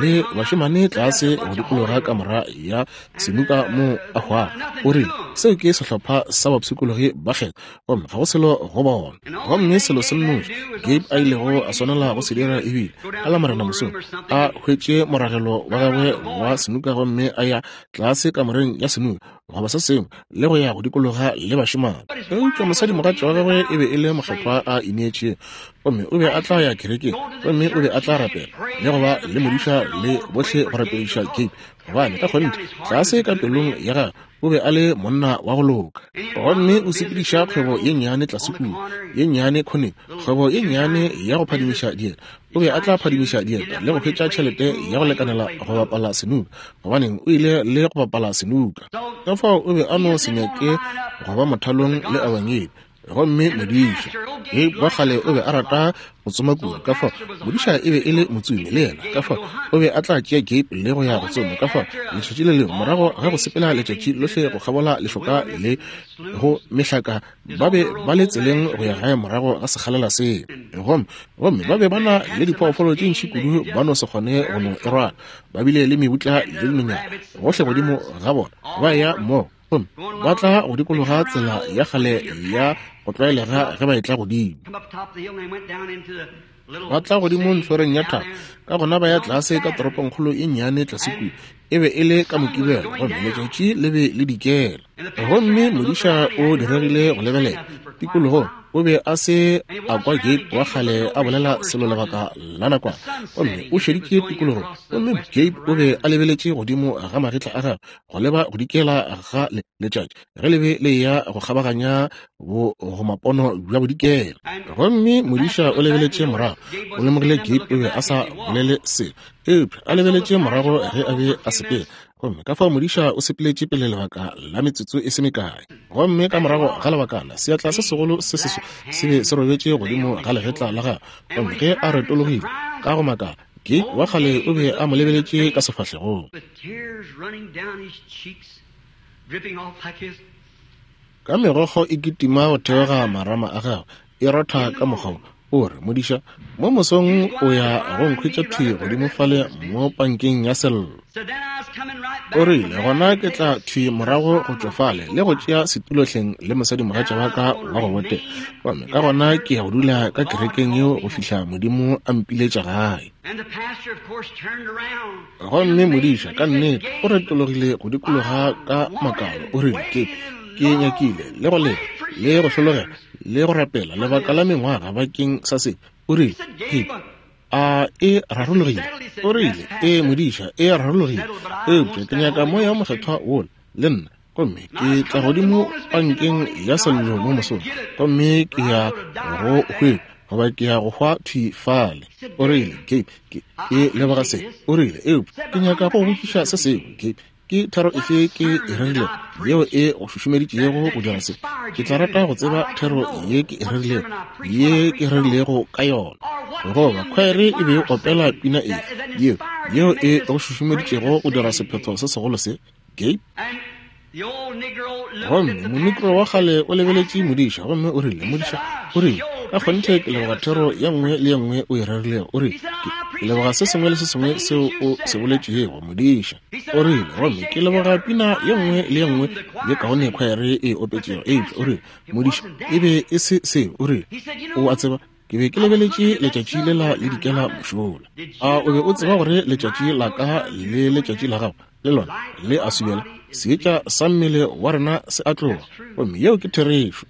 le bašemane tlase go dikologa kamora ya senuka mo a hwago. O rile, seo ke sehlopha sa bapshikologi ba kgetho, gomme ga go selo go bona. Gomme selo se nnoši Gabe a ilego a swanela go se dira ebile ka la Morena mosong a hwetše moragelo wa gagwe wa senuka gomme a ya tlase kamoreng ya senuka goba se sengwe le go ya go dikologa le bašemane. Eupša mosadimogatša wa gagwe e be e le mokgethwa a ineetšego, gomme o be a tla ya kerekeng, gomme o be a tla rapela le go ba le modiša le bohle go rapediša Gabe, gobane ka kgonthe tlase ka pelong ya gagwe o be a le monna wa go loka. Gomme o sepediša kgwebo ye nnyane tlase kua, ye nnyane khoneng, kgwebo ye nnyane ya go phadimiša dieta. O be a tla phadimiša dieta le go hwetša tšhelete ya go lekanela go bapala senuka, gobaneng o ile le go bapala senuka. Ka fao o be a no se nyake go ba mothalong le ebangedi. Gomme modiša Gabe wa kgale o be a rata go tsoma kudu, ka fao modiša e be e le motsomi le yena, ka fao o be a tla tšea Gabe le go ya go tsoma. Ka fao letšatši le lengwe morago ga go sepela letšatši lohle go kgabola lešoka le go mehlaka, ba be ba le tseleng go ya gae morago ga sekgalela seo. Gomme gomme ba be ba na le diphoofolo tše ntši kudu ba no se kgone go no e rwala. Ba bile le mebutla le dinonyana gohle godimo ga bona, ba ya mmogo. Gomme ba tla go dikologa tsela ya kgale ya go tlwaelega ge ba etla godimo. Ba tla godimo ntlhoreng ya thaba, ka gona ba ya tlase ka toropongkgolo e nnyane tlase kua. E be e le ka Mokibelo, gomme letšatši le be le dikela. Gomme modiša o diregile go lebelela tikologong. O be a se a kwa Gabe wa kgale a bolela selo lebaka la nakwana, gomme o šeditše tikologong. Gomme Gabe o be a lebeletše godimo ga magetla a gagwe go leba go dikela ga letšatši ge le be le ya go kgabaganya bogomapono bja bodikela. Gomme modiša o lebeletše morago, o lemogile Gabe o be a sa bolele selo, eupša a lebeletše morago ge a be a sepela. Gomme ka fao modiša o sepeletše pele lebaka la metsotso e se mekae. Gomme ka morago ga lebakana seatla se segolo se seso se be se robetše godimo ga legetla la gagwe. Gomme ge a retologile ka go makala, Gabe wa kgale o be a mo lebeletše ka sefahlegong. Ka megokgo e kitima go theoga marama a gagwe, e rotha ka mokgwa o re, modiša, mo mosong o ya go nkhwetša thwi godimo fale mo pankeng ya sello. O rile, gona ke tla thwi morago go tšwa fale le go tšea setulohleng le mosadimogatša wa ka wa go botega. Gomme ka gona ke ya go dula ka kerekeng yeo go fihla Modimo a mpiletša gae. Gomme modiša ka nnete o retologile go dikologa ka makalo. O rile, ke ke nyakile le go leta le go hlologela le go rapela lebaka la mengwaga bakeng sa se. O rile, Gabe, a e rarologile? O rile, e modiša, e rarologile, eupša ke nyaka moya o mokgethwa wola le nna. Gomme ke tla godimo pankeng ya sello mo mosong, gomme ke ya go hwetša goba ke ya go hwa thwi fale. O rile, Gabe, ke ke leboga se. O rile, eupša ke nyaka go botšiša se sengwe. Gabe, ke thero efe ke e rerilego yeo e go šušumeditšego go dira se? Ke tla rata go tseba thero ye ke e rerilego, ye ke rerilego ka yona. Goba khwaere e be e opela pina efe yeo yeo e go šušumeditšego go dira sephetho se segolo se? Gabe. Gomme monekro wa kgale o lebeletše modiša, gomme o rile, modiša, o rile, ka kgonthe ke leboga thero ye nngwe le ye nngwe o e rerilego. O rile, ke leboga se sengwe le se sengwe seo o se boletšego, modiša. O rile, gomme ke leboga pina ye nngwe le ye nngwe ye kaone khwaere e opetšego. Eupša o rile, modiša, e be e se seo. O rile, o a tseba, ke be ke lebeletše letšatši lela le dikela mošola. A o be o tseba gore letšatši la ka le letšatši la gago le lona le a subela? Seetša sa mmele wa rena se a tloga. Gomme yeo ke therešo.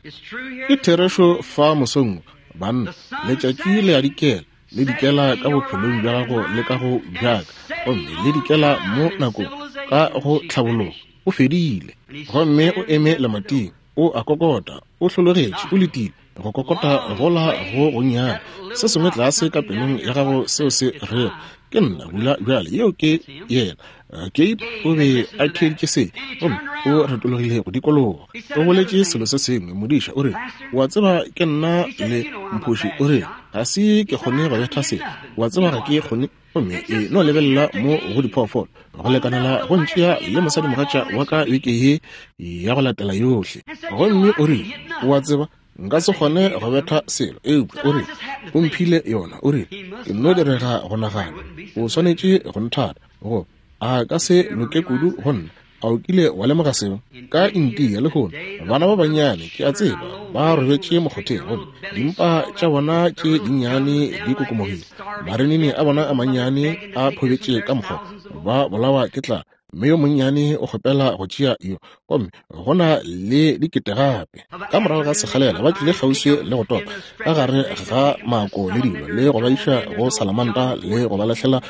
Ke therešo fa mosong, banna. Letšatši le a dikela, le dikela ka bophelong bja gago le ka go bjaka, gomme le dikela mo nakong ka go tlhabologo. O fedile. Gomme o eme lemating, o a kokota, o hlologetše, o letile go kokota gola go gonnyane se sengwe tlase ka pelong ya gago seo se rego, ke nna bula bjale. Yeo ke yena. Gabe o be a theeditše se, gomme o retologile go dikologa. O boletše selo se sengwe, modiša o re, o a tseba ke nna le mphoši, o re, ga se ke kgone go betha se, o a tseba ga ke kgone. Gomme e no lebelela mo go diphoofolo go lekanela go ntšea le mosadimogatša wa ka beke ye ya go latela yohle. Gomme o rile, o a tseba nka se kgone go betha selo, eupša o rile o mphile yona, o rile ke nno direga go nagana, o swanetše go nthata, go a ka se loke kudu go nna. A o kile wa lemoga seo? Ka India lehono bana ba bannyane, ke a tseba, ba robetše mokgotheng, gomme dimpa tša bona tše dinnyane di kokomogile, marinini a bona a mannyane a phobetše ka mokgwa, ba bolawa ke tlala, mme yo monnyane o kgopela go tšea yo, gomme go na le dikete gape. Ka morago ga sekgalela ba tlile kgauswi le go topa ka gare ga mako le dilo, le go ba iša go salamanta le go ba lahlela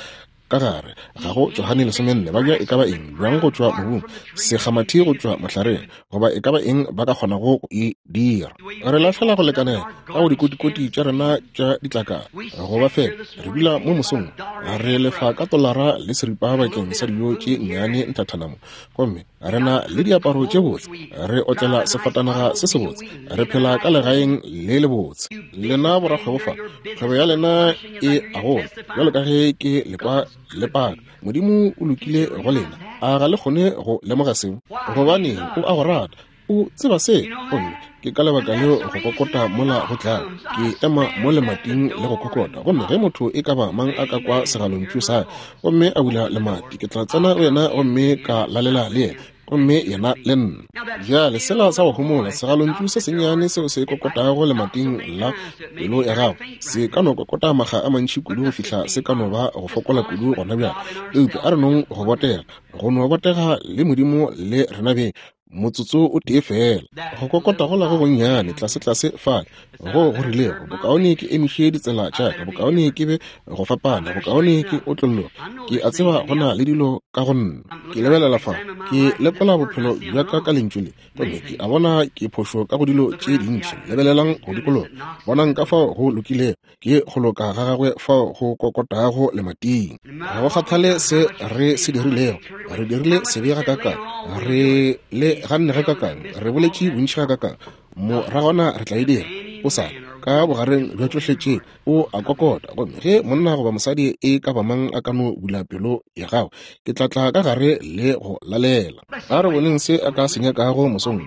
ka gare ga go Johane lesomenne, ba bja e ka ba eng, bjang go tšwa mobung, sekgamathi go tšwa mohlareng, goba e ka ba eng ba ka kgonago go e dira. Re lahlela go lekanela ka go dikotikoti tša rena tša ditlakala, go ba fela re dula mo mosong re lefa ka tolara le seripa bakeng sa dijo tše nnyane nthathanamo, gomme re na le diaparo tše botse, re otlela sefatanaga se sebotse, re phela ka legaeng le lebotse. Lena borakgwebo fa, kgwebo ya lena e a gola bjalo ka ge ke lekwa le paka. Modimo o lokile go lena, a ga le kgone go lemoga seo? Gobane o a go rata, o tseba se, gomme ke ka lebaka leo go kokota mola go tlala. Ke ema mo lemating le go kokota, gomme ge motho e ka ba mang a ka kwa segalontšu sa gomme a bula lemati, ke tla tsena go yena gomme ka lalela le yena, gomme yena le nna. Bjale sela sa go homola, segalontšu se sennyane seo se kokotago lemating la pelo ya gago, se ka no kokota makga a mantši kudu go fihla se ka no ba go fokola kudu gona bjale. Eupša a re nong go botega, go no botega le Modimo le rena beng motsotso o tee fela. Go kokota gola go gonnyane tlase-tlase fale go go rilego, bokaone ke emiše ditsela tša ka, bokaone ke be go fapana, bokaone ke otlolloge. Ke a tseba go na le dilo ka go nna. Ke lebelela fa, ke lekola bophelo bja ka ka lentšu le, gomme ke a bona ke phošo ka go dilo tše dintši. Lebelelang go dikologa, bonang ka fao go lokilego, ke go loka ga gagwe fao go kokotago lemating. Ga go kgathale se re se dirilego, re dirile sebe gakakang, re le ganne gakakang, re boletše bontši gakakang, moragwana re tla e dira. O sa ka bogareng bja tšohle tše o a kokota, gomme ge monna goba mosadi e ka ba mang a ka no bula pelo ya gago, ke tla tla ka gare le go lalela. A re boneng se a ka se nyakago mosong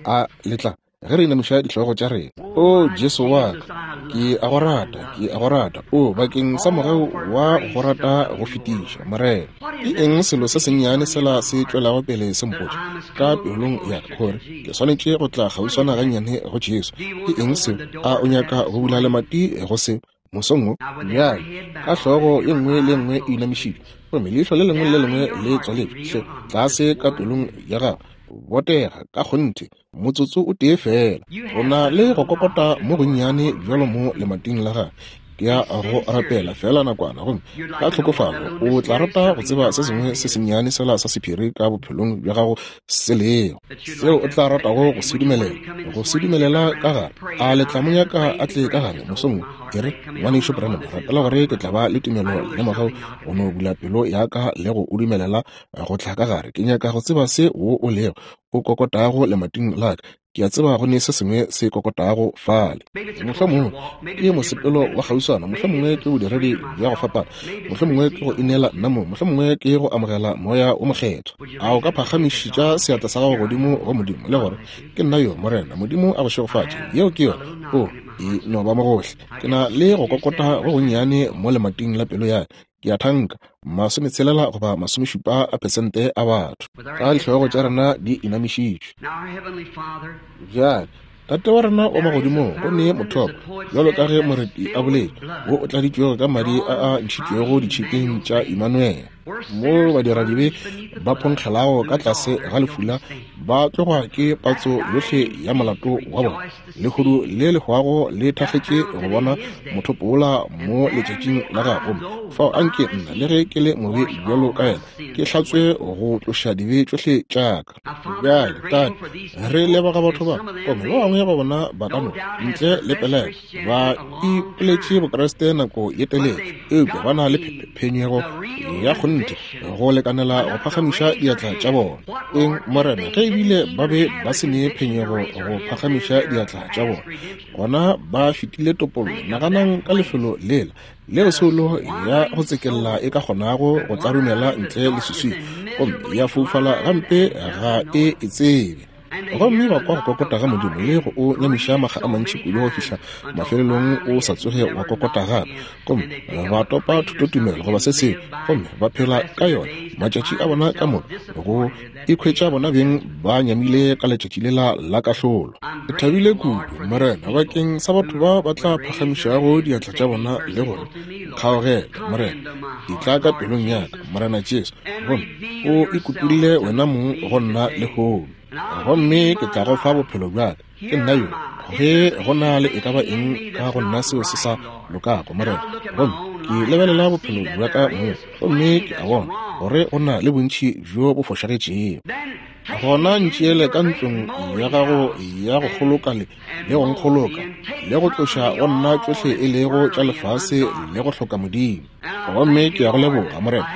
a letla ge re inamiša dihlogo tša rena. O Jesu wa ka, ke a go rata, ke a go rata, o bakeng sa mogau wa go rata go fetiša, Morena. Ke eng selo se sennyane sela se tšwelago pele se mpotša ka pelong ya ka gore ke swanetše go tla kgauswana gannyane go Jesu? Ke eng seo? A o nyaka go bula lemati go se mosong wo? Bjale ka hlogo ye nngwe le nngwe e inamišitšwe, gomme leihlo le lengwe le lengwe le tswaletšwe, hle tlase ka pelong ya gago, botega ka kgonthe motsotso o tee fela. O na le go kokota mo gonnyane bjalo mo lemating la gagwe. Ke ya go rapela fela nakwana, gomme ka tlhokofalo o tla rata go tseba se sengwe se sennyane sela sa sephiri ka bophelong bja gago se lego, seo o tla ratago go se dumelela, go se dumelela ka gare. A le tla mo nyaka a tle ka gare mosong? Ke re, ngwanešu Branham, rapela gore ke tla ba le tumelo le mogau go no bula pelo ya ka le go o dumelela go tla ka gare. Ke nyaka go tseba se wo o lego o kokotago lemating la ka. Ke a tseba go ne se sengwe se kokotago fale. Mohlomongwe ke mosepelo wa kgauswana, mohlomongwe ke bodiredi bja go fapana, mohlomongwe ke go ineela nna mo, mohlomongwe ke go amogela moya o mokgethwa. A o ka phagamišetša seatla sa gago godimo go Modimo le gore, ke nna yo, Morena, Modimo a go šegofatše. Yeo ke yona. O e no ba mo gohle. Ke na le go kokota go gonnyane mo lemating la pelo ya ka. Ke a thanka masometshelela goba masomešupa a pesente a batho ka dihlogo tša rena di inamišitšwe. Bjale Tate wa rena wa magodimong, go ne mothopo, bjalo ka ge moreti a boletše, wo o tladitšwego ka madi a a ntšhitšwego ditšhipeng tša Immanuel, mo badiradibe ba phonkgelago ka tlase ga lefula, ba tlogwa ke patso yohle ya molato wa bona. Lehodu le le hwago le thakgetše go bona mothopo wola mo letšatšing la gagwe. Fao anke nna, le ge ke le mobe bjalo ka yena, ke hlatswe go tloša dibe tšohle tša ka. Bjale Tate, re leboga batho ba, gomme ba bangwe ba bona ba ka no ntle le pelaelo ba ipoletše Bokreste nako ye telele, eupša ba na le phenyego ya kgonthe kgonthe go lekanela go phagamiša diatla tša bona. Eng, Morena, ge ebile ba be ba se ne phenyego go phagamiša diatla tša bona, gona ba fetile topollo. Naganang ka lefelo lela leo soulo ya go tsekella e ka kgonago go tlarumela ntle le seswi gomme ya foufala gampe ga e e tsebe. Gomme ba kwa go kokota ga Modimo le go o nyamiša makga a mantši kudu go fihla mafelelong o sa tsoge wa kokota gape. Gomme ba topa thutotumelo goba se sengwe gomme ba phela ka yona matšatši a bona ka moka go ikhwetša bona beng ba nyamile ka letšatši lela la kahlolo. Ke thabile kudu, Morena, bakeng sa batho ba ba tla phagamišago diatla tša bona le gore kgaogela, Morena, etla ka pelong ya ka, Morena Jesu, gomme o ikutulle wena mong go nna lehono. Gomme ke tla go fa bophelo bja ka. Ke nna yo. Ge go na le e ka ba eng ka go nna seo se sa lokago, Morena, gomme ke lebelela bophelo bja ka mong, gomme ke a bona gore go na le bontši bjo bo fošagetšego. Gona ntšeele ka ntlong ya gago ya go kgoloka le le go nkgoloka le go tloša go nna tšohle e lego tša lefase le go hloka Modimo. Gomme ke ya go leboga, Morena,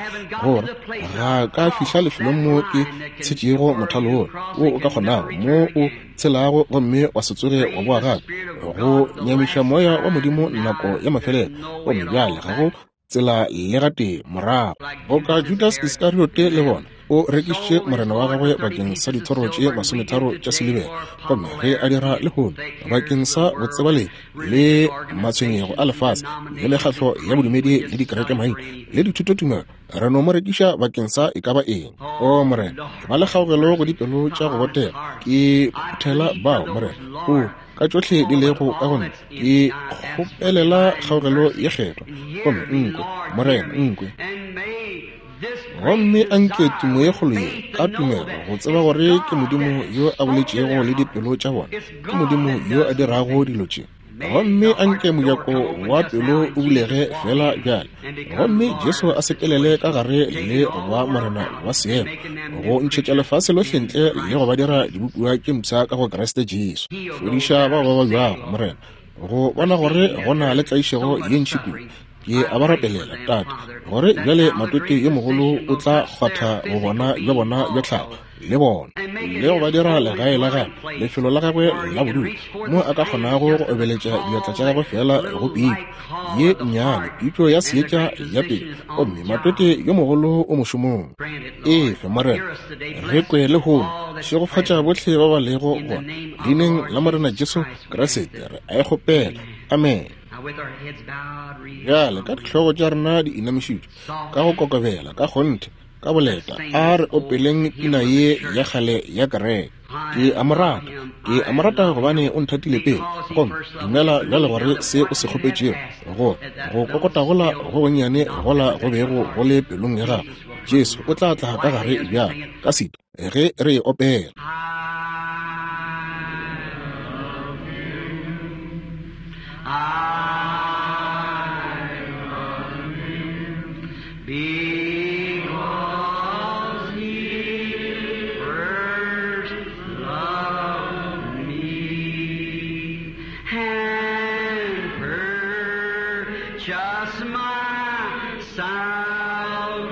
gore ga ka fihla lefelong mo ke tshetšego mothalo wola wo o ka kgonago mo o tshelago gomme wa se tsoge wa boa gape go nyamiša moya wa Modimo nako ya mafelelo. Gomme bjale ga go tsela le gatee morago. Boka Judas Iskariote le bona o rekišitše Morena wa gagwe bakeng sa dithoro tše masometharo tša silibera, gomme ge a dira lehono bakeng sa botsebale le matshwenyego a lefase le mekgatlo ya bodumedi le dikerekemaina le dithutotumelo, re no mo rekiša bakeng sa e ka ba eng. O Morena, ba le kgaogelo go dipelo tša go botega. Ke phuthela bao, Morena, o ka tšohle di lego ka go nna, ke kgopelela kgaogelo ye kgethwa. Gomme nkwe, Morena, nkwe. Gomme anke tumo ye kgolo ye ka tumelo go tseba gore ke Modimo yo a boletšego le dipelo tša bona, ke Modimo yo a dirago dilo tše. Gomme anke mojako wa pelo o bulege fela bjale, gomme Jesu a sepelele ka gare le go ba Morena wa seemo, go ntšhetša lefase lohle ntle le go ba dira dibopiwa tše mpsha ka go Kriste Jesu. Fodiša bao ba babjago, Morena, go bona gore go na le tlaišego ye ntši kudu. Ke a ba rapelela, Tate, gore bjale matwetwe yo mogolo o tla kgwatha go bona bja bona bja tlhago le bona le go ba dira legae la gagwe, lefelo la gagwe la bodulo, mo a ka kgonago go obeletša diatla tša gagwe fela go pitšo ye nnyane, pitšo ya seetša ya pele, gomme matwetwe yo mogolo o mošomong. Efe, Morena, re kwe lehono, šegofatša bohle ba ba lego gona, leineng la Morena Jesu Kriste re a e kgopela. Amen. Bjale ka dihlogo tša rena di inamišitšwe ka go kokobela ka kgonthe ka boleta, a re opeleng pina ye ya kgale ya kereke. Ke a mo rata, ke a mo rata gobane o nthatile pele. Gomme dumela bjale gore se o se kgopetšego go go kokota gola go gonnyane gola go bego go le pelong ya gago, Jesu o tla tla ka gare bjale ka sito ge re e opela. I love you because he first loved me and purchased my salvation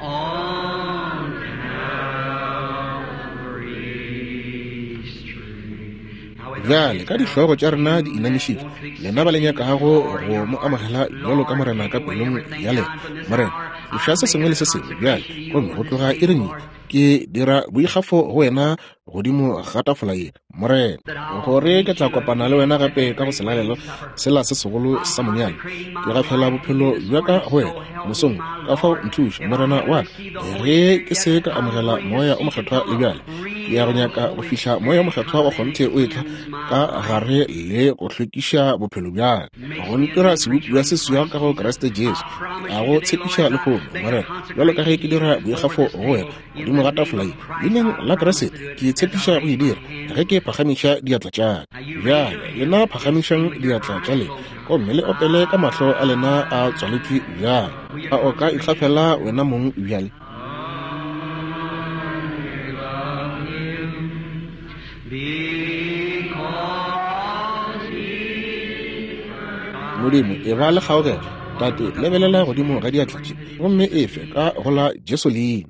on Calvary's tree. Bjale ka dihlogo tša rena di inamišitšwe, lena ba le nyakago go mo amogela bjalo ka Morena ka pelong ya lena, Morena, tloša se sengwe le se sengwe bjale, gomme go tloga iring ye ke dira boikgafo go wena godimo ga tafola ye, Morena, gore ke tla kopana le wena gape ka go selalelo sela se segolo sa monyanya. Ke gafela bophelo bja ka go wena mosong, ka fao nthuše, Morena wa ka, ge ke se ka amogela moya o mokgethwa le bjale. Ke ya go nyaka go fihla moya o mokgethwa wa kgonthe o etla ka gare le go hlwekiša bophelo bja ka, go ntira sebopiwa se seswa ka go Kriste Jesu. Ke a go tshepiša lehono, Morena, bjalo ka ge ke dira boikgafo go wena godimo ga tafola ye, leineng la Kriste ke tshepiša go e dira ge ke phagamiša diatla tša ka. Bjale lena phagamišang diatla tša lena gomme le opele ka mahlo a lena a tswaletšwe bjale. A o ka ikgafela wena mong bjale? Modimo, e ba le kgaogelo. Tate, lebelela godimo ga diatla tše gomme efe ka go la Jesu leina.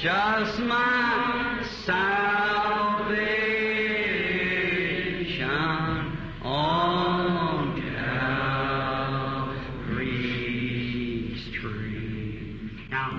Just my salvation on Calvary's tree.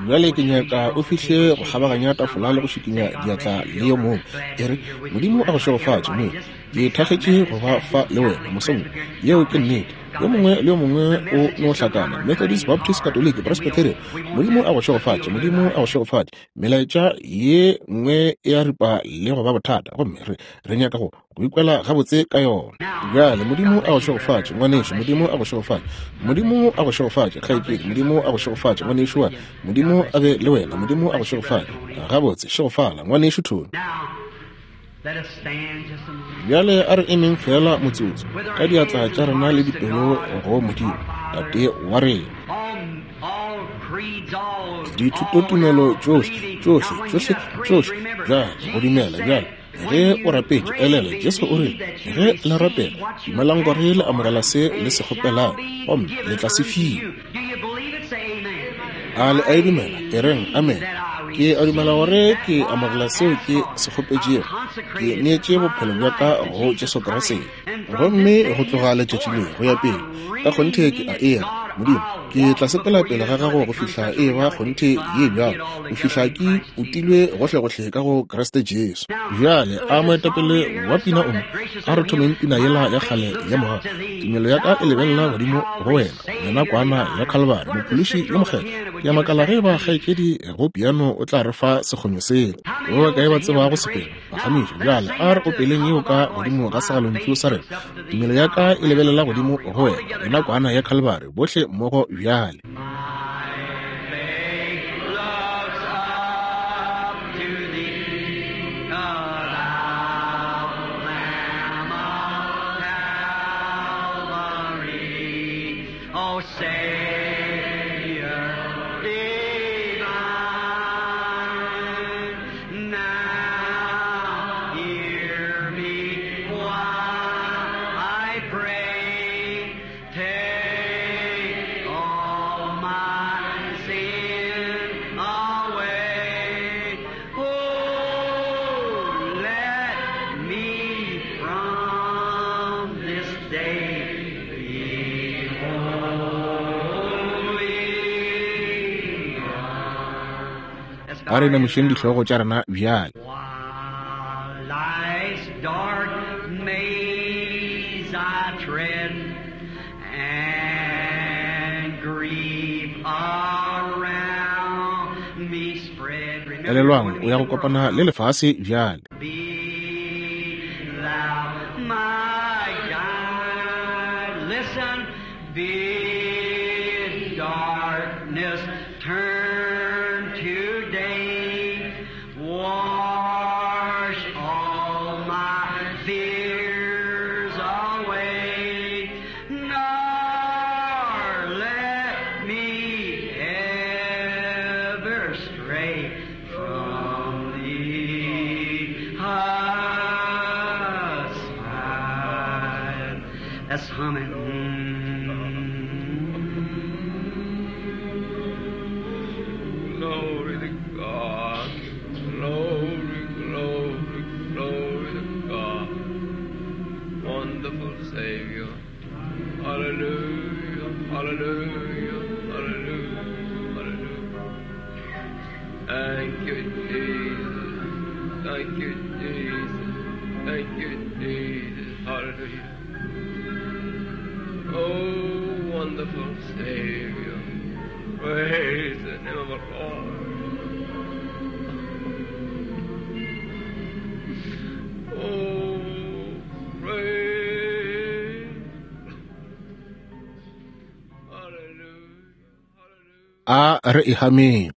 Bjale ke nyaka o fihle go kgabaganya tafola le go šikinya diatla le yo mongwe. E re, Modimo a go šegofatše mo. Ke thakgetše go ba fa le wena mosong. Yeo ke nnete. Yo mongwe le yo mongwe o no hlakana. Methodist, Baptist, Catholic, Presbyterian. Modimo a go šegofatše, Modimo a go šegofatše. Melaetša ye nngwe e a ripa le go ba bothata, gomme re re nyaka go go ikwela gabotse ka yona. Bjale Modimo a go šegofatše ngwanešu, Modimo a go šegofatše, Modimo a go šegofatše kgaetšedi, Modimo a go šegofatše ngwanešu wa, Modimo a be le wena, Modimo a go šegofatše. Gabotse, šegofala ngwanešu Tony. Let us stand just a moment. Bjale a re emeng fela motsotso ka diatla tša rena le dipelo go Modimo Tate wa rena. All, all creeds, all, Dithutotumelo tšohle, tšohle, tšohle, tšohle, bjale go dumela. Bjale ge o rapetše, elelwa Jesu o rile, ge le rapela, dumelang gore le amogela se le se kgopelang, gomme le tla se fiwa. Do you believe it? Say amen. A le a e dumela? E reng amen. Ke a dumela gore ke amogela seo ke se kgopetšego. Ke neetše bophelo bja ka go Jesu Kriste. Gomme go tloga letšatši le go ya pele, ka kgonthe ke a era, Modimo, ke tla sepela pele ga gago go fihla e ba kgonthe ye bjalo, go fihla ke utilwe gohlegohle ka go Kriste Jesu. Bjale a moetapele wa pina o mo, a re thomeng pina yela ya kgale ya mogago. Tumelo ya ka e lebelela godimo go wena, wena kwana ya Calvary, Mophološi yo mokgethwa. Ke a makala ge ba kgaetšedi go piano o tla re fa sekgonyo sela. Ba bakae ba tsebago sepela? Phagamiša. Bjale a re opeleng yeo ka godimo ga segalontšu sa rena. Tumelo ya ka e lebelela godimo go wena, wena kwana ya Calvary, bohle mmogo bjale. My faith looks up to thee, thou Lamb of Calvary, O Savior divine. Now hear me while I pray. Take all my sin away. Oh, let me from this day be holy. Let's bow A re our heads. inamišeng dihlogo tša rena bjale. While life's dark maze I tread, and grief around me spread. Remember Elelwang, when o ya we go kopana le lefase bjale. Be thou my guide. Listen, bid darkness turn to day. Wash all my fears away. Nor let me ever stray from thee aside. Let's hum it. Glory to God. Glory, glory, glory to God. Wonderful Savior. Hallelujah, hallelujah, hallelujah, hallelujah. Thank you, Jesus. Thank you, Jesus. Thank you, Jesus. Hallelujah. Oh, wonderful Savior. Praise the name of the Lord. Oh, praise. Hallelujah. Hallelujah. A re e hameng.